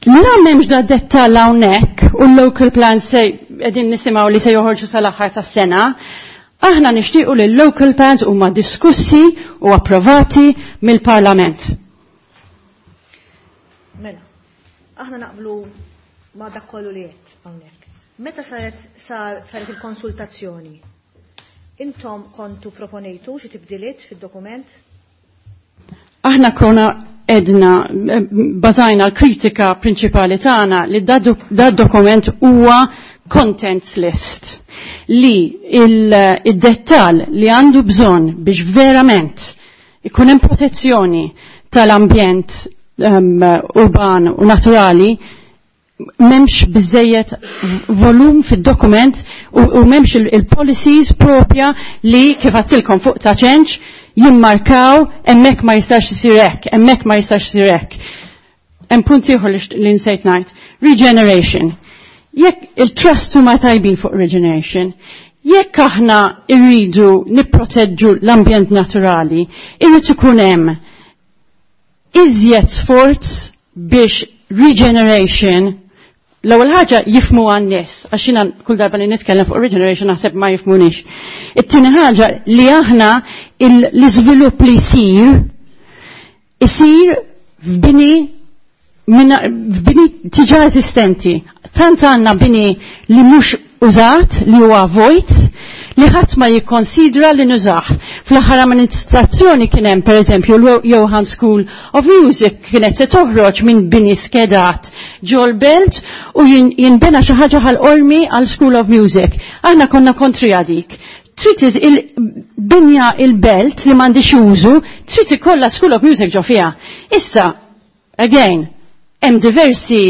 la m'hemmx da dettall hawnhekk u l-local plans se qegħdin nisimgħu li se joħorġu sal-aħħar tas-sena, aħna nixtiequ li l-local plans huma diskussi u approvati mill-Parlament.
Mela, aħna naqblu ma dak kollu li qed hawnhekk. Meta saret sar, saret il-konsultazzjoni, intom kontu proponejtu xi tibdiliet fid-dokument?
Aħna konna edna bażajna l-kritika prinċipali tagħna li da dokument huwa contents list li il-dettal li għandu bżonn biex verament ikun hemm protezzjoni tal-ambjent um, urban u naturali m'hemmx biżżejjed volum fid-dokument u, u m'hemmx il-policies propja li kif għedtilkom fuq Ta' Ċenċ jimmarkaw hemmhekk ma jistax isir hekk, hemmhekk ma jistax isir hekk. Hemm punt ieħor li nsejt ngħid. Regeneration. Jekk il-trust huma tajbin fuq regeneration, jekk aħna irridu nipproteġġu l-ambjent naturali, irrid ikun hemm iżjed sforz biex regeneration l-ewwel ħaġa jifhmu għan-nies, għax jiena kull darba li nitkellem fuq regeneration naħseb ma jifhmunix. It-tieni ħaġa li aħna l-iżvilupp li jsir isir f'bini f'bini diġà eżistenti. Tant għandna bini li mhux użat, li huwa vojt, li ħadd ma jikkonsidra li nużah. Fl-aħħar amministrazzjoni kien hemm, pereżempju, l-Johan School of Music kienet se toħroġ minn bini skedat ġol-belt u jinbena xi ħaġa Ħal Qormi għal School of Music. Aħna konna kontra dik. Trid il-binja il-belt li m'għandix użu, trid ikollha School of Music ġo fiha. Issa, again, hemm diversi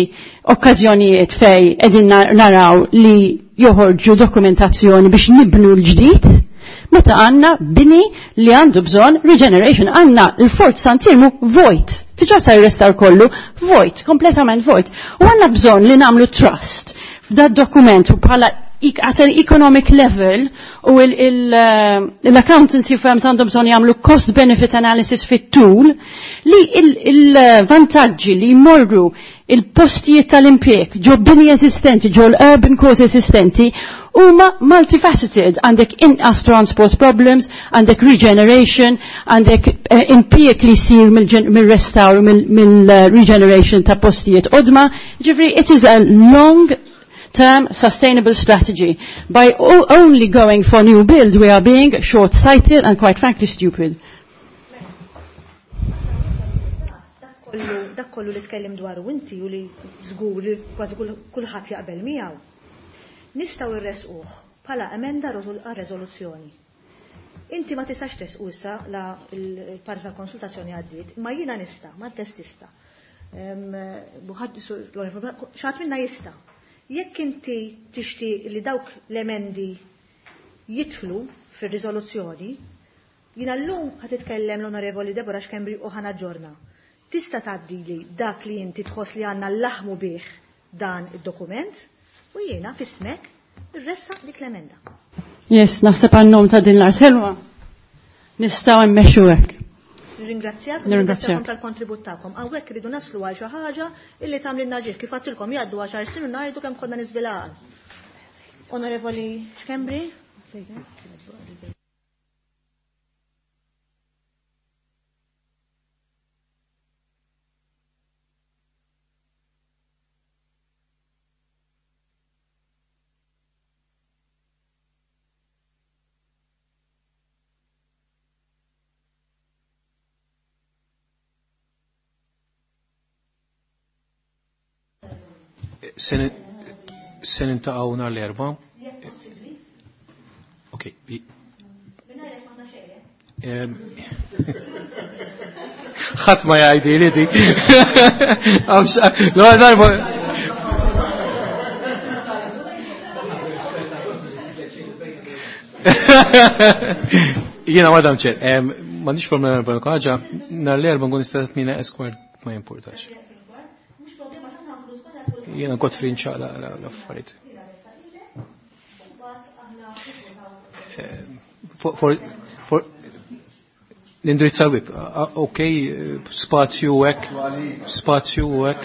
okkażjonijiet fej qegħdin naraw li joħorġu dokumentazzjoni biex nibnu l-ġdid, meta għanna bini li għandu bżon regeneration, għanna l-Fort Sant'Iermu vojt, diġà sar restawr kollu, vojt, kompletament vojt. U għanna bżon li namlu trust f'da dokument u bħala at an economic level u l-accountancy firms għandhom bżon jagħmlu cost benefit analysis fit-tul li il-vantaġġi li jmorru il-postijiet tal-impjeg ġo bini eżistenti, ġo l-urban cores eżistenti huma multifaceted. Għandek inqas transport problems, għandek regeneration, għandek eh, impjieg li jsir mill-restawr, mill-regeneration ta' postijiet qodma. Ġifri, it is a long term sustainable strategy. By only going for new build, we are being short-sighted and quite frankly stupid.
Dak kollu li tkellim dwaru inti u li żgur li kważi kulħadd jaqbel miegħu. Nistgħu rresquh bħala emenda għar-reżoluzzjoni. Inti ma tistax tresqu issa la l-parti tal-konsultazzjoni għaddiet, ma jiena nista', ma test tista'. Xatt minna jista'. Jekk inti tixtieq li dawk l-emendi jidħlu fir-riżoluzzjoni, jiena llum ħa titkellem l-Onorevoli Deborah Schembri u ħa naġġorna. Tista' tgħaddili dak li inti tħoss li għandna laħmu bih dan id-dokument u jiena f'ismek irressaq dik l-emenda.
Yes, naħseb għan-nom ta' din l-art ħelwa. Nistgħu mmexxu hekk.
Nirringrazzjak, nirringrazzjakom tal-kontribut tagħkom. Hawnhekk iridu naslu għal xi ħaġa illi tagħmlilna ġieħ kif għadtilkom jgħaddu għaxar snin u ngħidu kemm konna niżbilgħal. Onorevoli Schembri?
Se niltaqgħu nhar l-Erbgħa. Okej. Ħadd ma jgħidi li dik. Darba. Jiena Madam Chair, m'għandix problema l ħaġa, nhar l-Erbgħa nkun nista' tmina esquire ma jimpurtax. Jiena kont frinċa l-affarijiet. L-indirizza web, ok, spazju hekk, spazju hekk,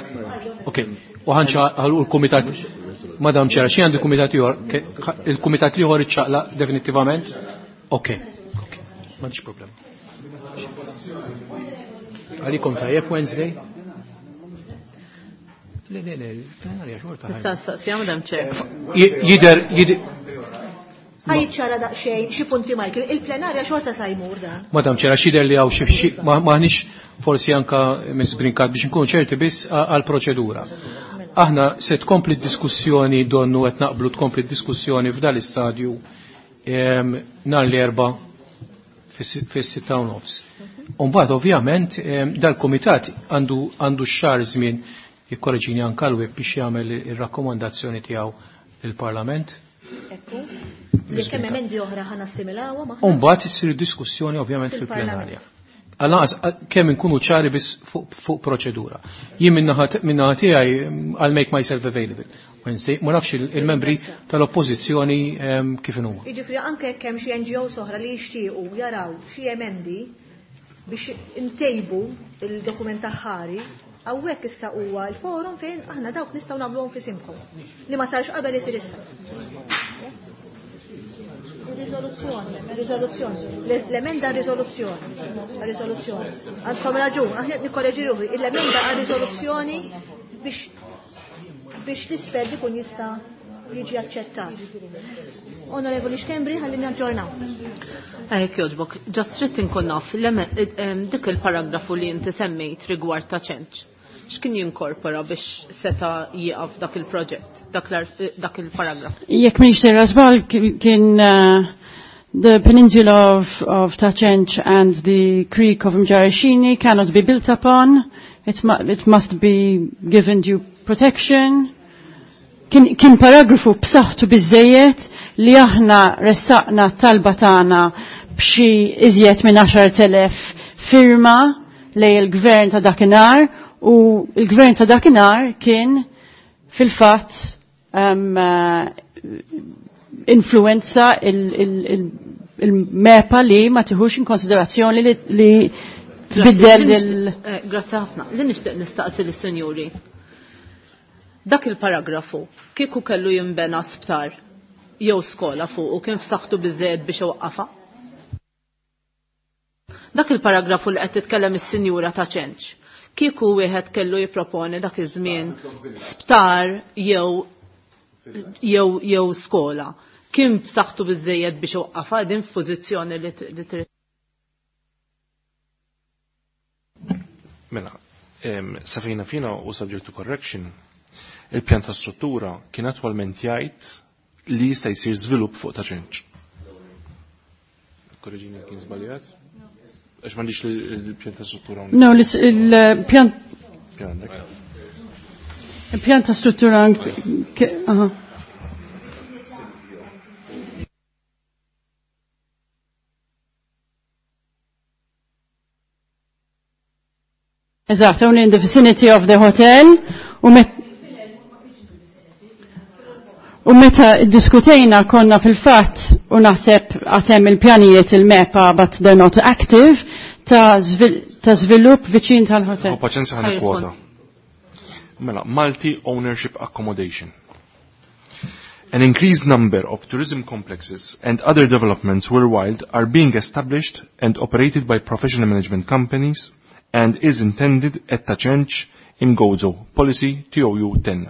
ok. U ħanċa għal l-kumitat, Madam Chair, xi għandi kumitat ieħor, il-kumitat ieħor iċċaqla definitivament? Ok, ok, m'għandix problema. Għalikom tajjeb Wednesday? Le, le, le, plenarja xorta.
Issa saqsija, Madam Chair.
Jider, jider.
Ħajċara daqsxejn xi punti Michael, il-plenarja xorta sa jmur dan.
Madam Chair, għax jidher li hawn xi maħniex forsi anka Miss Brincat biex nkunu ċerti biss għall-proċedura. Aħna se tkompli d-diskussjoni donnu qed naqblu tkompli d-diskussjoni f'dan l-istadju nhar l-Erbgħa fis-sitta u nofs. U mbagħad ovvjament dal-kumitat għandu għandu x-xahar żmien jikkoreġini anka l-web biex jagħmel ir-rakkomandazzjoni tiegħu lill-Parlament.
Ekku. Jekk hemm emendi oħra ħa nassimilawha
maħna. U mbagħad issir diskussjoni ovvjament fil-plenarja. Għal kemm inkunu ċari biss fuq proċedura. Jien min-naħa tiegħi I'll make myself available. Wednesday, ma nafx il-membri tal-oppożizzjoni kif inhuma.
Jiġifieri anke jekk hemm xi N G Os oħra li jixtiequ jaraw xi emendi biex intejbu il-dokument aħħari, hawnhekk issa huwa l-forum fejn aħna dawk nistgħu nagħmluhom f'isimkom. Li ma sarx qabel isir issa. Riżoluzzjoni, riżoluzzjoni, l-emenda riżoluzzjoni, riżoluzzjoni. Għandkom raġun, aħna nikkoreġi ruħi, l-emenda għal riżoluzzjoni biex biex l-isfel ikun jista' jiġi aċċettat. Onorevoli Schembri, ħalli naġġornaw.
Ejk jogħġbok, ġast trid inkun naf dik il-paragrafu li inti semmejt rigward ta' ċenċ. X'kien jinkorpora biex seta' jieqaf dak il-proġett, dak il-paragraf?
Jekk m'iniex sejra żball kien The peninsula of, of Ta' Cenc and the creek of Mġarr ix-Xini cannot be built upon. It, mu it must be given due protection. Kien, kien paragrafu b'saħħtu biżejjed li aħna ressaqna talba tagħna b'xi iżjed minn għaxart elef firma lej il-gvern ta' dakinhar u il-gvern ta' dakinhar kien fil-fatt um, uh, influenza il-MEPA li ma tiħux in konsiderazzjoni li, li tbiddel il-
eh, Grazzi ħafna. Li nixtieq nistaqsi lis-sinjuri. Dak il-paragrafu kieku kellu jinbena sptar jew skola fuq u kien f'saħħtu biżejjed biex iwaqqafha? Dak il-paragrafu li qed titkellem is-sinjura ta' Ċenċ. Kieku wieħed kellu jipproponi dak iż-żmien sptar jew jew jew skola. Kien b'saħħtu biżejjed biex iwaqqafha din f'pożizzjoni li trid.
Mela, safejna fina u subject to correction, il-pjan ta' struttura kien attwalment jgħid li jista' jsir żvilupp fuq Ta' Ċenċ. Korreġini kien żbaljat? Għax m'għandix il-pjan ta' struttura.
No, il-pjan il-pjan ta' struttura aha. Eżatt, only in the vicinity of the hotel u met U meta diskutejna konna fil-fatt u naħseb għatem il-pjanijiet il-MEPA but they're not active ta' ta' żvilupp viċin tal-hotel.
U paċenza ħan kwota. Mela, multi-ownership accommodation. An increased number of tourism complexes and other developments worldwide are being established and operated by professional management companies and is intended at Ta' Cenc in Gozo. Policy T O U ten.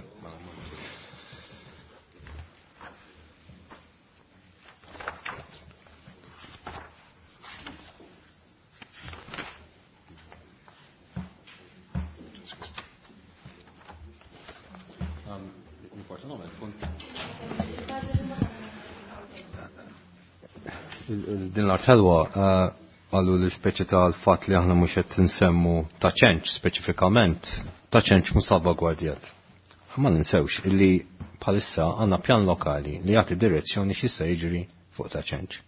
Din l-art ħelwa għallu l-speċi tal-fat li aħna mhux qed nsemmu Ta' Ċenċ speċifikament, Ta' Ċenċ mhux salvagwardjat. Ma ninsewx illi bħalissa għandna pjan lokali li jagħti direzzjoni x'jista' jiġri fuq Ta' Ċenċ.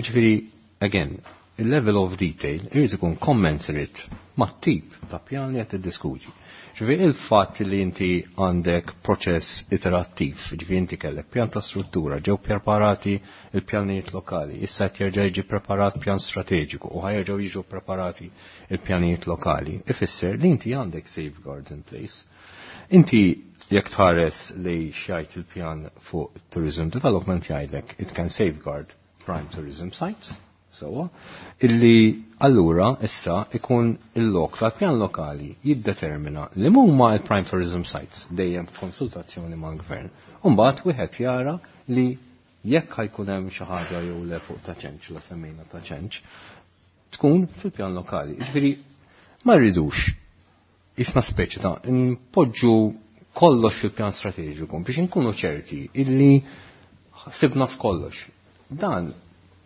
Jiġifieri, again, il-level of detail irid ikun commensurate mat-tip ta' pjan li qed tiddiskuti. Ġifieri il-fatt li inti għandek proċess iterattiv, ġifieri inti kellek pjan ta' struttura, ġew preparati il-pjanijiet lokali, issa qed jerġa' jiġi preparat pjan strateġiku u ħajerġgħu jiġu preparati il-pjanijiet lokali, ifisser li inti għandek safeguards in place. Inti jekk tħares li xjajt il-pjan fuq tourism development jgħidlek it can safeguard prime tourism sites, sewwa, illi allura issa ikun il-lok tal-pjan lokali jiddetermina li huma il-prime tourism sites dejjem f'konsultazzjoni mal-gvern. U mbagħad wieħed jara li jekk ħajkun hemm xi ħaġa jew le fuq Ta' Ċenċ, la semmejna Ta' Ċenċ, tkun fil-pjan lokali. Jiġifieri ma rridux isna speċi ta' npoġġu kollox fil-pjan strateġiku biex inkunu ċerti illi sibna f'kollox. Dan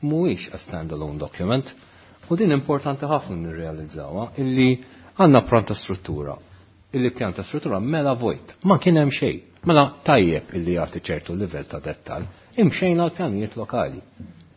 mhuwiex a standalone document u din importanti ħafna nirrealizzawha illi għandna pjan ta' struttura. Illi pjan ta' struttura mela vojt, ma kien hemm xejn. Mela tajjeb illi jagħti ċertu livell ta' dettal, imxejna l-pjanijiet lokali.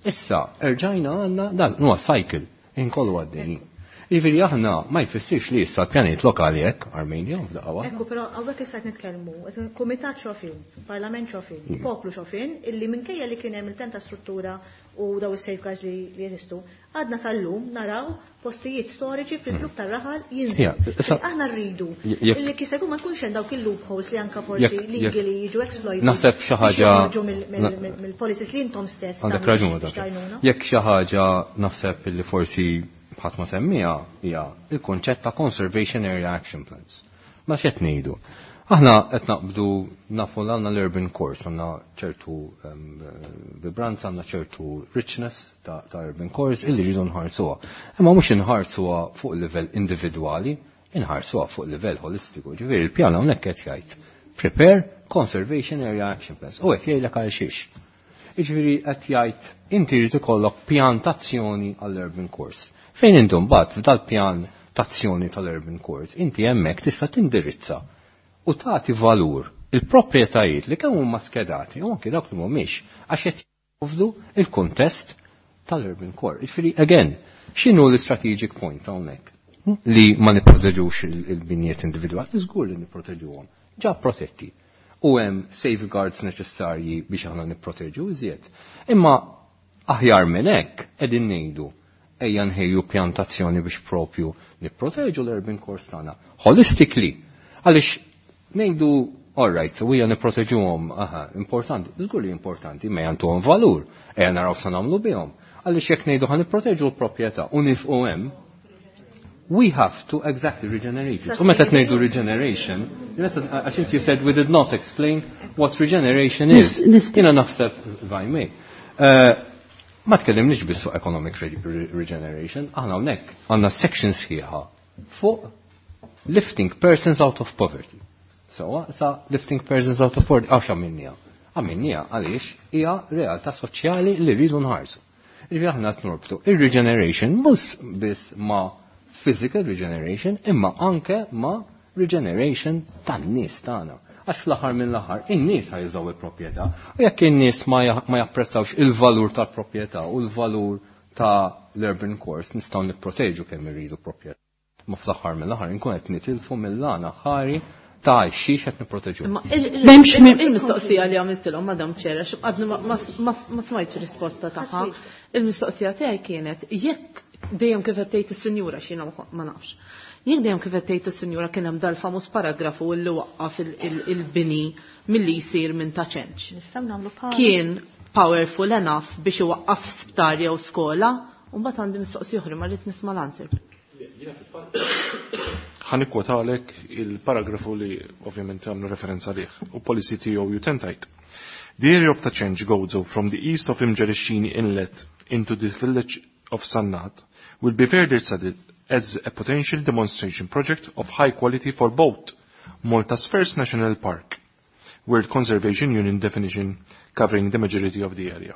Issa erġajna għandna dan huwa cycle inkollu għaddejjin. Jiġifieri aħna ma jfissirx li issa l-pjanijiet lokali hekk Armenja f'daqqa waħda.
Ekku, però hawnhekk issa qed nitkellmu, qed kumitat xofin, parlament xofin,
Mm.
poplu xofin, illi minkejja li kien hemm il-pjan ta' struttura u daw is-safeguards li, li jeżistu, għadna sal-lum naraw postijiet storiċi fil-klub tar-raħal jinżlu.
Ja, issa-
Aħna rridu
Jekk-
illi kif ma jkunx hemm dawk il-loopholes li anka forsi
Jekk- jekk-
legally jiġu exploited.
Naħseb xi ħaġa-
joħorġu mill- mill-
Na-
mill- mill-policies li intom stess
Għandek
tagħmlu
raġun
biex
dak.
tgħinuna.
Jekk xi ħaġa naħseb illi forsi ħadd ma semmija hija il-konċett ta' Conservation Area Action Plans. Ma x'qed ngħidu? Aħna qed naqbdu nafu l għandna l-urban cores, għandna ċertu, em, vibranza, għandna ċertu richness ta', ta' urban cores illi rridu nħarsuha. Imma mhux inħarsuha fuq livell individwali, inħarsuha fuq livell holistiku. Ġifieri il-pjan hawnhekk qed jgħid prepare Conservation Area Action Plans. U qed jgħidlek għal xiex. Jiġifieri qed jgħid inti jrid ikollok pjan tazzjoni għall-urban cores. Fejn intom mbagħad f'dal-pjan tazzjoni tal-urban cores, inti hemmhekk tista' tindirizza u tagħti valur il-proprjetajiet li kemm huma skedati u anke dawk li mhumiex għax qed jipprovdu il-kuntest tal-urban core. Jiġifieri again, x'inhu l-strategic point hawnhekk? Li ma nipproteġux il-binjiet individwali, żgur li nipproteġuhom. Ġa protetti. U hemm safeguards neċessarji biex aħna nipproteġu iżjed. Imma aħjar minn hekk qegħdin ngħidu ejja nħejju pjantazzjoni biex propju nipproteġu l-urban cores tagħna. Holistically. Għaliex ngħidu all right, u hija nipproteġuhom, aha, importanti, żgur li importanti, ma jantuhom valur, ejja naraw sa nagħmlu bihom. Għaliex jekk ngħidu ħa nipproteġu l-proprjetà u nifqu hemm, we have to exactly regenerate it. U meta ngħidu regeneration, għax inti you said we did not explain what regeneration is. Jiena naħseb, if I may, uh, ma tkellimniex biss fuq economic re regeneration, aħna hawnhekk għandna section sħiħa fuq lifting persons out of poverty. So, sa lifting persons out of poverty, għax għamilniha? Għamilniha għaliex hija realtà soċjali li rridu nħarsu. Ġifieri aħna qed norbtu ir-regeneration mhux biss ma' physical regeneration, imma anke ma' regeneration tan-nies tagħna. Għax fl-aħħar mill-aħħar in-nies ħa jużaw il-proprjetà. U jekk in-nies ma japprezzawx il-valur tal-proprjetà u l-valur ta' l-urban cores nistgħu nipproteġu kemm irridu proprjetà. Ma fl-aħħar mill-aħħar inkun qed nitilfu mill-għana ħari ta' xiex qed nipproteġu.
Il-mistoqsija li għamiltilhom Madam Chair, għax għadni ma smajtx risposta tagħha. Il-mistoqsija tiegħi kienet jekk dejjem kif qed tgħid is-sinjura x'jiena ma nafx. Jekk dejjem kif qed tgħid is-sinjura kien hemm dal-famuż paragrafu li waqqaf il-bini milli jsir minn Ta' Ċenċ.
Nistgħu nagħmlu
Kien powerful enough biex iwaqqaf sptar jew skola, u mbagħad għandi mistoqsija oħra ma rrid nisma' l-answer.
Ħa nikkwotalek il-paragrafu li ovvjament għamlu referenza liħ u policy T O U ten tgħid. The area of Ta' Ċenċ, Gozo from the east of Mġarr ix-Xini Inlet into the village of Sannat will be further studied as a potential demonstration project of high quality for both Malta's first national park, World Conservation Union definition covering the majority of the area.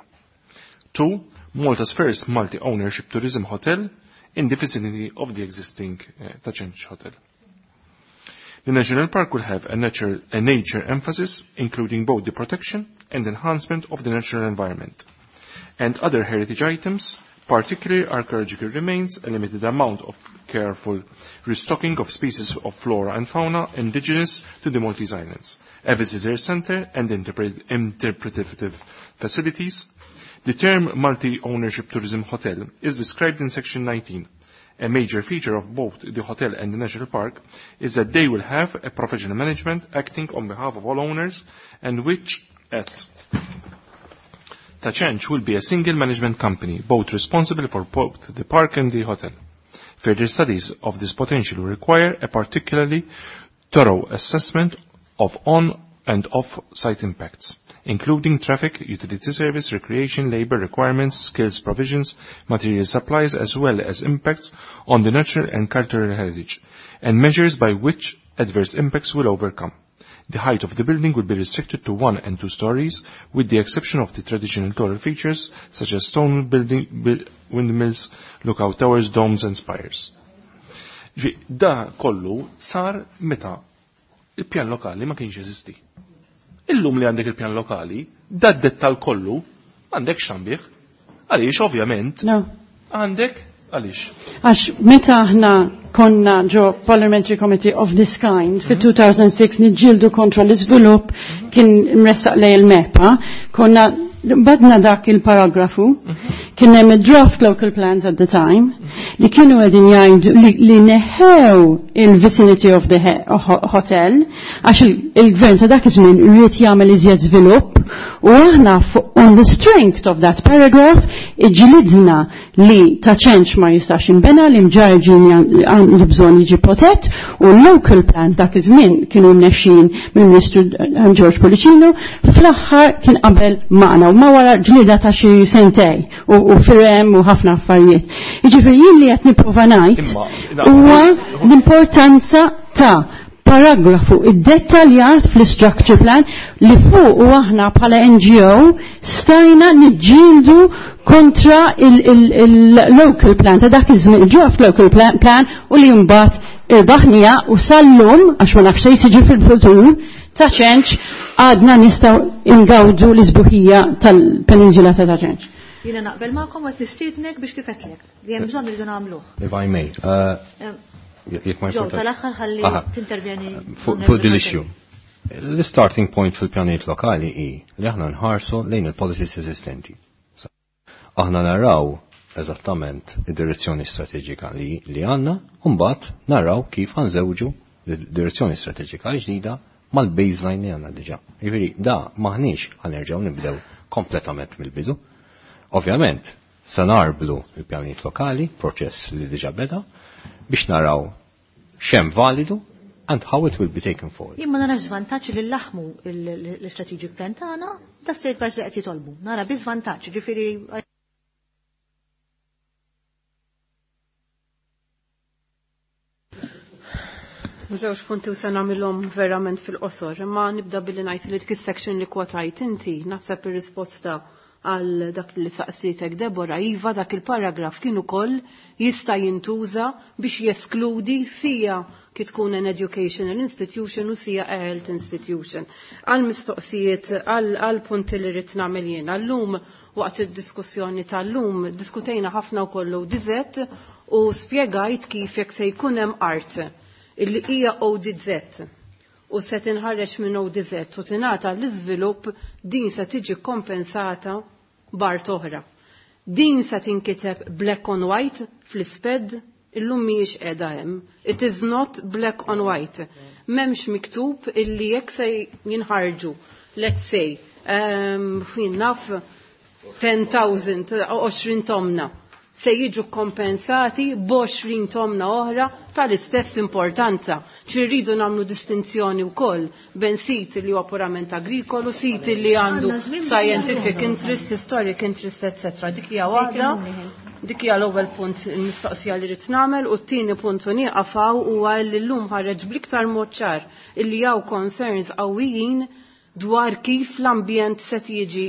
Two, Malta's first multi-ownership tourism hotel in the vicinity of the existing uh, Ta' Ċenċ Hotel. The National Park will have a nature, a nature emphasis, including both the protection and enhancement of the natural environment, and other heritage items, particularly archaeological remains, a limited amount of careful restocking of species of flora and fauna indigenous to the Maltese Islands, a visitor center and interpret interpretative facilities. The term multi-ownership tourism hotel is described in section nineteen. A major feature of both the hotel and the national park is that they will have a professional management acting on behalf of all owners and which at Ta' Ċenċ will be a single management company, both responsible for both the park and the hotel. Further studies of this potential will require a particularly thorough assessment of on and off-site impacts, including traffic, utility service, recreation, labor requirements, skills provisions, material supplies, as well as impacts on the natural and cultural heritage, and measures by which adverse impacts will overcome. The height of the building will be restricted to one and two stories, with the exception of the traditional taller features such as stone building, windmills, lookout towers, domes and spires. Ġi, da kollu sar meta il-pjan lokali ma kienx jeżisti. Illum li għandek il-pjan lokali, da dettal kollu għandek xambieħ. Għaliex, ovvjament, għandek għaliex.
Għax meta aħna konna ġo Parliamentary Committee of this kind fi two thousand six niġġieldu kontra l-iżvilupp kien mressaq lej il-MEPA, konna badna dak il-paragrafu, kien hemm draft local plans at the time li kienu qegħdin jgħidu li, li neħew il-vicinity of the hotel għax il-gvern ta' dak iż-żmien ried jagħmel iżjed żvilupp u aħna on the strength of that paragraph iġilidna li Ta' Ċenċ ma jistax jinbena li Mġarr għandu bżonn jiġi protett u local plans dak iż-żmien kienu mnexxin mill-Ministru eh, George Pullicino fl-aħħar kien qabel magħna u ma wara ġlida ta' xi sentej u, u firem u ħafna affarijiet. Jiġifieri jien li qed nipprova ngħid huwa l-importanza ta' paragrafu iddettaljat fl-structure plan li fuq u aħna bħala N G O stajna niġġieldu kontra il-local plan ta' dak iż-żmien, il-draft local plan, plan u li mbagħad irbaħnija u sal-lum, għax ma nafx se jiġi fil-futur, Ta' Ċenċ għadna nistgħu ingawdu l-isbuħija tal-peninsula ta' Ta' Ċenċ.
Jiena naqbel magħkom u qed nistiednek biex kif għedtlek li hemm bżonn irridu nagħmluh.
If I may, uh, jekk ma
Ġew tal-aħħar ħalli tintervjeni.
Fuq din l-issue. L-starting point fil-pjanijiet lokali hi li aħna nħarsu lejn il-policies eżistenti. Aħna naraw eżattament id-direzzjoni strateġika li, li għandna, u mbagħad naraw kif ħa nżewġu direzzjoni strateġika ġdida mal-baseline li għandna diġà. Jiġifieri da maħniex ħa nerġgħu nibdew kompletament mill-bidu. Ovvjament, se narblu il-pjanijiet lokali, proċess li diġà beda, biex naraw x'hemm validu and how it will be taken forward.
Jien ma narax żvantaġġ li laħmu l-strategic plan tagħna da safeguards li qed jitolbu. Nara bi żvantaġġ, ġifieri
Żewġ punti u se nagħmilhom verament fil-qosor, imma nibda billi ngħid li dik is-section li kwotajt inti naħseb ir-risposta għal dak li saqsitek Debora, iva, dak il-paragraf kien ukoll jista' jintuża biex jeskludi sija kif tkun an educational institution u sija a health institution. Għal mistoqsijiet, għal punti li rrid nagħmel jiena. Llum waqt id-diskussjoni tal-lum diskutejna ħafna wkoll O D Z u spjegajt kif jekk se jkun hemm art illi hija O D Z u se tinħareġ minn O D Z u tingħata l-iżvilupp, din se tiġi kompensata b'art oħra. Din se tinkiteb black on white fl-isped? Illum mhijiex qiegħda hemm. It is not black on white. M'hemmx miktub illi jekk se jinħarġu, let's say, um, naf ten thousand, għoxrin tomna, se jiġu kompensati b'għoxrin tomna oħra tal-istess importanza. Irridu nagħmlu distinzjoni wkoll bejn sit li huwa purament agrikolu, sit li għandu scientific interest, historic interest, et cetera. Dik hija waħda. Dik hija l-ewwel punt mistoqsija li rrid nagħmel u t-tieni punt u nieqaf hawn huwa li llum ħareġ bl-iktar mod ċar illi hawn concerns qawwijin dwar kif l-ambjent se jiġi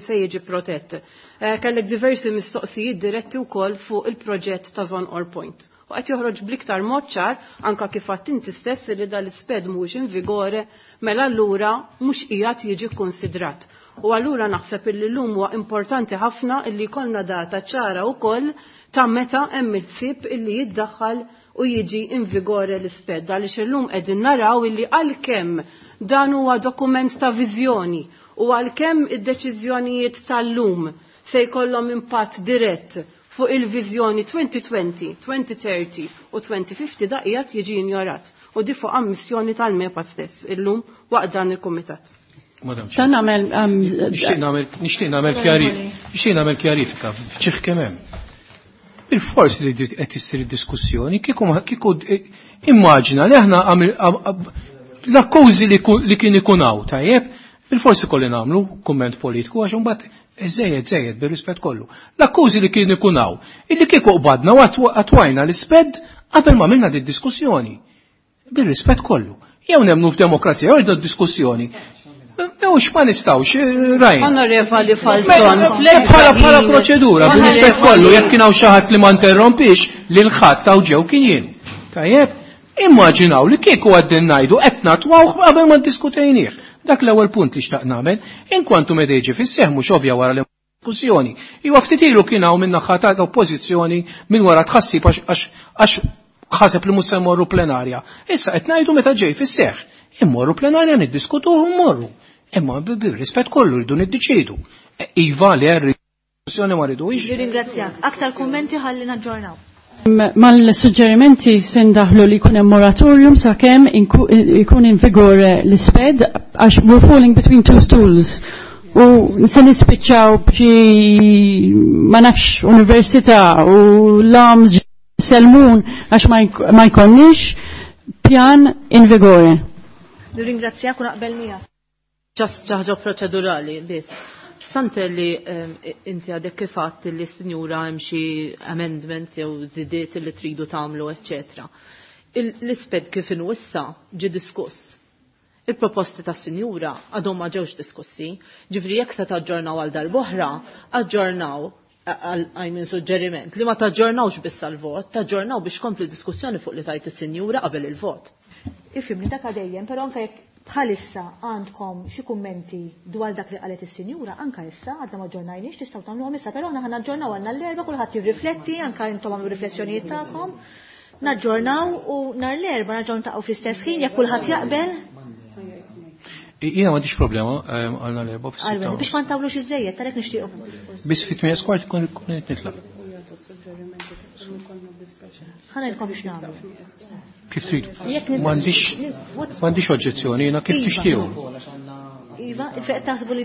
se jiġi protett. Eh, kellek diversi mistoqsijiet diretti wkoll fuq il-proġett ta' Żonqor Point. U qed joħroġ bl-iktar mod ċar anka kif għedt inti stess li dal-isped mhux in vigore, mela allura mhux qiegħed jiġi konsidrat. U allura naħseb illi llum huwa importanti ħafna illi jkollna data ċara wkoll ta' meta hemm il-ħsieb illi jiddaħħal u jiġi in vigore l-isped, għaliex illum qegħdin naraw illi għalkemm dan huwa dokument ta' viżjoni u għalkemm id-deċiżjonijiet tal-lum se jkollhom impatt dirett fuq il-viżjoni elfejn u għoxrin, elfejn u tletin u elfejn u ħamsin, da qiegħed jiġi injorat. U di fuq ammissjoni tal-MEPA stess illum waqt dan il-kumitat.
Madam
Ta' nagħmel um,
Nixtieq nagħmel nixtieq nagħmel nixtieq nagħmel kjarifika f'ċieħ kemm hemm. Il-fors li qed issir diskussjoni kieku kieku immaġina li aħna l-akkużi li kien ikun hawn tajjeb, bil-forsi kolli nagħmlu kumment politiku għax imbagħad żejjed żejjed bir-rispett kollu. L-akkużi li kien ikun hawn, illi kieku qbadna u attwajna l-isped qabel ma minna di diskussjoni. Bir-rispett kollu. Jew nemnu f'demokrazija, jew rridu diskussjoni. Mhux ma nistgħux, eh, rajn.
Onorevoli Falzon,
Bħala bħala proċedura, bir-rispett kollu, jekk kien hawn xi ħadd li ma interrompix lil ħadd taw ġew kien jien. Tajjeb, immaġinaw li kieku għaddin ngħidu qed natwawh qabel ma ddiskutejnieh. Dak l-ewwel punt li xtaqt nagħmel, inkwantu meta jiġi fis-seħ mhux ovvja wara li diskussjoni. Iwa ftit ilu kien hawn minn naħa ta' oppożizzjoni minn wara tħassib għax ħaseb li mhux se mmorru plenarja. Issa qed ngħidu meta ġej fis-seħ. Immorru plenarja, niddiskutuh u mmorru. Imma bir-rispett kollu rridu niddeċidu. E, iva li diskussjoni ma rridux.
Nirringrazzjak. Aktar kummenti ħalli naġġornaw.
Mal-suġġerimenti se ndaħlu li jkun hemm moratorium sakemm ikun in vigore l-isped, għax we're falling between two stools. U se nispiċċaw b'xi ma nafx università u l-AMS Selmun għax ma jkollniex pjan in vigore.
Nirringrazzjak u naqbel miegħek.
Just ħaġa proċedurali biss. Stante li inti għadek kif għedt li s-sinjura hemm xi amendments jew żidiet li tridu tagħmlu, eċċetera. L-isped kif inhu issa ġie diskuss. Il-proposti tas sinjura għadhom ma ġewx diskussi, ġifri jekk se taġġornaw għal darb'oħra, aġġornaw għal minn suġġeriment li ma taġġornawx biss għal-vot, taġġornaw biex kompli diskussjoni fuq li tajt is-sinjura qabel il-vot.
Ifhimni dak dejjem, però anke jekk bħalissa għandkom xi kummenti dwar dak li qalet is-sinjura, anke issa għadna ma ġġornajniex tistgħu tagħmluhom issa, però aħna ħa naġġornaw għandna l-erba' kulħadd jirrifletti, anke intom għamlu riflessjonijiet tagħkom. Naġġornaw u nhar l-erba' nerġgħu niltaqgħu fl-istess ħin jekk kulħadd jaqbel.
Jiena m'għandix problema għal nhar l-erba' fis-sitta.
Biex ma ntawlux iżejjed, għalhekk nixtiequ.
Biss fit-tmien kwart ikun nitlaq.
Ħa ngħidilkom biex nagħmlu.
Kif trid? M'għandix m'għandix oġġezzjoni, jiena kif
Iva.
tixtiequ.
Iva, taħsbu li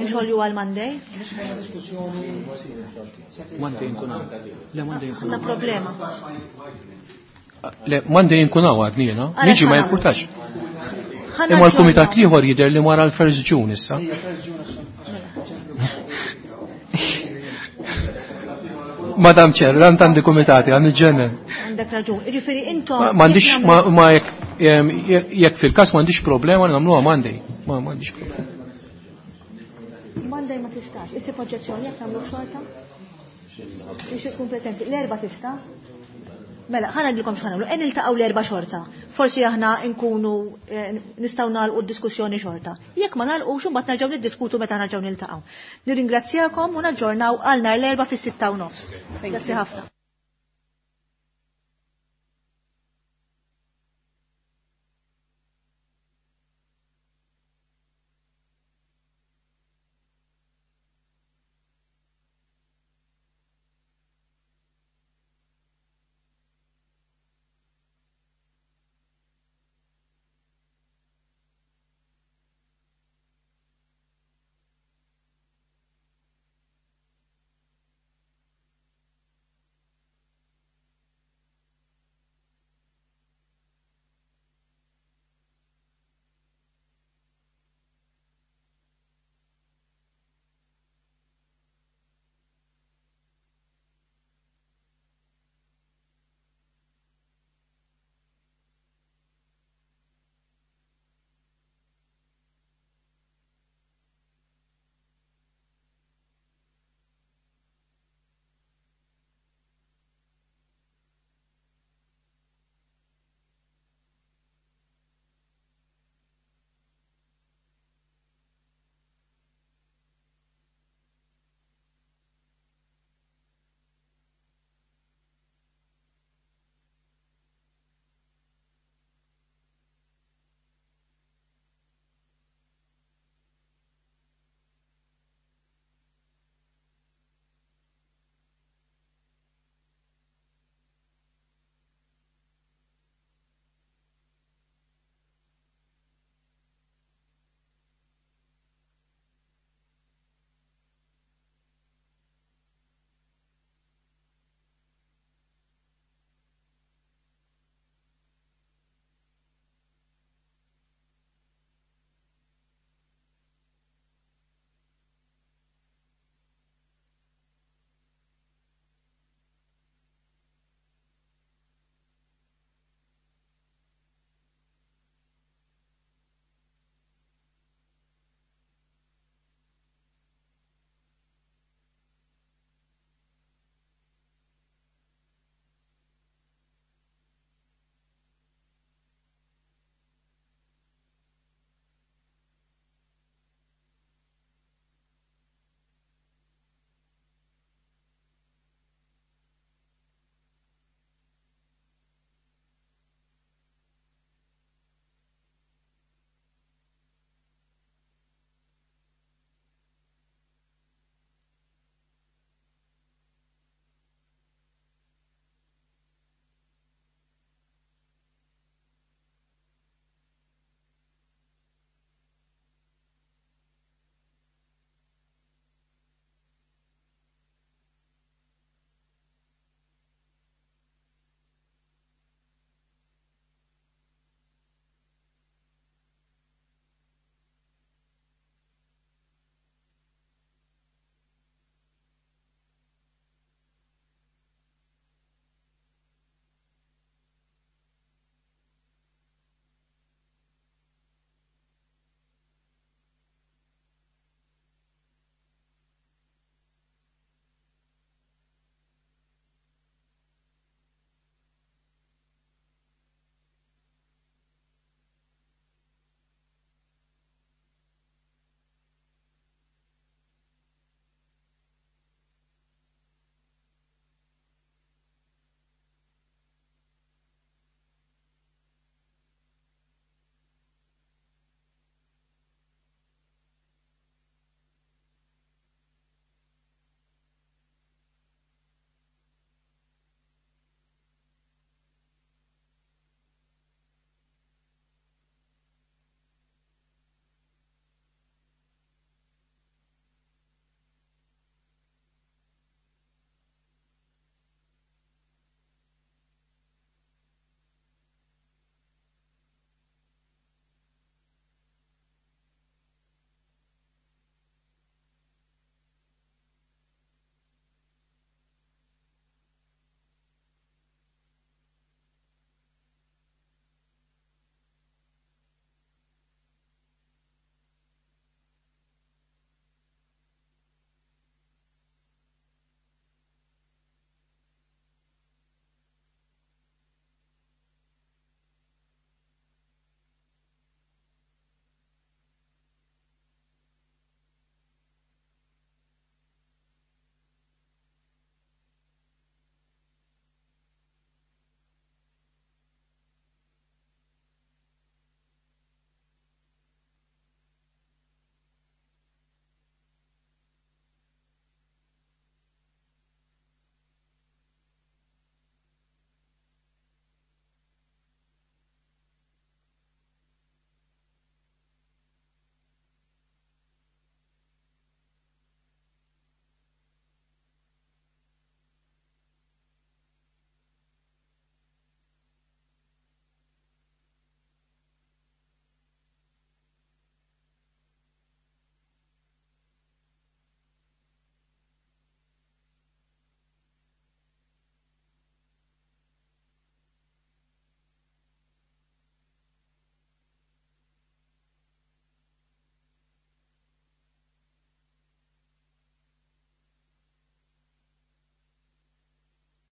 nxolju għal Monday?
Monday nkun hawn. Le Monday nkun
Għandna problema.
Le Monday nkun hawn għadni jiena.
Għala
Niġi ma
x'ħa
jimpurtax.
Ħa
Imma l-kumitat l-ieħor jidher li wara l-first June issa. Madam Chair, għand għandi kumitati, għandi ġenen.
Għandek raġun. Jiġifieri intom.
M'għandix ma jekk jekk fil-każ m'għandix problema nagħmluha Monday. Ma m'għandix problema.
Monday ma tistax. Issib oġġezzjoni jekk nagħmlu xorta? Biex ikun prezenti. L-erba' tista'? Mela, ħa ngħidilkom x'ħa nagħmlu. En niltaqgħu l-erba' xorta. Forsi aħna nkunu nistgħu nagħlqu d-diskussjoni xorta. Jekk ma nagħlqux imbagħad nerġgħu niddiskutu meta nerġgħu niltaqgħu. Nirringrazzjakom u naġġornaw għal nhar l-erba' fis-sitta u nofs. Grazzi ħafna.